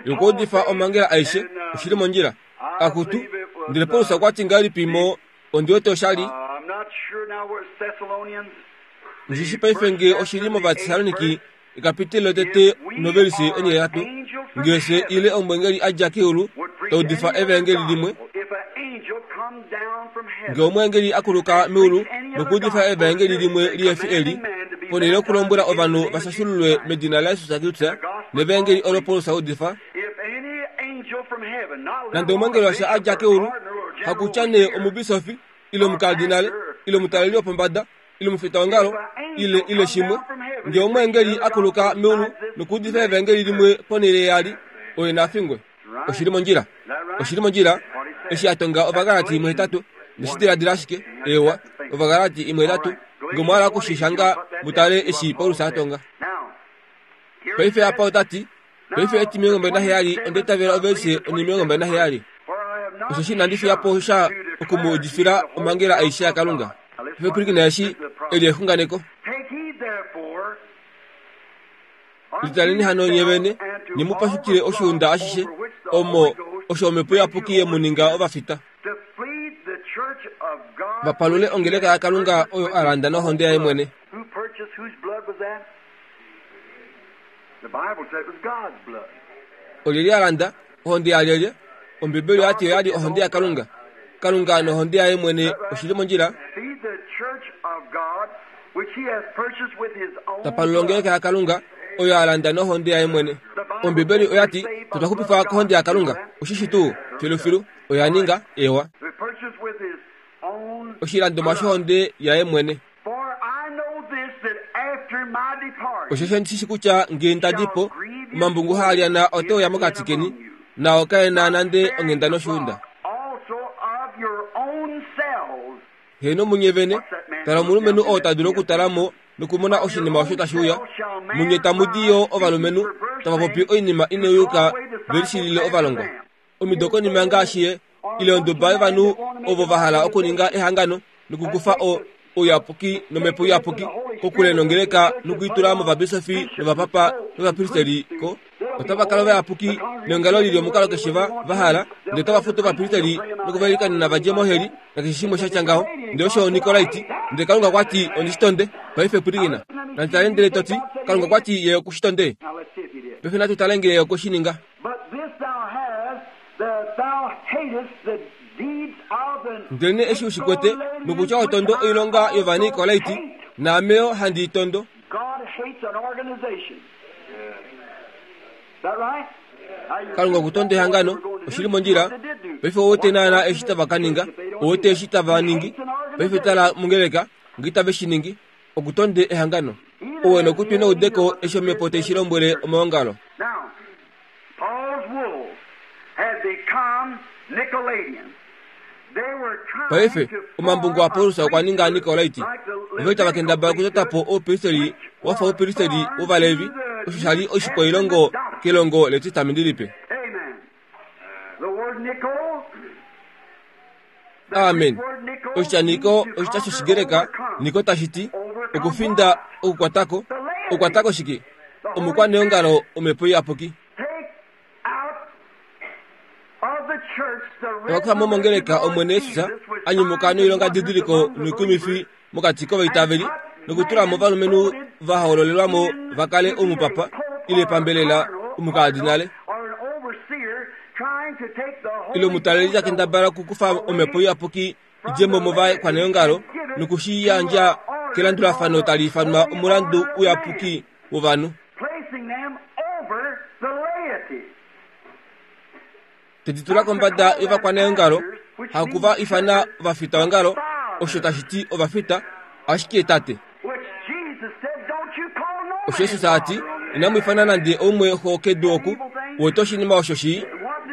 Yokuudifa omhangela aishe oshili mondjila. Akutu, ndele Paulus okwa ti ngahelipi mo ondi wete oshali? Ndishi paife nge oshili mOvatessaloniki ekapitelo lotete novelise onhihetatu, ngee ile omwengeli a dja keulu taudifa evangeli limwe, ngee omwengeli a kuluka meulu nokuudifa evangeli limwe lihefi eli, ponhele yokulombwela ovanhu va shashululwe medina laJesus Kristus nevangeli olo Paulus a udifa, nande omwengeli washa a dja keulu, hakutya nee omubisofi ile omukardinale ile omutaleli wopombada ile omufitaongalo ile ile shimwe, ngee omwengeli a kuluka meulu nokuudifa evangeli limwe ponhele yali, oye na fingwe. Oshili mondjila, oshili mondjila. Eshi a tonga Ovagalati imwe hetatu, ndeshidiladila ashike ewa Ovagalati imwe hetatu, ngee omwa hala okushishanga mutale eshi Paulus a tonga. Paife apa ota ti, paife etimilongo mbali naheyali onda itavela ovelise onimilongo mbali naheyali. Osheshi inandi fiya po sha oku mu udifila omhangela aishe yaKalunga. Paife pwilikina eshi eli exunganeko. Litaleni hano nye vene, nye mu pashukile oshiunda ashishe omo osho Omhepo Iyapuki ye mu ninga ovafita, va palule ongeleka yaKalunga oyo a landa nohonde yaye mwene. Olyelye a landa ohonde yalyelye? Ombibeli oyati oyali ohonde yaKalunga. Kalunga nohonde yaye mwene oshili mondjila. Tapalula ongeleka yaKalunga oyo a landa nohonde yaye mwene. Ombibeli oyati otwa xupifwa kohonde yaKalunga. Oshishi tuu filufilu oya ninga ewa oshilandomwa shohonde yaye mwene. Osheshi ondishi kutya ngee nda di po, omambungu haa lyana ote uya mokati keni, nao kae na nande onghenda noshiunda. Heeno munye vene, tala omulumenhu oo ta dulu okutala mo nokumona oshinima osho tashi uya. Munye tamu di yo ovalumenhu tava popi oinima inayuka ve lishilile ovalongwa. Omido konima ngaashi ye, ile onduba yovanhu ovo va hala okuninga ehangano nokukufa ouyapuki nomhepo iyapuki kokule nongeleka nokuitula movabisofi novapapa novapristeli ko. Otava kala ovayapuki neongalo lili omukalo keshe va va hala, ndele otava futu ovapristeli nokuvailikanena va dje moheli nakeshe shimwe sha tya ngaho. Ndele osho Onikolaiti. Ndele Kalunga okwa ti ondishitonde. Paife pwilikina. Nanditale ndele to ti, Kalunga okwa ti ye okushitonde. Paife natu tale ngee ye okwe shi ninga. Ndelenee eshi u shi kwete, nokutya ho tondo oilonga yOvanikolaiti, naame yo handi i tondo. Kalunga okutonda ehangano, oshili mondjila. Paife ou wete naana eshi tava ka ninga, ou wete eshi tava ningi. Paife tala mongeleka, ngee itave shi ningi, okutonde ehangano. Ou e nokutwi noudeko eshi Omhepo tai shi lombwele omaongalo. Paife, omambungu aPaulus okwa ninga Nikolaiti. Ova li tava kendabala okutota po oupristeli wa fa oupristeli wOvalevi, osho sha li oshikwailongo kelongo lEtestamenti Lipe. Amen. Oshitya Niko oshitya shOshigreka Niko tashi ti okufinda, okukwatako. Okukwatako shike? Omukwaneongalo Omhepo Iyapuki. Tava kufa mo mongeleka Omwene Jesus a nyumuka noilongadidiliko noikumifi mokati kovaitaveli, nokutula mo ovalumenhu va hoololelwa mo va kale omupapa ile pambelela omukardinale ile omutaleli ta kendabala okukufa Omhepo Iyapuki idje mo movakwaneongalo noku shi yandja kelandulafano tali ifanwa omulandu uyapuki wovanhu. Te di tula kombada yovakwaneongalo, haku va ifana ovafitaongalo, osho tashi ti ovafita, ashike tate. Osho Jesus a ti, inamu ifana nande oumwe xo kedu oku, wete oshinima osho shii.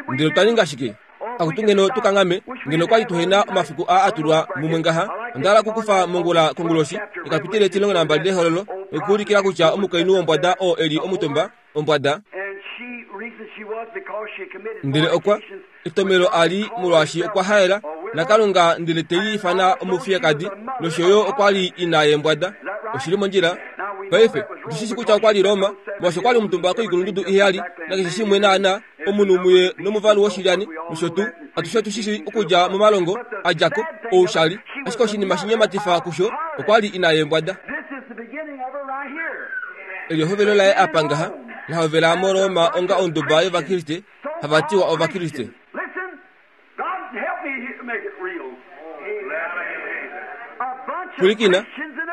Ndele otwa ninga shike? Akutu ngeno tu kanghame, ngeno kwa li tuhe na omafiku aa a tulwa mumwe ngaha. Onda hala okukufa mongula konguloshi ekapitele etilongo nambali lehololo nokuulikila kutya omukainhu wombwada oo e li omutumba ombwada. Ndele okwa etomelo ali molwaashi okwa haela naKalunga ndele te i ifana omufiyekadi nosho yo okwa li ina yembwada. Oshili mondjila. Paife otushishi kutya okwa li Roma molwaashi okwa li omutumba koikulundudu iheyali nakeshe shimwe naana omunhu muye nomuvalu woshilyani nosho tuu. Atushe otushishi okudja momalongo a dja ko oushali, ashike oshinima shinyematifa kusho okwa li ina yembwada. Eli ehovelo laye apa ngaha lahovela moRoma onga onduba yOvakriste hava tiwa Ovakriste. Pwilikina,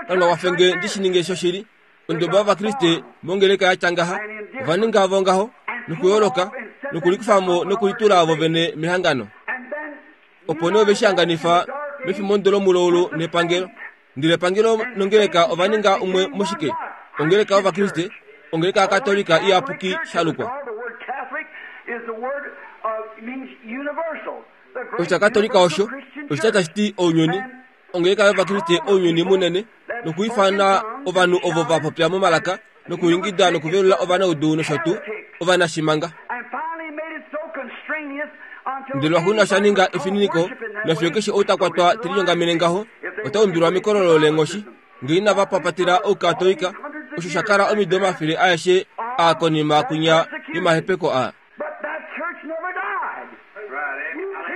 Kalunga kwafenge ndi shi ninge shoshili. Onduba yOvakriste mongeleka ya tya ngaha ova ninga vo ngaho nokuyooloka nokulikufamo nokulitula vo vene mehangano. Opo nee ove shi hanganifa mefimbo lomuloulu nepangelo. Ndele epangelo nongeleka ova ninga umwe moshike? Ongeleka yOvakriste, ongeleka yaKatolika iyapuki shalukwa. Oshitya Katolika osho oshitya tashi ti ounyuni. Ongeleka yOvakriste ounyuni munene nokuifana ovanhu ovo va popya momalaka nokuingida nokuvelula ovanaudu nosho tuu ovanashimanga. Ndele lwaxuuninwa sha ninga efininiko nafiyo keshe ou ta kwatwa te linyongamene ngaho ota umbilwa mekololo leenghoshi ngee inava papatela oukatolika, osho sha kala omido omafele aeshe aa konima kunya yomahepeko aa.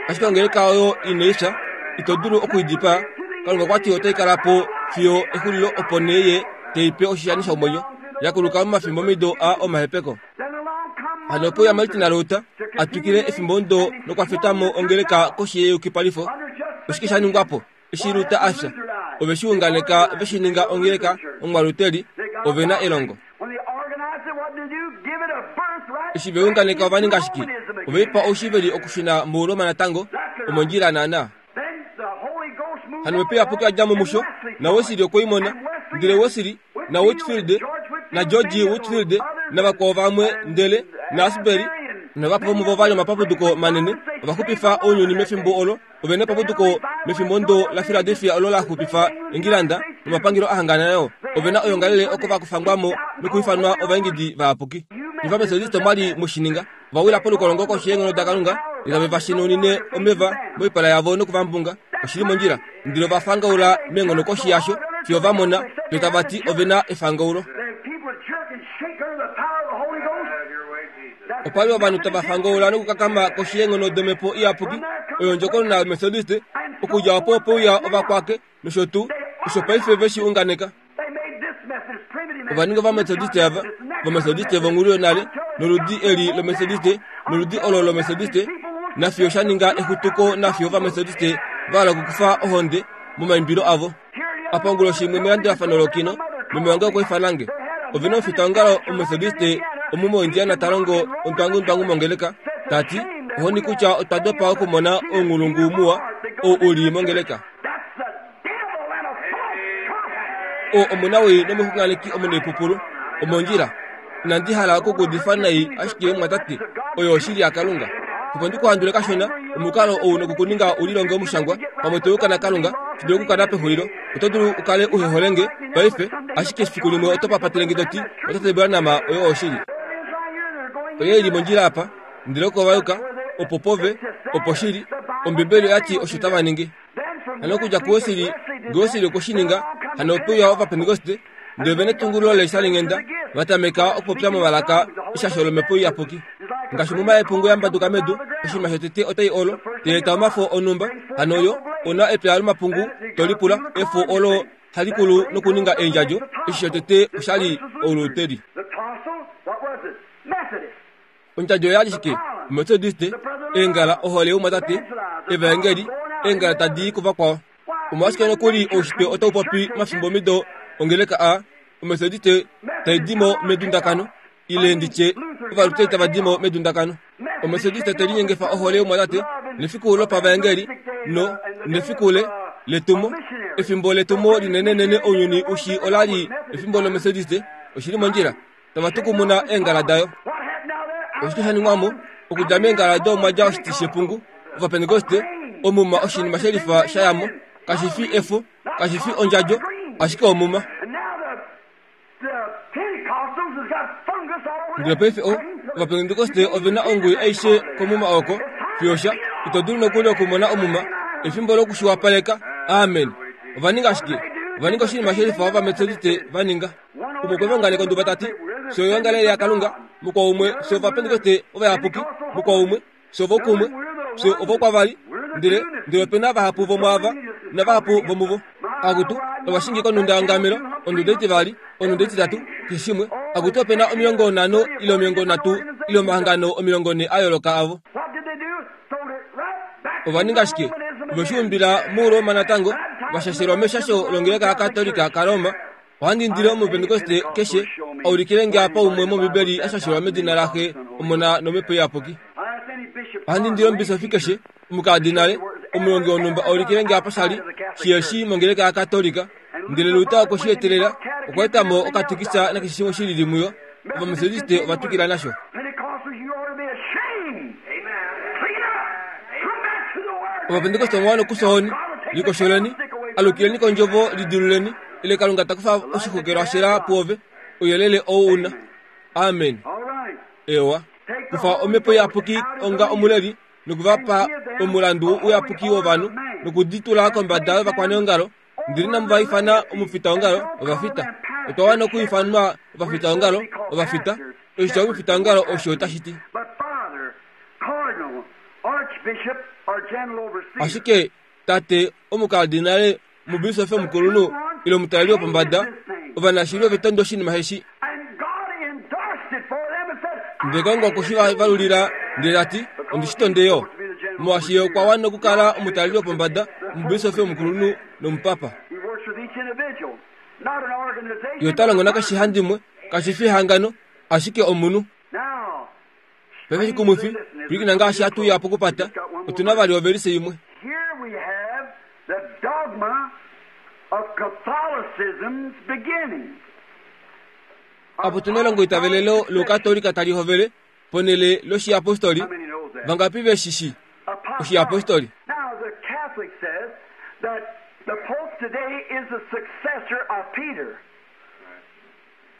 Ashike ongeleka oyo inai fya, ito dulu okuidipaa. Kalunga okwa ti otai kala po fiyo exulilo opo nee ye te i pe oshishani shomwenyo, ya kuluka momafimbo omido aa omahepeko. Hano ope uya Martin Luther a twikile efimbo ndo nokwa feta mo ongeleka koshi yeyukipalifo. Oshike sha ningwa po eshi Luther a fya? Ove shi unganeka ve shi ninga ongeleka omwaluteli, ove na elongo. Eshi ve unganeka ova ninga shike? Ove i pa oushiveli okushuna muRoma natango, omondjila naana. Hano Omhepo Iyapuki ya dja mo musho, naWesley okwe i mona. Ndele Wesley naWhitfield naGeorge Whitfield navakwao vamwe ndele naAsbury navahapu vomuvo va li omapapuduko manene ova xupifa ounyuni mefimbo olo. Ove na epapuduko mefimbo ndo laPhiladelphia olo la xupifa Engilanda nomapangelo a hangana nayo. Ove na oyoongalele oko va kufangwa mo nokuifanwa ovaingidi vayapuki. NOvametodiste omwa li mushininga va wila polukolongo koshi yeenghono daKalunga ndele tave va shinunine omeva moipala yavo nokuvambunga. Oshili mondjila. Ndele ova fangaula meenghono koshi yasho fiyo va mona fiyo tava ti ove na efangaulo. Opa li ovanhu tava fangaula nokukakama koshi yeenghono domhepo iyapuki oyo ondjokonona yometodiste. Okudja opo ope uya ovakwake nosho tuu osho paife ve shi unganeka. Ova ninga ovametodiste ava, ovametodiste vonghulu yonale, noludi eli lometodiste noludi olo lometodiste, nafiyo sha ninga exutuko nafiyo ovametodiste va hala okukufa ohonde momaimbilo avo. Apa onguloshi imwe melandulafano lokino, meme wange okwa ifana nge. Ove na omufitaongalo omumetodiste omu moIndiana ta longo ondwangundwangu mongeleka, ta ti, ohoni kutya otwa dopa okumona ounghulungu muwa ou u li mongeleka. Oo omunawii nomuxunganeki omunaipupulu omondjila. Inandi hala okukuudifa nai ashike mwatate, oyo oshili yaKalunga. Opo ndi ku handule kashona, omukalo ou nokukuninga u lilonge omushangwa, pamwe to yuka naKalunga, shi dulu okukala pexulilo. Oto dulu u kale uhe hole nge paife, ashike fiku limwe oto papatele nge to ti, Mwatate Branham, oyo oshili. Oye i li mondjila apa, ndele oko va yuka, opo pove, opo shili. Ombibeli oya ti osho tava ningi. Hano okudja kuWesley, nge Wesley okwe shi ninga, hano ope uya Ovapentekoste, ndele ove netungululo leeshalinghenda, va tameka okupopya momalaka eshasho lOmhepo Iyapuki. Ngaashi omuma yepungu ya mbaduka medu, oshinima shotete otai olo, tai eta omafo onhumba, hano yo ona epya lomapungu, to lipula, efo olo hali kulu nokuninga eendjadjo, eshi shotete osha li ouluteri. Ondjadjo oya li shike? Ometodiste, eengala, ohole youmwatate, evaengeli, eengala tadi i kuvakwao. Omolwashike nokuli oushitwe otau popi omafimbomido ongeleka a Ometodiste tai di mo medundakano, ile nditye ovaluteri tava di mo medundakano. Ometodiste te linyengefa ohole youmwatate nefiku lopavaengeli no nefiku le letumo. Efimbo letumo linenenene ounyuni ushi ola li efimbo lOmetodiste. Oshi li mondjila. Tava tukumuna eengala dayo. Oshike sha ningwa mo? Okudja meengala odo omwa dja oshiti shepungu, Ovapentekoste, omuma oshinima shelifa sha ya mo. Kashi fi efo, kashi fi ondjadjo, ashike omuma. Ndele paife o, Ovapentekoste ovena onguyu aishe komuma oko fiosha ito dulu nokuli okumona omuma efimbo lokushiwapaleka. Amen. Ova ninga shike? Ova ninga oshinima shelifa Ovametodiste va ninga. Umwe okwe va unganeka onduba tati fye oyoongalele yaKalunga, mukwao umwe fye Ovapentekoste ovayapuki, mukwao umwe fye ovokumwe, fye ovokwavali, ndele ndele opena vahapu vomwaava navahapu vomuvo. Akutu ovashingi konunda yongamelo, onduda itivali, onduda ititatu, keshe shimwe. Akutu opena omilongo nhano ile omilongo nhatu ile omahangano omilongo nhe a yooloka avo. Ova ninga shike? Ove shi umbila muRoma natango, vashashelwa meshasho longeleka yaKatolika kaRoma. Ohandi indile Omupentekoste keshe a ulikile nge apa umwe mOmbibeli a shashelwa medina laXe, Omona nOmhepo Iyapuki. Ohandi indile omubisofi keshe, omukadinale, omulongi wonhumba a ulikile nge apa shali shiheshi mongeleka yaKatolika. Ndele Luther okwe shi etelela, okwa eta mo okatikisa nakeshe shimwe shi lili muyo. Ovametodiste ova twikila nasho. Ovapentekoste omwa wana okufya ohoni, likosholeni, alukileni kondjovo, lidiluleni, ile Kalunga ta kufa oshixokelwa shela puove, ouyelele ou una. Amen. Ewa. Kufa omhepo iyapuki onga omuleli nokuvapa omulandu uyapuki wovanhu nokuditula kombada yovakwaneongalo. Ndele inamu va ifana omufitaongalo, ovafita. Otwa wana okuifanwa ovafitaongalo, ovafita. Oshitya omufitaongalo osho tashi ti. Ashike tate omukardinale, omubisofi omukulunhu ile omutaleli wopombada, ovanashili ove tonde oshinima eshi. Ndele Kalunga okwe shi valulila ndele ta ti, ondi shi tonde yo. Molwaashi ye okwa wana okukala omutaleli wopombada, omubisofi omukulunhu nomupapa. Ye ota longo nakeshe handimwe, kashi fi ehangano, ashike omunhu. Paife shikumwifi, pwilikina ngaashi hatu uya pokupata, otu na vali ovelise imwe. Here we have the dogma of Catholicism's beginning. Apo tu na elongoitavelelo lOukatolika tali hovele ponhele loshiapostoli. Vangapi ve shi shii? Oshiapostoli. Now the Catholic says that the Pope today is the successor of Peter.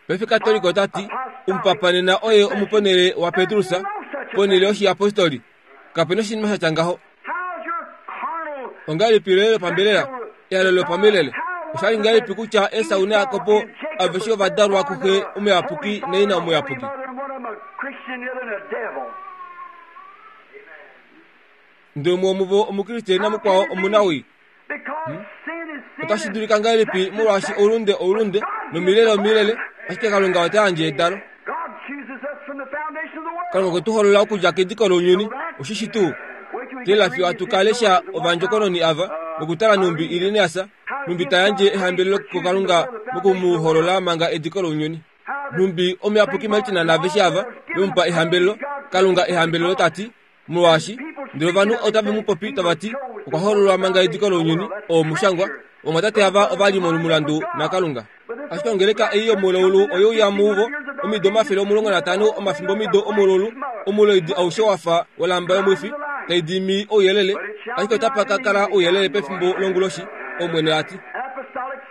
Paife Katolika ota ti, omupapa nena oye omuponhele waPetrus, ponhele yoshiapostoli. Kape na oshinima sha tya ngaho. How's your carnal Ongahelipi loye lopambelela, ehalo lopamilele? Osha li ngahelipi kutya Esau naJakob aveshe ova dalwa kuxe omuyapuki naina omuyapuki? Ndele umwe womuvo Omukriste namukwao omunawii. Hmm? Otashi dulika ngahelipi molwaashi oulunde oulunde nomilele omilele, ashike Kalunga ota yandje edalo. Kalunga okwe tu holola okudja kediko lounyuni, oshishi tuu. Teelela fiyo hatu ka lesha ovandjokononi ava nokutala nhumbi Irenaeus nhumbi ta yandje ehambelelo kuKalunga moku mu holola manga ediko lounyuni. Nhumbi omuyapuki Martin naaveshe ava ve mu pa ehambelelo, Kalunga ehambelelo ta ti, molwaashi ndele ovanhu otave mu popi tava ti okwa hololwa manga ediko lounyuni, oo omushangwa. Ovamwatate ava ova li momulandu naKalunga. Ashike ongeleka ei yomulaulu oye uya muvo omido omafele omulongo natano omafimbo omido omulaulu, omuloidi aushe wa fa wolamba yomwifi tai dimi ouyelele, ashike otapa ka kala ouyelele pefimbo longuloshi, Omwene a ti. Apostolic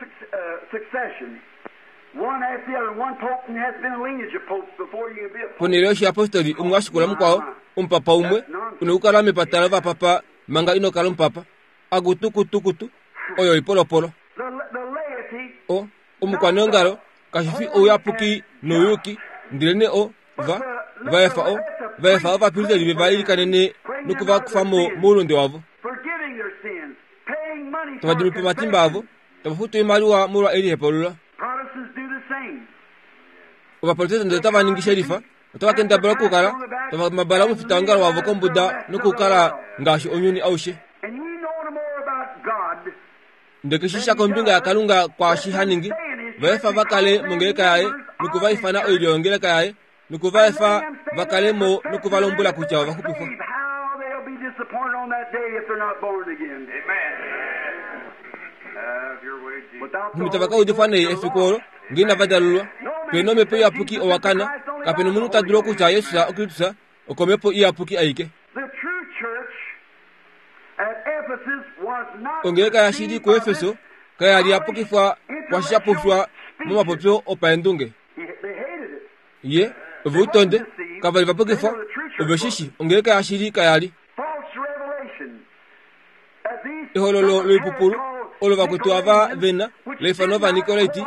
succession, one after the other, one pope and has been a lineage of popes before you can be a pope. Ponhele yoshiapostoli umwe a shikula mukwao, omupapa umwe, una okukala mepata lovapapa manga ino kala omupapa. Akutukutukutu, oyo oipolopolo. The, the laity, O, omukwaneongalo, kashi fi ouyapuki nouyuki, ndelenee o, va, va efa o, va efa ovapristeli ve va ilikanene noku va kufa mo moulunde wavo. forgiving their sins, paying money Tava for dimi po omatimba avo, tava futu oimaliwa molwa elihepaulo. Protestants do the same. Ovaprotestante otava ningi shelifa, otava kendabala okukala tava mabala omufitaongalo wavo kombuda nokukala ngaashi ounyuni aushe. And he know no more about God Ndele keshe sha kombinga yaKalunga kwaashi ha ningi, va efa va kale mongeleka yaye noku va ifana oilyo yongeleka yaye, noku va efa va kale mo noku va lombwela kutya ova xupifwa. Save, how they'll be disappointed on that day if they're not born again. Amen. Have your way, Jesus. Without the Nhumbi tava ka Holy udifwa Ghost, nei you're efiku olo, lost. ngee inava dalulwa. Pena omhepo iyapuki owa kana, kape nomunhu ta dulu okutya Jesus oKristus okomhepo iyapuki aike. The true church at Ephesus was not Ongeleka yashili deceived by kuEfeso this kaya li ya pukifwa kwashi sha pufwa momapopyo opaendunge. He- They hated it. Ye ove u tonde, Kava li va pukifwa, ove shishi ongeleka yashili kaya li. False revelation. That these Ehololo loipupulu olo vakwetu ava vena leifano ovanikolaiti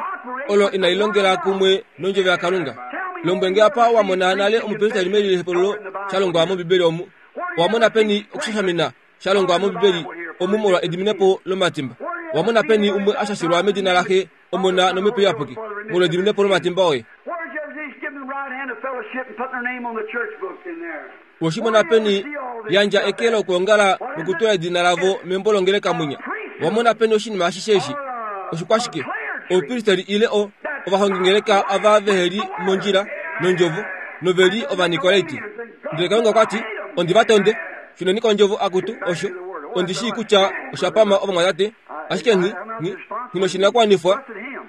olo inali longela kumwe nondjovo yaKalunga. Lombwenge apa wa mona nale omupristeli melihepololo sha longwa mOmbibeli omu. Owa mona peni okushashamina sha longwa mOmbibeli omu molwa ediminepo lomatimba. Owa mona peni umwe a shashilwa medina laxe Omona nOmhepo Iyapuki molwa ediminepo lomatimba oye. Where'd you ever see give them the right hand of fellowship and putting their name on the church book in there? Oshimona peni yandja eke lokuongala nokutula edina lavo membo longeleka mwinya. Owa mona peni oshinima ashishe eshi? Oshikwashike? Oupristeli ile o ovahongingeleka ava veheli mondjila nondjovo noveli ovanikolaiti. Ndele Kalunga okwa ti, ondi va tonde. Shuneni kondjovo akutu osho. Ondi shii kutya osha pama ovamwatate, ashike nghi nghi nghi noshinakuwanifwa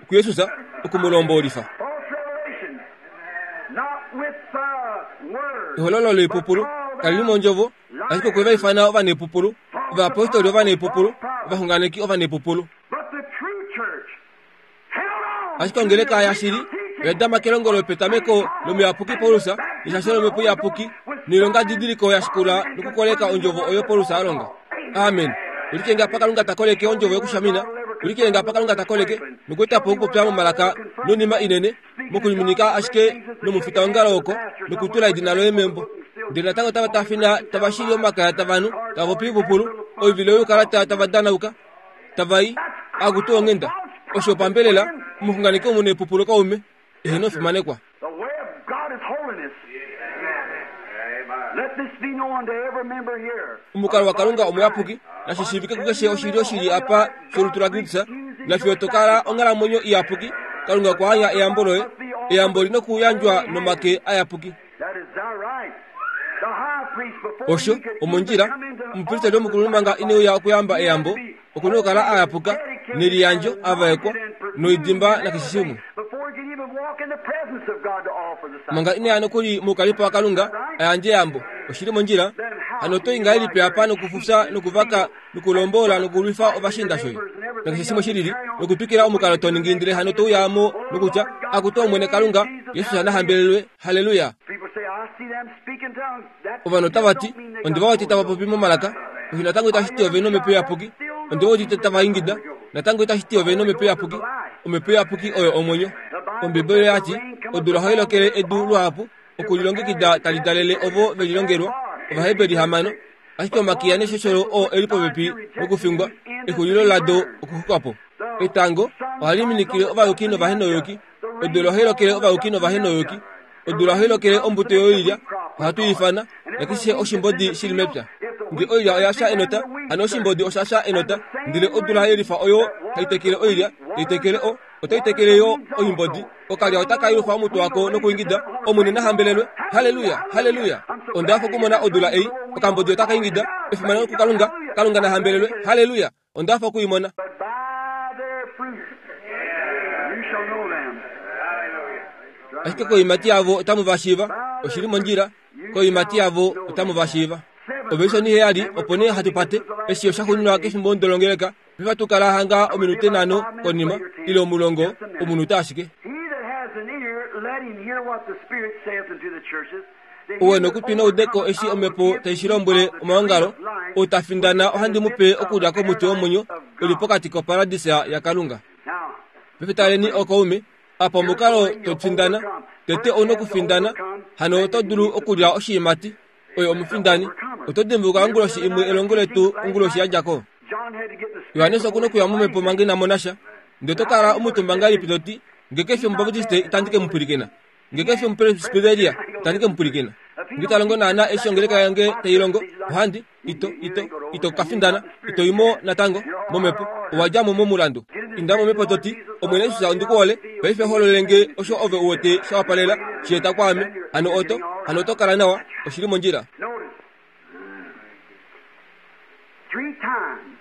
kuJesus oku mu lombolifa. False revelation. Not with the word. Ehololo loipupulu kali li mondjovo, ashike okwe va ifana ovanepupulu, ovayapostoli ovanepupulu, ovaxunganeki ovanepupulu. But the true church held on Ashike ongeleka yashili oya dama kelongo lopetameko lomuyapuki Paulus neshasho lomhepo iyapuki noilonga didiliko ya shikula nokukoleka ondjovo oyo Paulus a longa. Amen. Ulikenge apa Kalunga ta koleke ondjovo yokushamina, ulikenge apa Kalunga ta koleke nokueta po okupopya momalaka nonima inene mokuliminika ashike nomufitaongalo oko nokutula edina loye membo. Ndele natango tava tafina tava shili omakaya tavanhu tava popi oipupulu oivilo youkalata tava danauka tava i akutu onghenda osho pambelela omuxunganeki omunepupulu kaume eheno fimanekwa. The way of God is holiness. Let this be known to every member here. Omukalo waKalunga omuyapuki nashi shiivike kukeshe oshilyo shili apa sholutu laKristus nafiyo to kala onghalamwenyo iyapuki. Kalunga okwa anya eyambo loye, eyambo li nokuyandjwa nomake ayapuki. That is thy right. The high priest before Osho he could omondjila even come into omupristeli omukulunhu manga ineuya okuyamba eyambo okuna okukala ayapuka neliyandjo avaekwa noidimba nakeshe shimwe. Before he could even walk in the presence of God to offer the sacrifice. Manga ineya nokuli moukalipo waKalunga ayandje eyambo oshili mondjila. Hano oto i ngahelipi apa nokufufya nokuvaka nokulombola nokulwifa ovashiinda shoye nakeshe shimwe shilili nokutwikila omukalo to ningi ndele hano to uya mo nokutya akutu Omwene Kalunga Jesus nahambelelwe haleluya. People say, I see them speaking tongues. That Ovanhu otava ti don't mean they ondi got va wete the tava Holy popi Ghost. momalaka osho natango itashi ti ove nomhepo iyapuki. Ondi udite tava ingida natango itashi ti ove nomhepo iyapuki. Omhepo iyapuki oyo omwenyo. Ombibeli oya ti odula ohai lokele edu luhapu okulilongekida tali dalele ovo ve lilongelwa Ovaheberi hamano. Ashike omakiya neshosholo oo eli popepi nokufingwa exulilo lado okuxuka po. Etango ohali minikile ovayuki novahenoyuki. Odula ohai lokele ovayuki novahenoyuki. Odula ohai lokele ombuto yoilya ohatu i ifana nakeshe oshimbodi shili mepya. Nge oilya oya fya enota, hano oshimbodi osha fya enota, ndele odula yelifa oyo hai tekele oilya, tai tekele o, otai tekele yo oimbodi. Okalya otaka yufa omutwe wako nokuingida, Omwene na hambelelwe, haleluya, haleluya. Onda hafa okumona odula ei, okambodi otaka ingida, efimano kuKalunga, Kalunga na hambelelwe, haleluya. Onda hafa okuimona. But by their fruits you shall know them. Ashike koimati yavo otamu va shiiva, oshili mondjila, koimati yavo otamu va shiiva. Ovelisoni heyali opo nee hatu pate eshi osha xuninwa kefimbo ndolongeleka paife tukala hanga ominute nhano konima ile omulongo omunute ashike. He that has an ear, let him hear what the Spirit saith unto the churches. Ouwe nokutwi noudeko eshi omhepo tai shi lombwele omaongalo, ou ta findana ohandi mu pe okulya komuti womwenyo uli pokati koparadisa yaKalunga. Now, Paife taleni okaume, apa omukalo to findana, tete ou nokufindana, hano oto dulu okulya oshiimati, oyo omufindani. Oto dimbuluka onguloshi imwe elongo letu onguloshi ya dja ko. John had to get in the Spirit Johannes okuna okuya momhepo manga ina mona sha. Ndele oto kala omutumba ngahelipi to ti, nge kefi omubaptiste itandi ke mu pwilikina. Nge kefi omupresbiteria itandi ke mu pwilikina. Nge ita longo naana eshi ongeleka yange tai longo, ohandi ito ito ito ka findana, ito i mo natango momhepo, owa dja mo momulandu. Inda momhepo to ti, Omwene Jesus ondi ku hole, paife holole nge osho ove u wete sha wapalela, shi eta kwaame, hano oto, hano oto kala nawa, oshili mondjila. Notice. Three times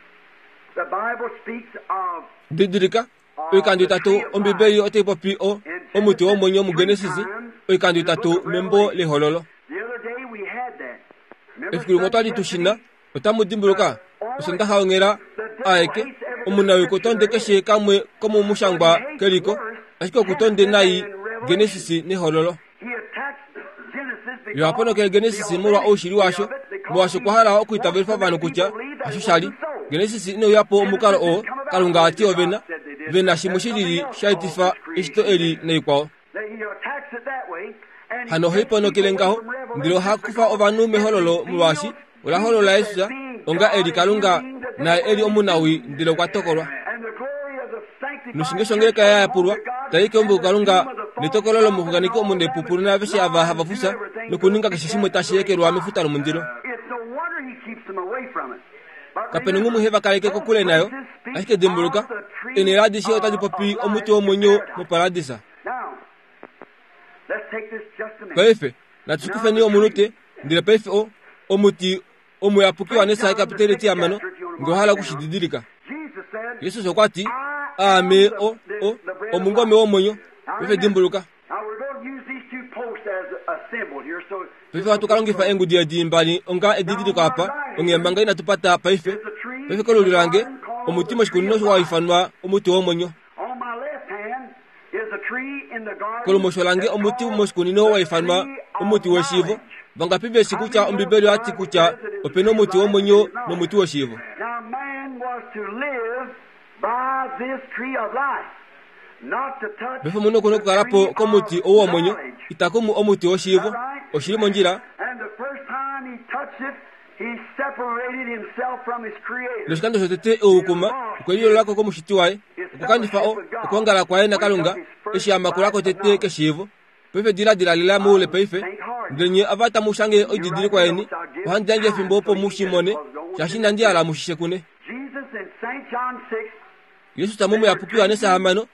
the Bible speaks of Didilika, oikando itatu Ombibeli otai popi o omuti womwenyo muGenesis, oikando itatu membo lehololo. the other day we had that. Remember Efiku limwe otwali tu shina, otamu dimbuluka osondaxa onghela aeke omunawii okutonde keshe kamwe komumushangwa keliko, ashike okutonde nai Genesis nehololo. He attacks Genesis Yo haponokele Genesis molwa oushili washo, molwaashi okwa hala okuitavelifa ovanhu kutya hasho shali. Genesis ineuyapo omukalo oo Kalunga ati ovena vena shimwe shilili sha etifa eshito eli naikwao. Hano ohaiponokele ngaho, ndele oha kufa ovanhu mehololo molwaashi ola holola Jesus onga eli Kalunga naye eli omunawi, ndele okwa tokolwa. Noshinge shongeleka ya yapulwa tai keumbo kuKalunga netokolo lomuxunganeki omunepupulu naaveshe ava hava fufya nokuninga keshe shimwe tashi ekelwa mefuta lomundilo. Kapena ngumwe he va kaleke kokule nayo, ashike dimbuluka, eenhele adishe otadi popi omuti womwenyo moparadisa. Paife natu shikufeni omunute, ndele paife o omuti omuyapuki waNesai kapiteli etihamano, nge owa hala okushididilika. Jesus okwa ti, Aame o o omungome womwenyo. Paife dimbuluka. Paife ohatu ka longifa eengudi edi mbali onga edidiliko apa, onghee manga inatu pata paife. Paife kolulyo lange, omuti moshikunino wa ifanwa omuti womwenyo. Kolumosho lange omuti moshikunino wa ifanwa omuti weshiivo. Vangapi veshi kutya Ombibeli oyati kutya opena omuti womwenyo nomuti weshiivo? Paife omunhu oku na okukala po komuti ou womwenyo, ita kumu omuti weshiivo. Oshili mondjila. Noshikando shotete eukuma okwe liyoolola ko komushiti waye, okwa kanifa okwoongala kwaye naKalunga eshi a makula ko tete keshiivo. Paife diladila lela moule paife, ndele nye ava tamu shange oididilikwa yeni, ohandi yandje efimbo opo mu shi mone, shaashi inandi hala mu shishe kune. Jesus momuyapuki Johannes hamano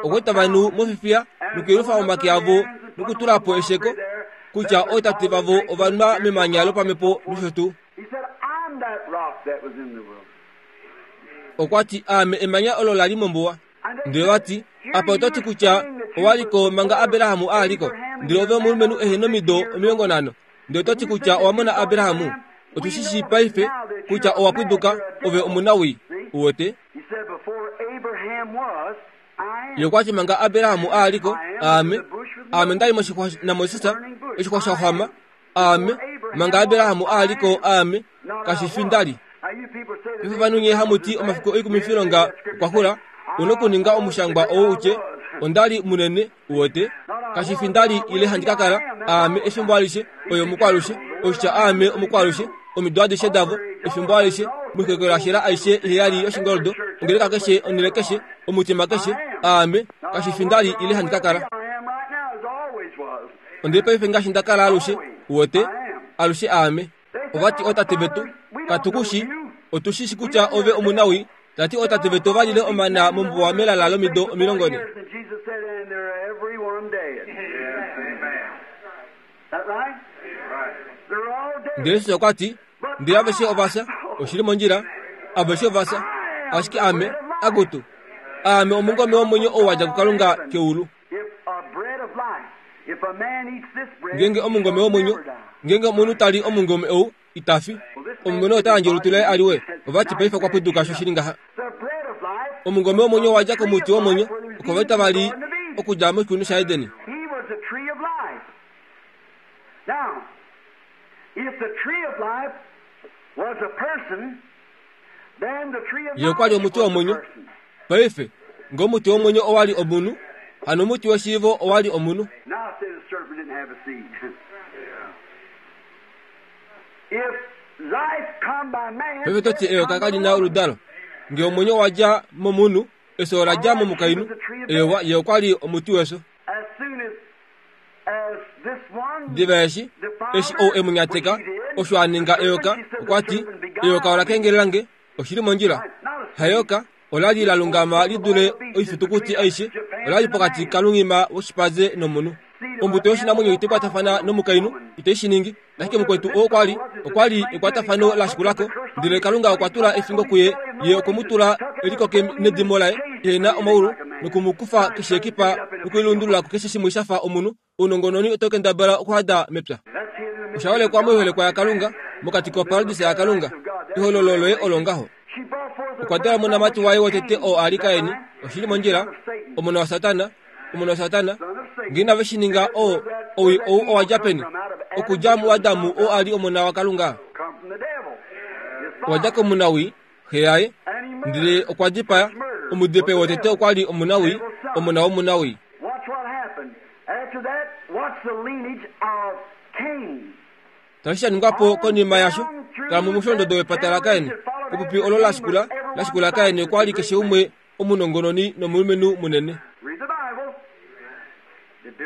okwa eta ovanhu mofifiya nokuyelufa omake avo nokutula po esheko kutya ootate vavo ova nwa memanya lopamhepo nosho tuu. Okwa ti, Aame emanya olo la li mombuwa. Ndele va ti, Apa oto ti kutya owa li ko manga Abraham a li ko, ndele ove omulumenhu ehe nomido omilongo nhano, ndele oto ti kutya owa mona Abraham? Otu shi shii paife kutya owa pwiduka, ove omunawii. Uwete? Ye okwa ti manga Abraham a li ko, Aame, Aame nda li moshixwa naMoses, oshixwa sha xwama, Aame, manga Abraham a li ko, Aame, kashi fi nda li. Paife ovanhu nye hamu ti omafiku oikumifilonga okwa xula, u nokuninga omushangwa ou utye, Onda li munene, uwete? Kashi fi nda li ile handi ka kala, Aame efimbo alishe, oye omukwalushe, oshitya Aame omukwalushe, omido adishe davo, efimbo alishe, moikokelashela aishe iheyali yoshingoldo, ongeleka keshe, onhele keshe, omutima keshe, Aame, kashi fi nda li ile handi ka kala. Ondili paife ngaashi nda kala alushe, uwete? Alushe Aame. Ova ti ootate vetu, katu ku shi, otu shi shi kutya ove omunawi, tati ootate vetu ova lile omana mombuwa melala lomido omilongo ne. Ndele Jesus okwa ti, ndele aveshe ova fya, oshili mondjila, aveshe ova fya, ashike Aame, akutu, Aame omungome womwenyo ou wa dja kuKalunga keulu. Ngeenge omungome womwenyo, ngeenge omunhu ta li omungome ou, ita fi. Omulumenhu ota yandje olutu laye aliwe. Ova ti paife okwa pwiduka sho shili ngaha. Omungome womwenyo wa dja komuti womwenyo, oko va tava li okudja moshikunino shaEden. Ye okwa li omuti womwenyo. Paife, nge omuti womwenyo owa li omunhu, hano omuti weshiivo owa li omunhu. Paife to ti eyoka kali na oludalo. Nge omwenyo wa dja momunhu, efyo ola dja momukainhu. Eyowa, ye okwa li omuti wefyo. Diva eshi, eshi ou e mu nyateka, osho a ninga eyoka, okwa ti, Eyoka ola kengelela nge, oshili mondjila. Haeyoka, ola li la lungama li dule oifitukuti aishe, ola li pokati kalunghima woshipaze nomunhu. Ombuto yoshinamwenyo itai kwatafana nomukainhu, itai shi ningi. Ashike mukwetu oo okwa li, okwa li ekwatafano la shikulako, ndele Kalunga okwa tula efingo kuye, ye okwe mu tula elikoke nedimo laye, ehe na omaulu, noku mu kufa keshe ekipa nokulilundulula kukeshe shimwe sha fa omunhu. Ounongononi otau kendabala okuhada mepya. Osha holekwa moiholekwa yaKalunga, mokati koparadisa yaKalunga. Ehololo loye olo ngaho. Okwa dala omonamati waye wotete oo a li Kaini, oshili mondjila, omona waSatana, omona waSatana. Nge inave shi ninga, oo owii ou owa dja peni? Okudja muAdamu oo a li omona waKalunga. Owa dja komunawi, xe yaye, ndele okwa dipaya. Omudipai wotete okwa li omunawi, omona womunawi. Tashi sha ningwa po konima yasho, tala momusholondodo wepata laKain. Epupi olo la shikula, la shikula Kain okwa li keshe umwe omunongononi nomulumenhu munene.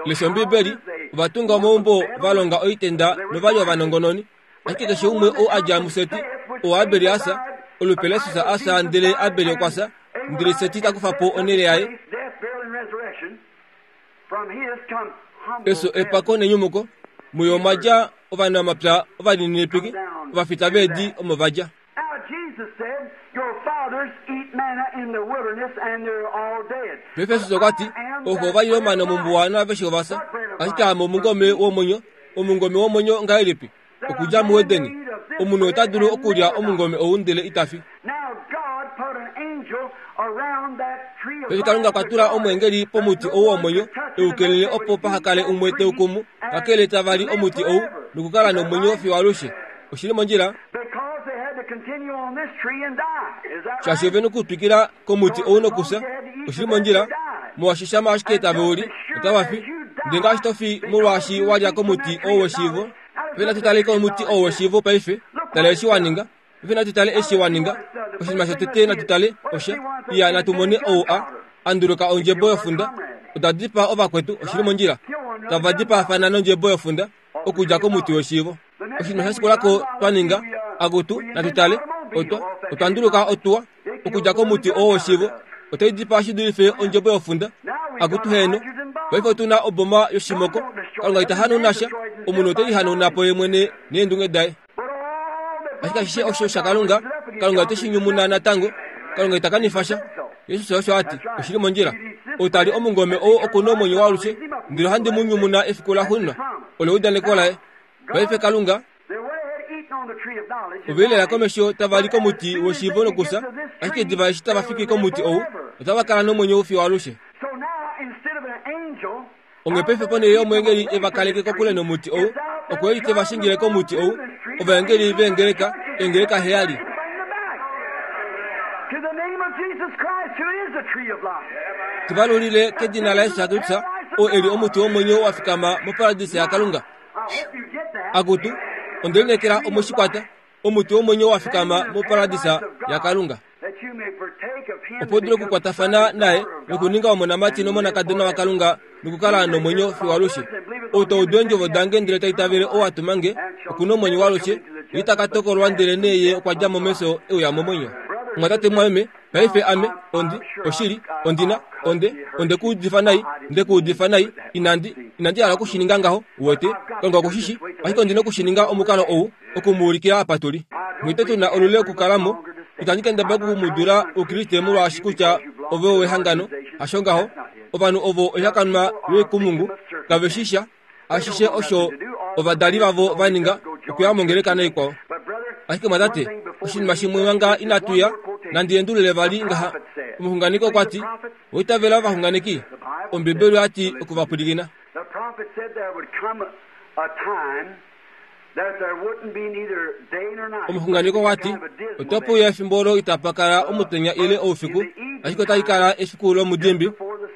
Lesha Ombibeli, ova tunga omaumbo, va longa oitenda nova li ovanongononi. Ashike keshe umwe ou a dja muSeti, oo Abel a fya, olupe laJesus a fya ndele Abel okwa fya, ndele Seti ta kufa po onhele yaye. Efyo, epako nenyumuko, muyo omwa dja ovanamapya ovalininipiki, ovafita veedi omo va dja. Paife Jesus okwa ti, Ovo ova lile omana mombuwa naaveshe ova fya, ashike ame omungome womwenyo. Omungome womwenyo ngahelipi? Okudja muEden. Omunhu ota dulu okulya omungome ou ndele ita fi. Paife Kalunga okwa tula omweengeli pomuti ou womwenyo, e u kelele opo paha kale umwe te u kumu, kakele tava li omuti ou nokukala nomwenyo fiyo alushe. Oshi li mondjila? Shaashi ove nokutwikila komuti ou nokufya. Oshi li mondjila? Molwaashi shama ashike tave u li, otava fi. Ndele ngaashi to fi molwaashi wa lya komuti ou weshiivo, paife natu tale komuti ou weshiivo paife, tala eshi wa ninga. Paife natu tale eshi wa ninga. Oshinima shotete natu tale osha, iya natu mone ou a, a nduluka ondjebo yofunda. Oda dipaa ovakwetu, oshi li mondjila. Tava dipaafana nondjebo yofunda, okudja komuti weshiivo. Oshinima sha shikula ko twa ninga, akutu, natu tale, otwa, otwa nduluka otuwa, okudja komuti oo weshiivo. Otai dipaa shi dulife ondjebo yofunda. Akutu heeno. Paife otu na oboma yoshimoko. Kalunga ita hanauna sha, omunhu ote lihanauna po ye mwene neendunge daye. Ashike ashishe osho shaKalunga, Kalunga ote shi nyumuna natango. Kalunga ita kanifa sha. Jesus osho a ti, oshi li mondjila. Ou ta li omungome ou oku na omwenyo waalushe, ndele ohandi mu nyumuna efiku laxuuninwa. Olo eudaneko laye. Paife Kalunga, ove lela komesho tava li komuti weshiivo nokufya, ashike diva eshi tava fiki komuti ou, otava kala nomwenyo fiyo alushe. Onghee paife ponhele yomweengeli e va kaleke kokule nomuti ou, okwe li te va shingile komuti ou, ovaengeli veengeleka, eengeleka heyali. Te va lulile kedina laJesus Kristus, oo e li omuti womwenyo wa fikama moparadisa yaKalunga. Akutu, onde lineekela omwe shi kwata, omuti womwenyo wa fikama moparadisa yaKalunga. Opo u dule okukwatafana naye nokuninga omonamati nomonakadona waKalunga nokukala nomwenyo fiyo alushe. Ou ta udu eendjovo dange ndele ta itavele ou a tuma nge, oku na omwenyo waalushe, ye ita ka tokolwa ndelenee ye okwa dja mo mefyo e uya momwenyo. Omwatate mumwameme, paife ame, ondi, oshili, ondi na, onde, onde ku udifa nai, nde ku udifa nai, inandi, inandi hala oku shi ninga ngaho, uwete, Kalunga oku shi shi, ashike ondi na oku shi ninga omukalo ou, oku mu ulikila apa tu li. Mwite tu na olule okukala mo, itandi kendabala oku mu dula Oukriste molwaashi kutya ove owehangano, hasho ngaho. Ovanhu ovo oihakanwa yoikumungu, kave shi sha, ashishe osho ovadali vavo va ninga, okuya mongeleka naikwao. Ashike mwatate, oshinima shimwe manga inatu ya, nandi endulule vali ngaha. Omuxunganeki okwa ti, Oitavela ovaxunganeki? Ombibeli oya ti oku va pwilikina. Omuxunganeki okwa ti, Otape uya efimbo olo itapa kala omutenya ile oufiku, ashike otali kala efiku lomudimbi.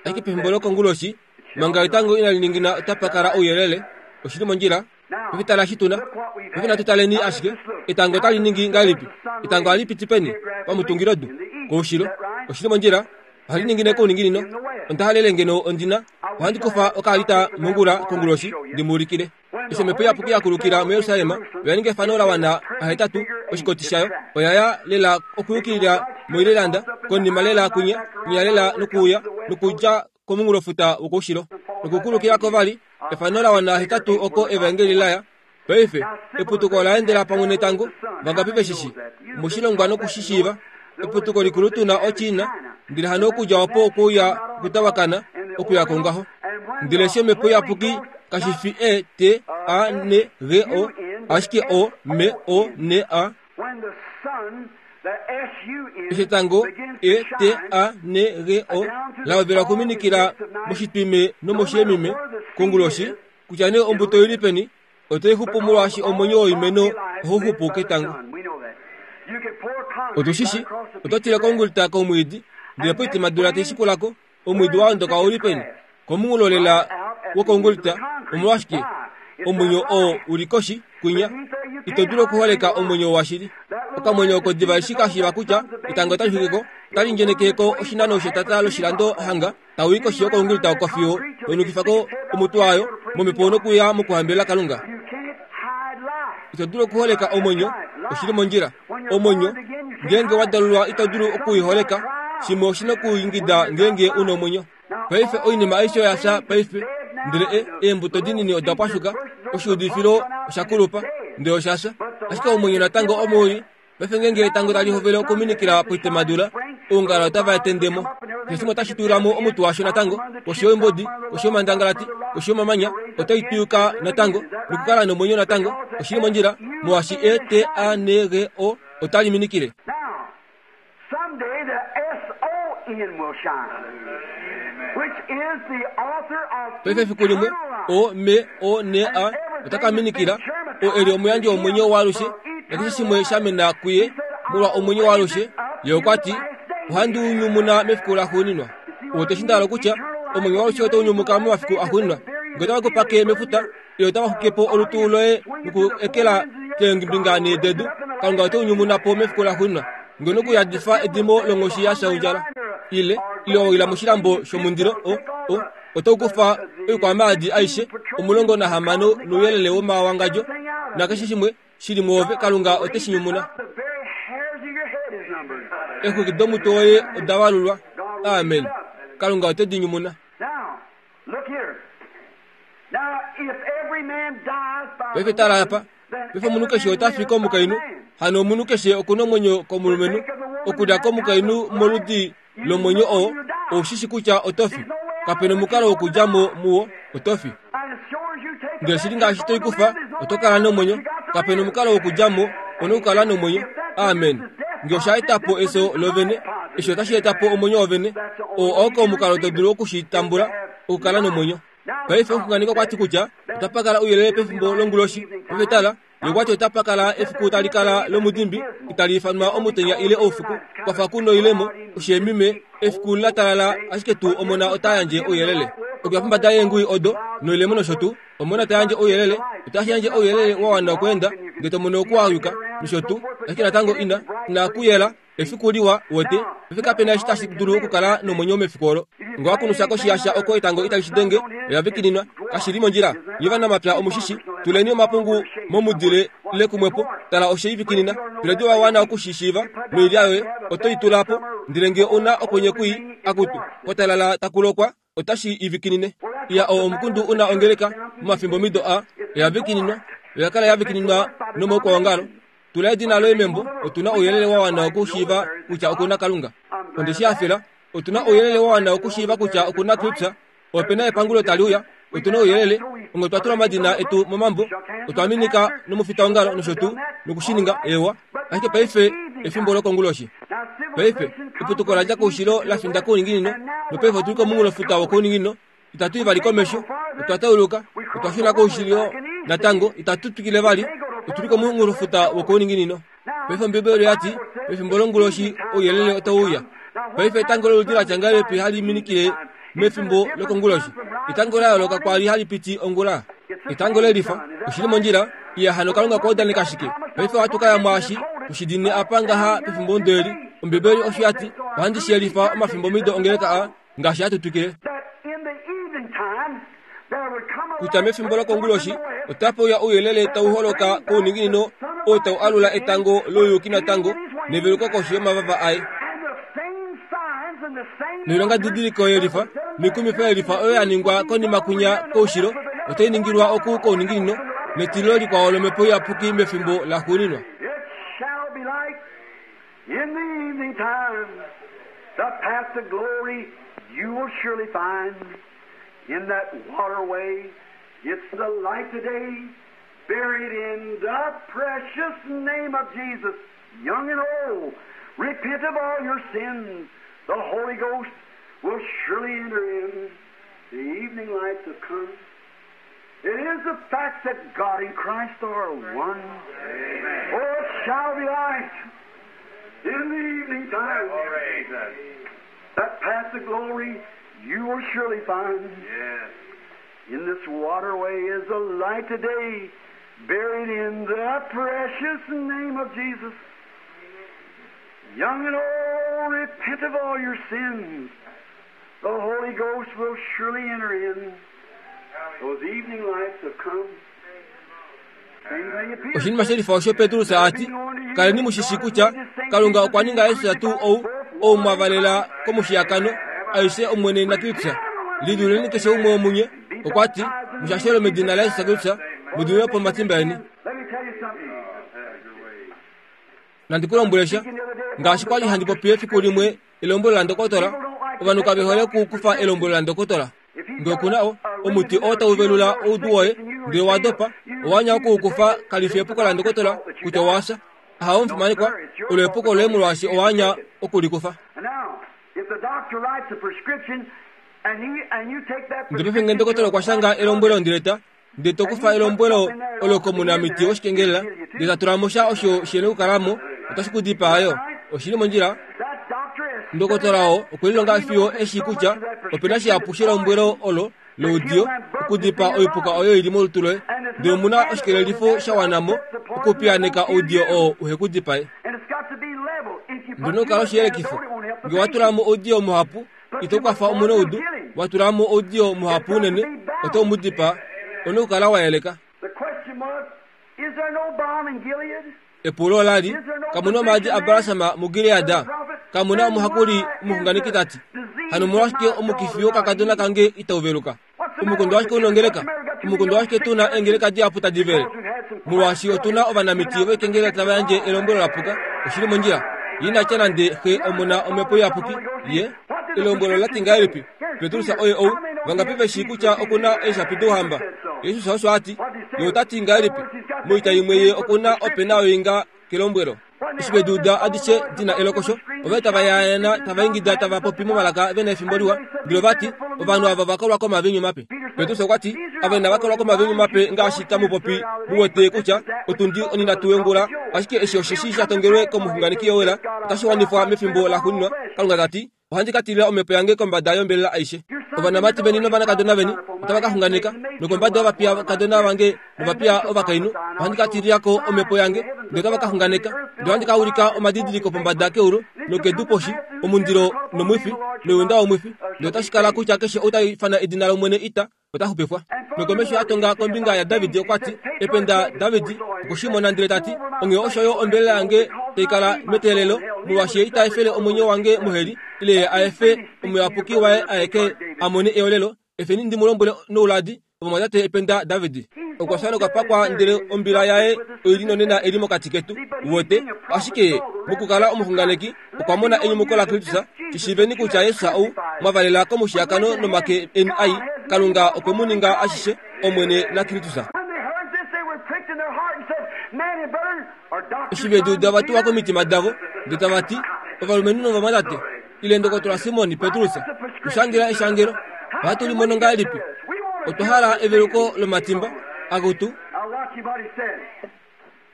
Ashike pefimbo lokonguloshi, manga etango inali ningina otapa kala ouyelele. Oshi li mondjila. Paife tala eshi tu na. Paife natu taleni ashike. Etango otali ningi ngahelipi? Etango ohali piti peni? Pamutungilodu. Koushilo. Oshi li mondjila. Ohali ningine kouninginino. Onda halele ngeno ondi na. Ohandi kufa okaalita mongula konguloshi ndi mu ulikile. Eshi Omhepo Iyapuki ya kulukila muJerusalem, oya ninga efano la wana ahetatu, oshikoti shayo oya ya lela okuyukilila moIrelanda, konima lela kwinya, kwinya lela nokuuya, nokudja komunghulofuta wokoushilo, nokukulukila ko vali, efano la wana hetatu oko Evaengeli la ya. Paife, eputuko ola endela pamwe netango, vangapi ve shi shi? Omushilongwa noku shi shiiva. Eputuko likulu tu na oChina, ndele hano okudja opo okuuya okutavakana, okuya ko ngaho. Ndele eshi Omhepo Iyapuki kashi fi E T A N G O, ashike O M O N A. Eshi etango E T A N G O la hovela okuminikila moshitwime nomoshiyemime konguloshi, kutya nee ombuto oi li peni, Otai xupu molwaashi omwenyo woimeno ohau xupu ketango. Otushishi oto tile kongulita komwiidi ndele poitemadula tai shikulako omwiidi waondoka ouli peni komunghulolela wokongulita. Omolwashike omwenyo oo uli koshi kwinya ito dulu okuholeka omwenyo washili. Okamwenyo oko diva eshi kashiiva kutya etango otali xwikeko otali ndjenekeko oshinano shetata loshilando hanga tau i koshi yokongulita oko fiyo toinukifako omutwe wayo momhepo nokuya mokuhambelela Kalunga. Ito dulu okuholeka omwenyo, oshili mondjila. Omwenyo ngeenge wa dalulwa ito dulu okuiholeka, shimwe oshina okuingida ngeenge una omwenyo. Paife oinima aishe oya fya paife, ndele eembuto dinini oda pwashuka, oshiudifilo osha kulupa, ndele osha fya. Ashike omwenyo natango omo uli. Paife ngeenge etango tali hovele okuminikila poitemadula, oungala otava etendemo. Keshe shimwe otashi tula mo omutwe washo natango, koshi yoimbodi, koshi yomandangalati, koshi yomamanya, otai twiyuka natango nokukala nomwenyo natango. Oshili mondjila molwaashi E T A N G O otali minikile. Paife efiku limwe O M O N A otaka minikila, oo eli omuyandji womwenyo waalushe, nakeshe shimwe sha mena kuye molwa omwenyo waalushe. Ye okwa ti, ohandi u nyumuna mefiku laxuuninwa. Ote shi ndahala kutya omwenyo waalushe otau nyumuka momafiku axuuninwa. Ngee otava kupake mefuta, ile otava xuke po olutu loye noku ekela keembinga nhee dedu, Kalunga ote u nyumuna po mefiku laxuuninwa. Ngee nokuyadifa edimo longhoshi ya fya ondjala, ile ile wa wila moshilambo shomundilo, o o otau kufa oikwamaadi aishe omulongo nahamano nouyelele womawangadjo nakeshe shimwe shili mwoove, Kalunga ote shi nyumuna. Exwiki domutwe woye oda valulwa. Amen. Kalunga ote di nyumuna. Paife tala apa. Paife omunhu keshe ota fi komukainhu, hano omunhu keshe okuna omwenyo komulumenhu. Okulya komukainhu moludi lomwenyo oo, ou shi shi kutya oto fi. Kapena omukalo wokudja mo muwo, oto fi. Ndele shili ngaashi toi kufa, oto kala nomwenyo. Kapena omukalo wokudja mo, ona okukala nomwenyo. Amen. Ngee osha eta po efyo lovene, eshi otashi eta po omwenyo wovene. Oo oko omukalo to dulu okushitambula, okukala nomwenyo. Paife omuxunganeki okwa ti kutya otapa kala ouyelele pefimbo longuloshi. Paife tala, ye okwa ti otapa kala efiku tali kala lomudimbi, itali ifanwa omutenya ile oufiku, kwafa ku noilemo, osheemime, efiku la talala, ashike tuu omona ota yandje ouyelele. Okuya pombada yeengui odo noilemo nosho tuu, omona ta yandje ouyelele, otashi yandje ouyelele wa wana okweenda, ndele to mono okuwayuka nosho tuu, ashike natango ina ina kuyela efiku liwa wote. Paife kapena eshi tashi dulu okukala nomwenyo mefiku olo. Ngee wakunusha koshiyasha oko etango itali shi denge, oya vikininwa, kashi li mondjila. Nye ovanamapya omushishi, tuleni omapungu momudile ile kumwepo, tala oshe ivikinina. Tuledi wa wana okushishiiva noilya yoye oto i tula po, ndele ngee una okwenye kwii, akutu, kwatalala taku lokwa, otashi ivikinine. Iya oo omukundu una ongeleka momafimbo mido a, oya vikininwa, oya kala ya vikininwa nomaukwaongalo. Tula edina loye membo, otuna ouyelele wa wana okushiiva kutya okuna Kalunga. Onde shi hafela, otuna ouyelele wa wana okushiiva kutya okuna Kristus. Opena epangulo tali uya, otuna ouyelele, onge otwa tula omadina etu momambo, otwa minika nomufitaongalo nosho tuu, nokushininga ewa. Ashike paife efimbo lokonguloshi. Paife eputuko la dja koushilo la finda kouninginino, nopaife otuli komunghulofuta wokouninginino. Itatu i vali komesho, otwa tauluka, otwa shuna koushilo natango, itatu twikile vali, otuli komunghulofuta wokouninginino. Paife Ombibeli oya ti, pefimbo longuloshi ouyelele otau uya. Paife etango loludi la tya ngahelipi hali minikile mefimbo lokonguloshi? Etango la yooloka kwali hali piti ongula. Etango lelifa, oshili mondjila. Iya hano Kalunga okwa udaneka shike? Paife ohatu ka ya mwaashi tushidine apa ngaha pefimbo ndeli. Ombibeli osho ya ti, ohandi shi yelifa omafimbo mido ongeleka a, ngaashi hatu twikile. Kutya mefimbo lokonguloshi otapa uya ouyelele tau holoka kouninginino, oo tau alula etango louyuki natango neveluko koshi yomavava aye. Noilonga didiliko yelifa noikumifa yelifa oyo ya ningwa konima kwinya koushilo otai ningilwa oku kouninginino netilo likwao lomhepo iyapuki mefimbo laxuuninwa. In the evening time, the path to glory you will surely find. In that waterway, it's the light today, buried in the precious name of Jesus. Young and old, repent of all your sins. The Holy Ghost will surely enter in. The evening lights have come. It is the fact that God and Christ are one. Amen. Oh, it shall be light in the evening time. That path to glory you will surely find. Yes. In this waterway is a light today, buried in the precious name of Jesus. Young and old, repent of all your sins. The Holy Ghost will surely enter in. Those evening lights have come. Same thing appears. Oshinima shelifa osho Petrus ati kaleni mushishi kutya Kalunga okwa ninga Yesus tuu ou ou mwavalela komushiyakano aishe Omwene naKristus. Liduleni keshe umwe womunye okwa ti mushashelo medina laYesus Kristus mudulwe po matimba eni. Let me tell you something. Nandikulombwelesha ngaashi kwali handi popi efiku limwe elombwelo la ndokotola ovanhu kave hole okukufa elombwelo la ndokotola. Ngee okuna o omuti oo tauvelula oudu woye ndele wa dopa owanya okuukufa kalifi epuko la ndokotola kutya owafya. Ahawe omufimanekwa olo epuko loye molwaashi owanya okulikufa. And now, if the doctor writes a prescription and he and you take that Ndele paife ngee ndokotola okwa shanga elombwelo ndileta ndele tokufa elombwelo olo komunamiti woshikengelela ndele tatulamo sha osho shene okukalamo otashi kudipaa oshili mondjila. that doctor has Ndokotola oo okwelilonga fiyo eshi kutya opena shihapu shelombwelo olo loudiyo okudipaa oipuka oyo ili molutu loye ndele omuna oshikelelifo sha wanamo okupiyaaneka oudiyo oo uhekudipae. and it's got to be level. If you put Ndino too okukala much oshiyelekifo antidote, it won't help the ngee watulamo oudiyo muhapu ito kwafa omunaudu watulamo oudiyo muhapu unene oto mudipaa one okukala wayeleka. The question was, is there no balm in Gilead? Epulo olali kamuna omaadi a balasama muGilead kamuna omuhakuli omuxunganeki tati hano omolwashike omukifi wokakadona kange itauveluka omukondo washike unongeleka omukondo washike tuna eengeleka dihapu tadi vele molwaashi otuna ovanamiti voikengelela tava yandje elombwelo lapuka oshili mondjila inatya nande xe omuna omhepo iyapuki ye elombwelo lati ngahelipi Petrus oye ou vangapi veshi kutya okuna eeshapi douhamba Jesus osho ati ye otati ngahelipi moita imwe ye okuna opena oinga kelombwelo eshi veduuda adishe dina elokosho ove tava yaayana tava ingida tava popi momalaka vena efimbo liwa ndele vati ovanhu ava vakolwa komavinyu mape. Petrus okwa ti ava inava kolwa komavinyu mape ngaashi tamupopi muwete kutya otundi onhinhatu yongula ashike eshi osheshi sha tongelwe komuxunganeki Joel otashi wanifwa mefimbo laxuuninwa. Kalunga tati ohandi ka tilila omhepo yange kombada yombelela aishe. Ovanamati veni novanakadona veni otava ka xunganeka nokombada yovapiya kadona vange novapiya ovakainhu ohandi ka tililako omhepo yange ndele otava ka xunganeka ndele ohandi ka ulika omadidiliko pombada keulu nokedu poshi omundilo nomwifi noyunda womwifi ndele otashi kala kutya keshe ou ta ifana edina lOmwene ita ota xupifwa. Nokomesho a tonga kombinga yaDavid okwa ti ependa David okushimona ndele tati onghee osho yo ombelela yange tai kala meteelelo molwaashi ye ita efele omwenyo wange moheli ile ye a efe omuyapuki waye aeke a mone eolelo. Efeni ndi mu lombwele nouladi ovamwatate ependa David okwa fya nokwa ndele ombila yaye oili nonena eli mokati ketu wote ashike mokukala omuxunganeki okwa mona enyumuko laKristus. Shishiveni kutya Yesus ou mwavalela komushiyakano nomake eni ai Kalunga okwe mu ninga ashishe Omwene naKristus. When they heard this, they were pricked in their heart and said, Man and brethren, are doctors Eshi veduuda vatuwa komitima davo ndele tava ti ovalumenhu novamwatate ile ndokotola Simon Petrus tushangela eshangelo ohatu limono ngahelipi otwa hala eveluko lomatimba akutu. Now watch him what he said.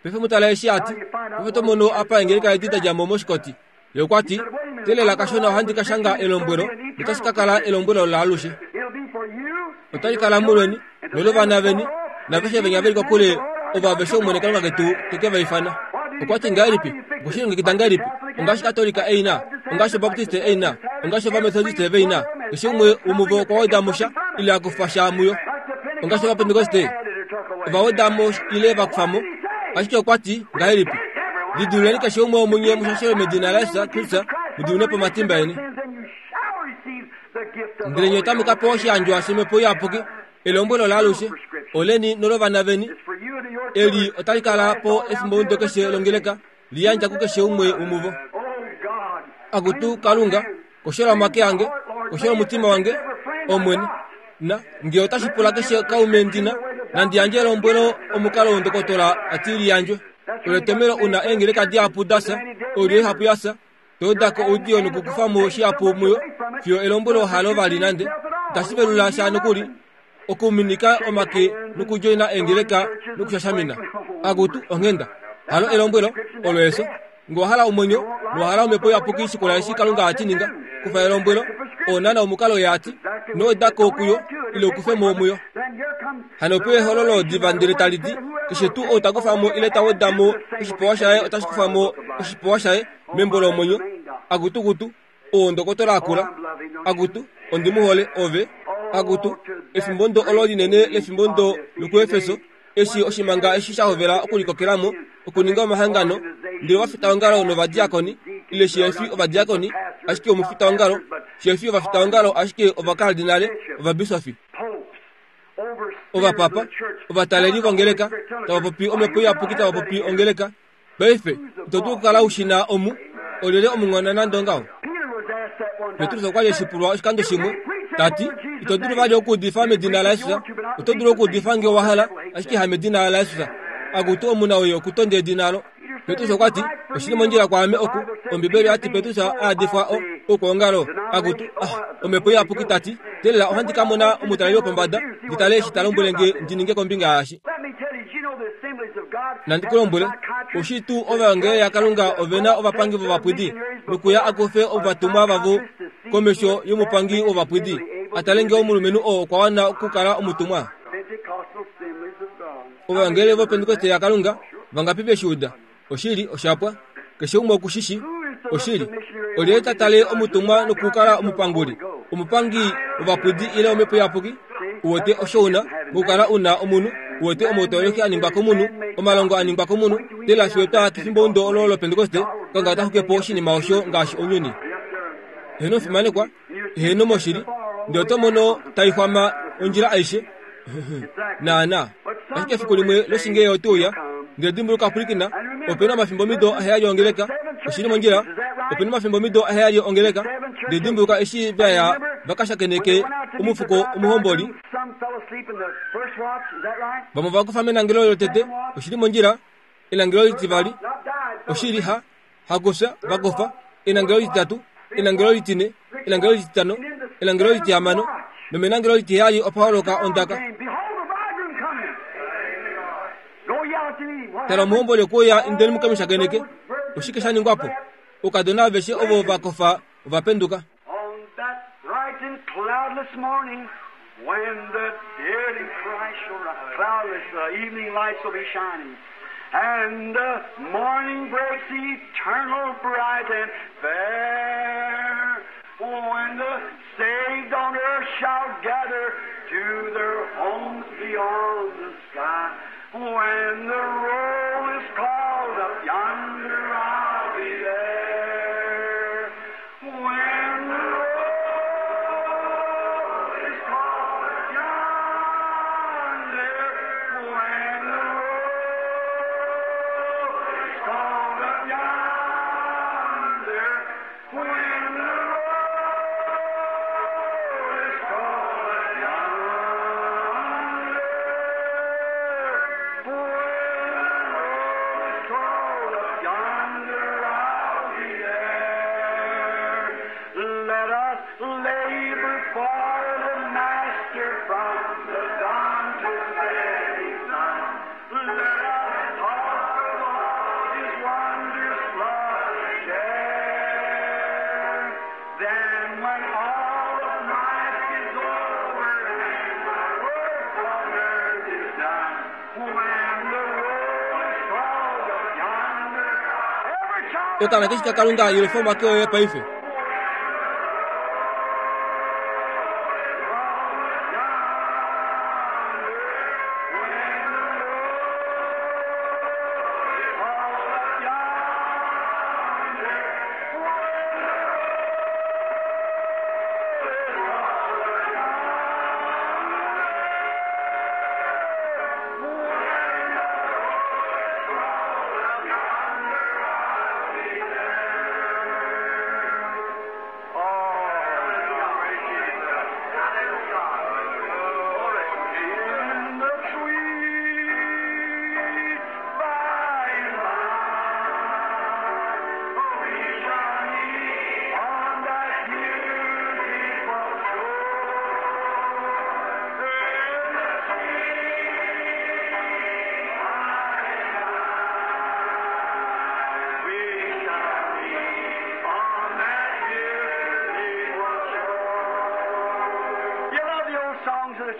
Paife mutala eshi ati paife tomono apa engeleka edi da dja mo moshikoti ye okwa ti telela kashona ohandi ka shanga elombwelo notashi ka kala elombwelo laalushe It'll be for you otali kala mulweni nolovana veni naveshe venya veli kokule ovo aveshe Omwene Kalunga ketu teke va ifana. Okwa ti ngahelipi okushilongekida ngahelipi ongaashi Katolika eina ongaashi Obaptiste eina ongaashi Ovamethodiste veina keshe umwe womuvo okwa weda mo sha ile akufa sha muyo ongaashi Ovapentekoste ova weda mo ile vakufa mo ashike okwa ti ngahelipi lidululeni keshe umwe womunye mushashelwe medina laYesus Kristus mudulune po matimba eni sins and you shall receive the gift of the ndele nye Holy otamu ka pewa oshiyandjwa shomhepo iyapuki elombwelo laalushe oleni nolovana veni It's for you and your eli children. otali kala po efimbo keshe longeleka liyandja kukeshe umwe womuvo. Oh God. Akutu Kalunga koshola omake ange koshola omutima wange Omwene na ngee otashi pula keshe kaume ndina nandi yandje elombwelo omukalo wondokotola ati liyandjwe olo etomelo una eengeleka dihapu dasa oilyo ihapu yasa toodako oudiyo nokukufamo shihapu muyo fiyo elombwelo halo vali nande itashi velula sha nokuli Okuminika omake nokudjoina eengeleka nokushashamina. Akutu onghenda. Halo elombwelo olo eso. Nge owa hala omwenyo nowa hala omhepo iyapuki shikula eshi Kalunga ati ninga. Kufa elombwelo oonana omukalo ye ati. Ino weda ko kuyo ile ukufe mo muyo. Hano ope ehololo diva ndele tali ti keshe tuu ou ta kufa mo ile ta weda mo oshipewa shaye otashi kufa mo oshipewa shaye membo lomwenyo. Akutukutu oo ndokotola akula. Akutu ondi mu hole ove. Akutu efimbo ndo olo linene lefimbo ndo lokuEfeso eshi oshimanga eshi sha hovela okulikokelamo okuninga omahangano ndele ovafitaongalo novadiakoni ile shihefi ovadiakoni ashike omufitaongalo shihefi ovafitaongalo ashike ovakardinale ovabisofi ovapapa ovataleli vongeleka tava popi omhepo iyapuki tava popi ongeleka. Paife ito dulu okukala ushina omu olyelye omunghona nande ongaho. Petrus okwa li eshipulwa oshikando shimwe tati ito dulu vali okuudifa medina laJesus. Oto dulu okuudifa nge wa hala ashike hamedina laJesus. Akutu omuna oye okutonda edina alo. Petrus okwa ti oshili mondjila kwaame oku Ombibeli oyati Petrus aadifwa o okwoongalo. Akutu ah omhepo iyapuki tati telela ohandi ka mona omutaleli wopombada ndi tale eshi ta lombwele nge ndi ninge kombinga yaashi. Nandi ku lombwele oshi tuu ovaengeli yaKalunga ovena ovapangi vovapwidi nokuya akufe ovatumwa vavo komesho yomupangi wovapwidi atale nge omulumenhu oo okwa wana okukala omutumwa. Ovaengeli vopentekoste yaKalunga vangapi veshiuda? Oshili oshapwa. Keshe umwe okushishi. Oshili. Olyelye ta tale omutumwa nokukala omupanguli, omupangi wovapwidi ile omhepo iyapuki? Uwete osho una mokukala una omunhu, uwete omautoleki a ningwa komunhu, omalongo a ningwa komunhu, tela fiyo twa kefimbo ndo olo lopentekoste, Kalunga ota xuke po oshinima osho ngaashi ounyuni. Eheno fimanekwa, eheno moshili, ndele oto mono taixwama ondjila aishe. Naana. Ashike efiku limwe loshinge ote uya, ndele dimbuluka pwilikina, opena omafimbo mido aheyali ongeleka, oshili mondjila, opena omafimbo mido aheyali ongeleka, ndele dimbuluka eshi vaya vakashakeneke omufuko omuhomboli. Vamwe ova kufa menangelo lotete, oshili mondjila, enangelo litivali, oshili ha hakufya vakofa, enangelo lititatu, enangelo litine, enangelo lititano, enangelo litihamano, nomenangelo litiheyali opa holoka ondaka. Tala omuhomboli okwe uya indeni muke mu shakeneke. Oshike sha ningwa po? Oukadona aveshe ovo va kofa ova penduka. On that bright and cloudless morning when the dead in Christ shall rise, cloudless, the evening lights will be shining, and the morning breaks eternal, bright and fair. When the saved on earth shall gather to their homes beyond the sky, when the roll is called up yonder, I'll be there. When the roll is called up yonder, when the roll is called up yonder, when the roll is called up yonder, when the roll is called up yonder, I'll be there. Let us labor for the Master from the dawn to setting sun. Let us talk of all His wondrous love and care. Then when all of life is over and my work on earth is done, when the roll is called up yonder, every child Okana keshi kaKalunga yelufa omake oye paife.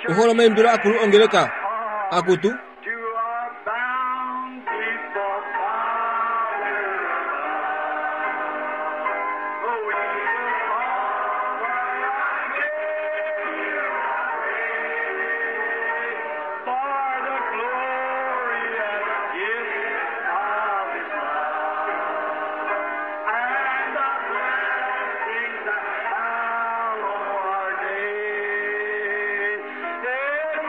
Uhole omaimbilo akulu ongeleka akutu To our bountiful Father above. Oh, we will offer our praise for the glorious gift of His love and the blessings that hallow our days. In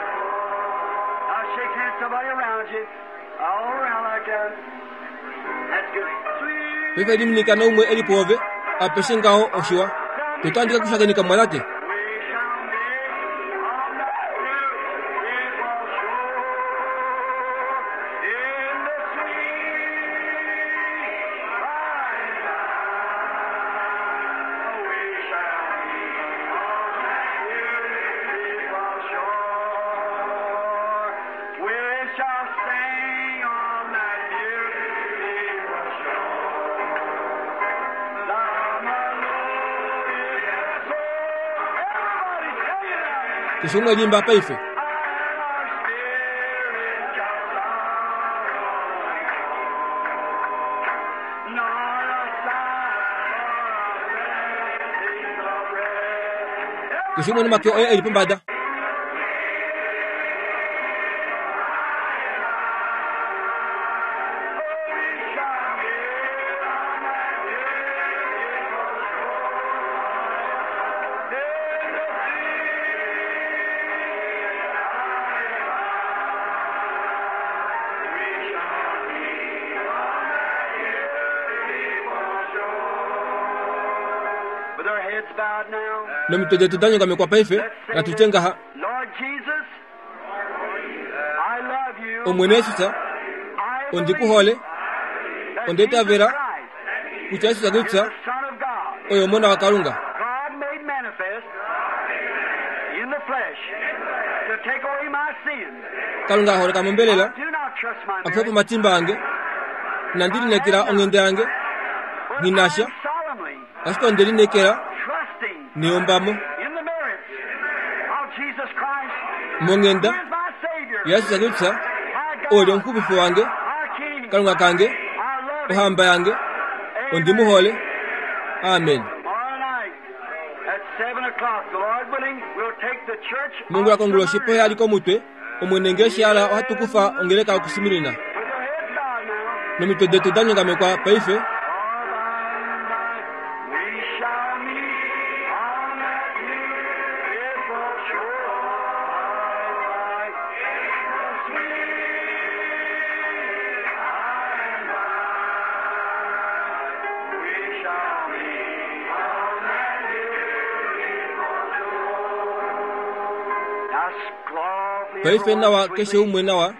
Now shake hands somebody around you. All around like that. That's good. Sweet. Paife liminika naumwe eli pwoove apeshe ngaho oshiwa totandika kushakenika mwalate We shall meet on that beautiful shore in the sweet by and by. We shall meet on that beautiful shore. We shall sing on that beautiful shore. The melodious song. Everybody sing it out. Keshe umwe elimba paife And our spirit shall sorrow nor a sigh for a blessing of rest. Keshe umwe nomake oye eli pombada We shall meet on that beautiful shore in the sea. We shall meet on that beautiful shore. With our heads bowed now. Nomitwe detu danyongamekwa paife natutye ngaha Lord Jesus, I love you. Omwene Yesusa I ondikuhole believe onditavela that Jesus Christ kutya Yesusa is the Kristusa Son of God. oyo omona wa Kalunga God made manifest in the flesh to take away my sin. Kalunga aholeka mombelela I do not trust my akufe marriage, pomatimba ange nandilineekela onghenda yange but Ninasha. I'm solemnly ashike ondelineekela trusting neyombamo in the merits of Jesus Christ. Monghenda He is my Savior, ya Yesusa Kristusa my God, oli omuxupifi wange our King. Kalunga kange I love him. ohamba yange ondimuhole amen Tomorrow night at seven o'clock, the Lord willing, we'll take the church Mongula of konguloshi Smyrna. pohe ali komutwe omwene ngeshi ala ohatukufa ongeleka okusimirina With your heads bowed now. Nomitwe detu danyongamekwa paife For by and by we shall meet on that beautiful shore. By the sweet by and by we shall meet on that beautiful shore. Now, softly, Paife nawa everyone, keshe sweetly. umwe nawa